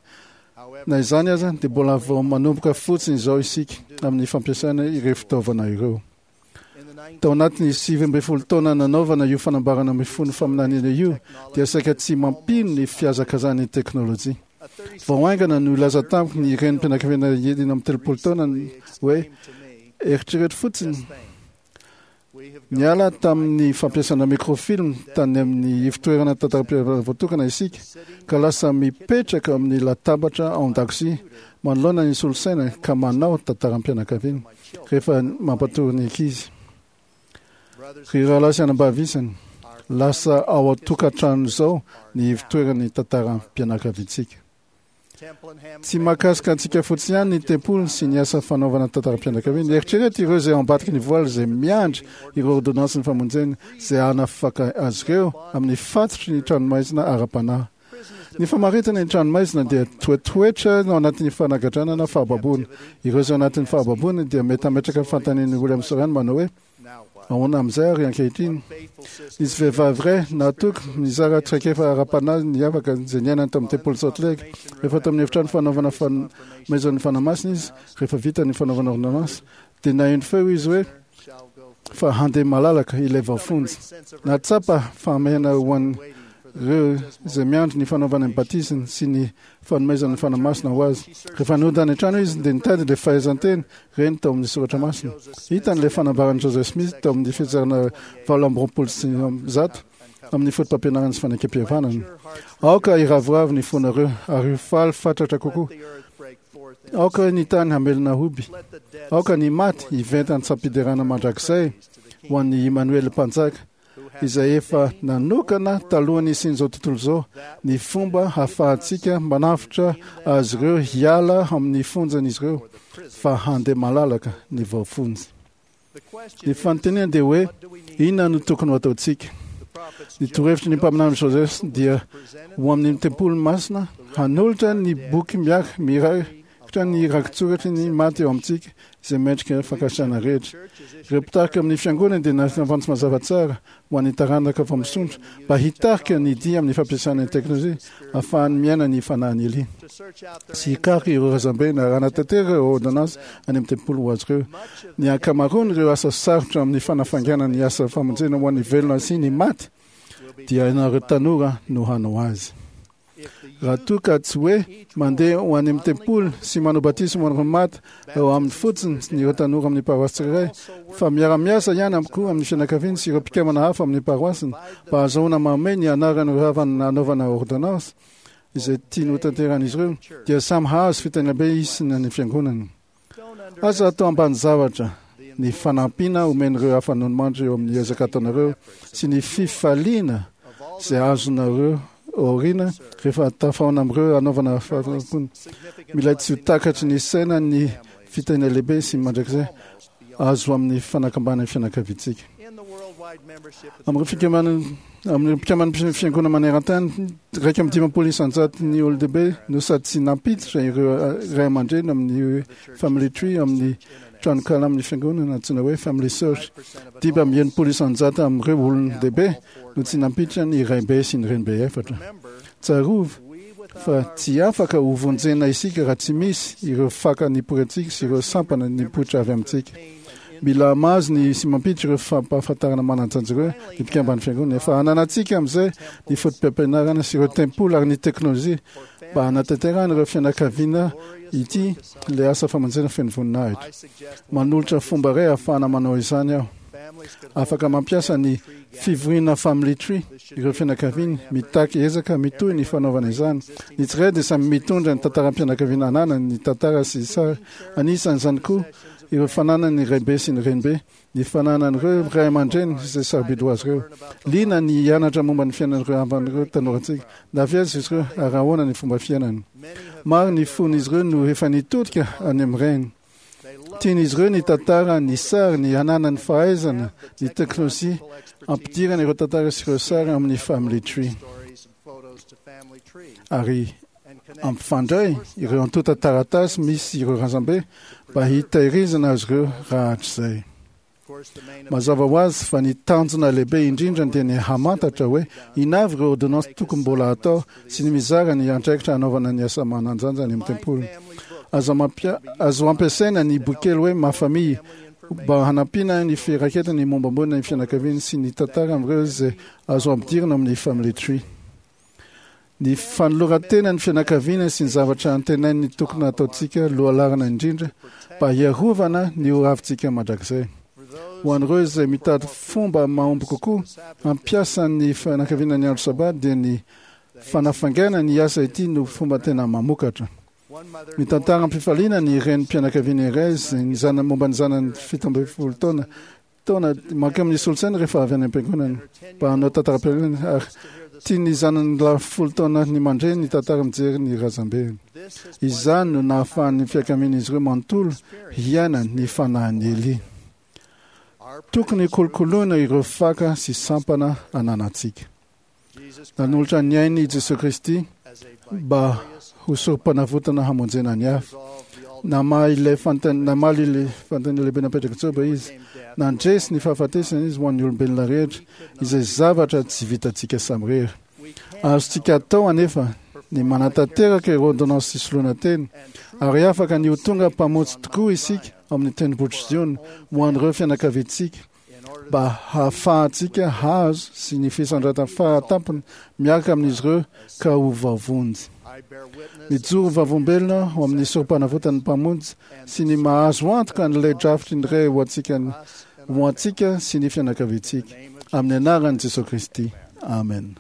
Na izany aza, dia mbola vao manomboka fotsiny izao isika amin'ny fampiasana ireo fitaovana ireo. Tao anatin'ny sivy ambin'ny folo taona nanaovana io fanambarana mifono faminaniana io, dia saika tsy mampino ny fihazakazahan'ny teknolojia. Vao haingana no nilaza tamiko ny renim-pianakaviana enina amby telopolo taona hoe, Eritrereto fotsiny, niala tamin'ny fampiasana microfilm tany amin'ny ivotoerana tantaram-pihavanana voatokana isika, ka lasa mipetraka amin'ny latabatra ao an-dakozia manoloana ny solosaina ka manao tantaram-pianakaviana rehefa mampatory ny ankizy. Ry rahalahy sy anabavy isany, lasa ao an-tokantrano izao ny ivotoeran'ny tantaram-pianakaviantsika. Tsy mahakasika antsika fotsiny ihany ny tempoly sy ny asa fanaovana tantaram-pianakaviana. Eritrereto ireo izay ao ambadiky ny voaly izay miandry ireo ôrdônansin'ny famonjena izay hanafaka azy ireo amin'ny fatotry ny tranomaizina ara-panahy. Ny famaritana ny tranomaizina dia toetoetra ao anatin'ny fanagadrana na fahababoana. Ireo izay ao anatin'ny fahababoana dia mety hametraka fanontanian'i William Soren manao hoe, Ahoana amin'izay ary ankehitriny? Nisy vehivavy iray nahatoky nizara traikefa ara-panahy niavaka izay niainany tao amin'ny tempoly Salt Lake. Rehefa tao amin'ny efitrano fanaovana fanomezan'ny Fanahy Masina izy, rehefa vita ny fanaovana ôrdônansy, dia naheno feo izy hoe fa handeha malalaka ilay voafonja. Nahatsapa fahamehana ho an'ireo izay miandry ny fanaovana ny batisany sy ny fanomezana ny Fanahy Masina ho azy. Rehefa nody any an-trano izy dia nitady ilay fahaizan-teny reny tao amin'ny soratra masina. Hitany ilay fanambaran'i Joseph Smith tao amin'ny fitsarana valo amby roapolo sy zato amin'ny fotopampianarana sy fanekempihavanana. Aoka hiravoravo ny fonareo ary ho faly fatratra kokoa. Aoka ny tany hamelona hoby. Aoka ny maty hiventa an-tsampiderana mandrakizay ho an'i Immanuel Mpanjaka. izay efa nanokana talohan'ny nisian'izao tontolo izao ny fomba hahafahantsika manavotra azy ireo hiala amin'ny fonjan'izy ireo fa handeha malalaka ny voafonja. Ny fanontaniana dia hoe inona no tokony ho ataontsika? Ny torohevitry ny mpaminany Joseph dia ho amin'ny tempoly masina hanolotra ny boky miaraka mirakitra ny rakitsoratry ny maty eo amintsika izay mendrika fankasitrahana rehetra. Ireo mpitarika amin'ny fiangonana dia nafantsy mazava tsara ho an'ny taranaka vao misondrotra mba hitarika ny dia amin'ny fampiasana ny teknolojia ahafahany miaina ny fanahin'i Elia sy hikaroka ireo razambe narahana tanteraka ireo ôrdônansy any amin'ny tempoly ho azy ireo. Ny ankamaroan'ireo asa sarotra amin'ny fanafaingana ny asa famonjena ho an'ny velona sy ny maty dia ianareo tanora no hanao azy. Raha toa ka tsy hoe mandeha ho any amin'ny tempoly sy manao batisa ho an'ireo maty ao aminy fotsiny ireo tanora amin'ny paroasy tsirairay, fa miara-miasa ihany am koa amin'ny fianakaviany sy ireo mpikambana hafa amin'ny paroasiny mba hahazoana mamehy ny anaran'ireo havana nanaovana ôrdônansy izay tiany hotanterahan'izy ireo, dia samy hahazo fitahiana be izy sy ny fiangonany. Aza atao ambany zavatra ny fanampiana omen'ireo hafa nonimandry eo amin'ny ezaka ataonareo sy ny fifaliana izay azonareo aoriana rehefa tafahaona amin'ireo hanaovana fanompoana. Mila tsy ho takatry ny saina ny fitahiana lehibe sy mandrakizay azo amin'ny fanakambanan'ny fianakaviantsika. Amin'ireo fikambanana amin'ireo mpikamban'ny fiangonana maneran-tany, iraika amby dimampolo isan-jato ny olon-dehibe no sady tsy nampiditra ireo ray aman-dreny amin'ny Family Tree amin'ny tranonkala amin'ny fiangonana antsoina hoe Family Search. Dimy amby enimpolo isan-jato amin'ireo olon-dehibe no tsy nampiditra ny raibe sy ny renibe efatra. Tsarovy fa tsy afaka ho vonjena isika raha tsy misy ireo faka nipoirantsika sy ireo sampana nipoitra avy amintsika. Mila mahazo ny sy mampiditra ireo fampahafantarana manan-danja ireo ny mpikamban'ny fiangonana. Efa ananantsika amin'izay ny foto-pampianarana sy ireo tempoly ary ny teknolojia mba hanatanterahana ireo fianakaviana ity ilay asa famonjena feno voninahitra. Manolotra fomba iray ahafahana manao izany aho. Afaka mampiasa ny fivoriana Family Tree ireo fianakaviana. Mitaky ezaka mitohy ny fanaovana izany. Ny tsirairay dia samy mitondra ny tantaram-pianakaviana ananany, ny tantara sy sary. Anisan'izany koa ireo fananan'ny raibe sy ny renibe, ny fananan'ireo ray aman-dreny izay sarobidy ho azy ireo. Liana ny hianatra momba ny fiainan'ireo havan'ireo tanorantsika. Na avy aiza izy ireo ary ahoana ny fomba fiainany. Maro ny fon'izy ireo no efa nitodika any amin'ny rainy. Tian'izy ireo ny tantara, ny sary, ny hananany fahaizana, ny teknolojia hampidirana ireo tantara sy ireo sary amin'ny Family Tree. Ary ampifandray ireo antontan-taratasy misy ireo razambe mba hitahirizana azy ireo rahatrizay. Mazava ho azy fa ny tanjona lehibe indrindra dia ny hamantatra hoe inona avy ireo ôrdônansy tokony mbola hatao sy ny mizara ny andraikitra hanaovana ny asa manan-danja any amin'ny tempoly. Azo mampia- azo ampiasaina ny bokikely hoe Ma Famille mba hanampiana ny firaketana ny mombamomba ny fianakaviany sy ny tantara amin'ireo izay azo ampidirina amin'ny Family Tree. Ny fanoloran-tena ny fianakaviana sy ny zavatra antenain'ny tokony hataontsika lohalaharana indrindra mba hiarovana ny ho avintsika mandrakizay. Ho an'ireo izay mitady fomba mahomby kokoa hampiasa ny fianakaviana ny andro Sabata dia ny fanafaingana ny asa ity no fomba tena mamokatra. Mitantara am-pifaliana ny renim-pianakaviana iray izay ny zanany momba ny zanany fito ambin'ny folo taona taona mankeo amin'ny solosaina rehefa avy any am-piangonana mba hanao tantaram-piangonana ary tian'ny zanany lahy folo taona ny mandre ny tantara mijery ny razambeny. Izany no nahafahan'ny fianakavian'izy ireo manontolo hiaina ny fanahin'i Elia. Tokony kolokoloina ireo faka sy sampana ananantsika. Nanolotra ny ainy i Jesoa Kristy mba ho sorom-panavotana hamonjena ny hafa. Namaha ilay fanontaniana, namaly ilay fanontaniana lehibe napetrak'i Joba izy. Nandresy ny fahafatesana izy ho an'ny olombelona rehetra, izay zavatra tsy vitantsika samirery. Azontsika atao anefa ny manatanteraka ireo ôrdônansy fisoloana tena, ary afaka ny ho tonga mpamonjy tokoa isika ao amin'ny tendrombohitr'i Ziona ho an'ireo fianakaviantsika mba hahafahantsika hahazo sy ny fisandratan'ny faratampony miaraka amin'izy ireo ka ho voavonjy. Mijoro vavolombelona ho amin'ny sorom-panavotan'ny Mpamonjy sy ny mahazo antoka an'ilay drafitry ny Ray ho antsika ho antsika sy ny fianakaviantsika. Amin'ny anaran'i Jesoa Kristy. Amen.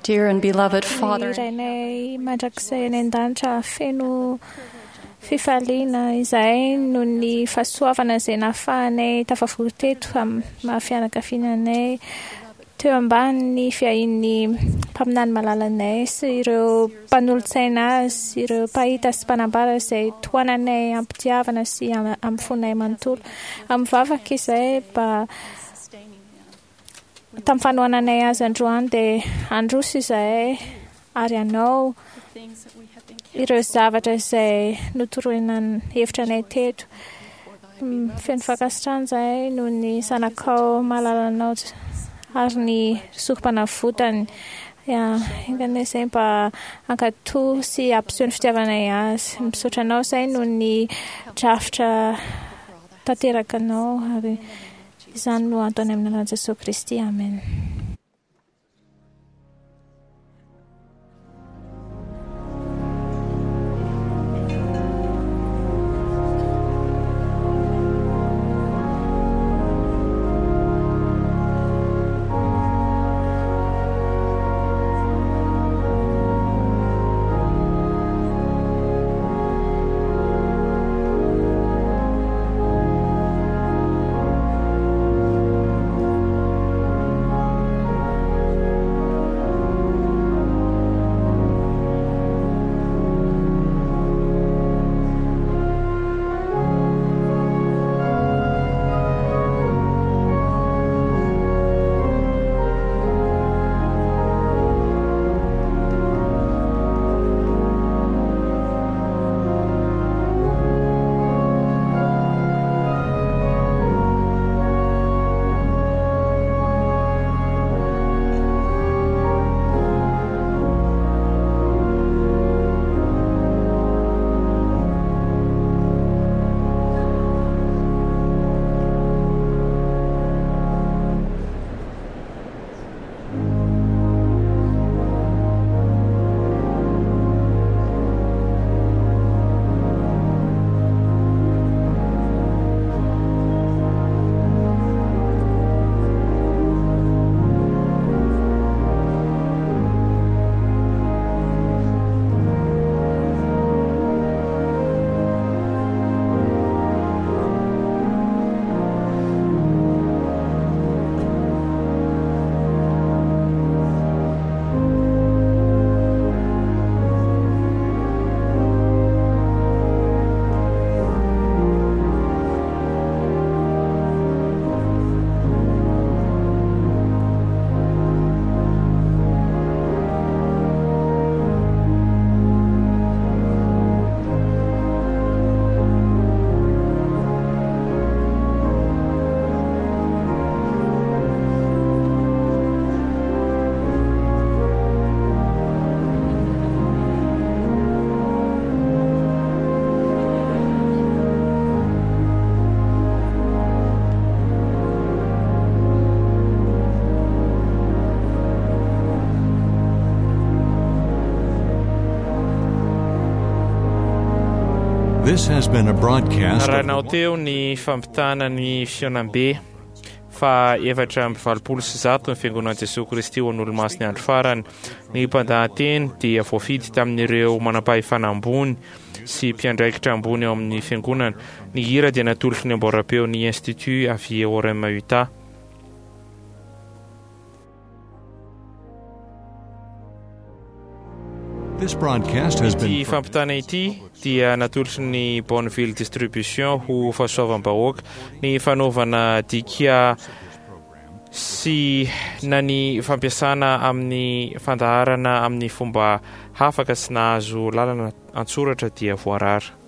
Dear and beloved Father, Ny Rainay mandrakizay any an-danitra, feno fifaliana izahay noho ny fahasoavana izay nahafahanay tafavory teto amin'ny maha fianakaviana anay teo ambanin'ny fiahian'ny mpaminany malalanay sy ireo mpanolotsaina azy, ireo mpahita sy mpanambara izay tohananay am-pitiavana sy am- amin'ny fonay manontolo. Amin'ny vavaka izahay mba tamin'ny fanohananay azy androany dia handroso izahay ary hanao ireo zavatra izay notoroina hevitra anay teto. Mm, Feno fankasitrahana izahay noho ny zanakao malalanao ary ny sorom-panavotany. Ya, enga izay mba hankatò sy hampiseho ny fitiavanay azy. Misaotra anao izahay noho ny drafitra tanteraka anao ary izany no antony amin'ny anaran'i Jesosy Kristy. Amen. This has been a broadcast of Narahinao teo ny fampitana ny fihaonambe fa efatra amby valopolo sy zato ny fiangonan'i Jesosy Kristy ho an'Olomasin'ny andro farany. Ny mpandahateny dia voafidy tamin'ireo manam-pahefana ambony sy mpiandraikitra ambony ao amin'ny fiangonana. Ny hira dia natolotry ny amboaram-peo ny Institut avy Orem Utah. This broadcast has been Ity fampitana ity dia natolotry ny Bonneville Distribution ho fahasoavam-bahoaka. Ny fanaovana dika sy na ny fampiasana amin'ny fandaharana amin'ny fomba hafa ka tsy nahazo lalana an-tsoratra dia voarara.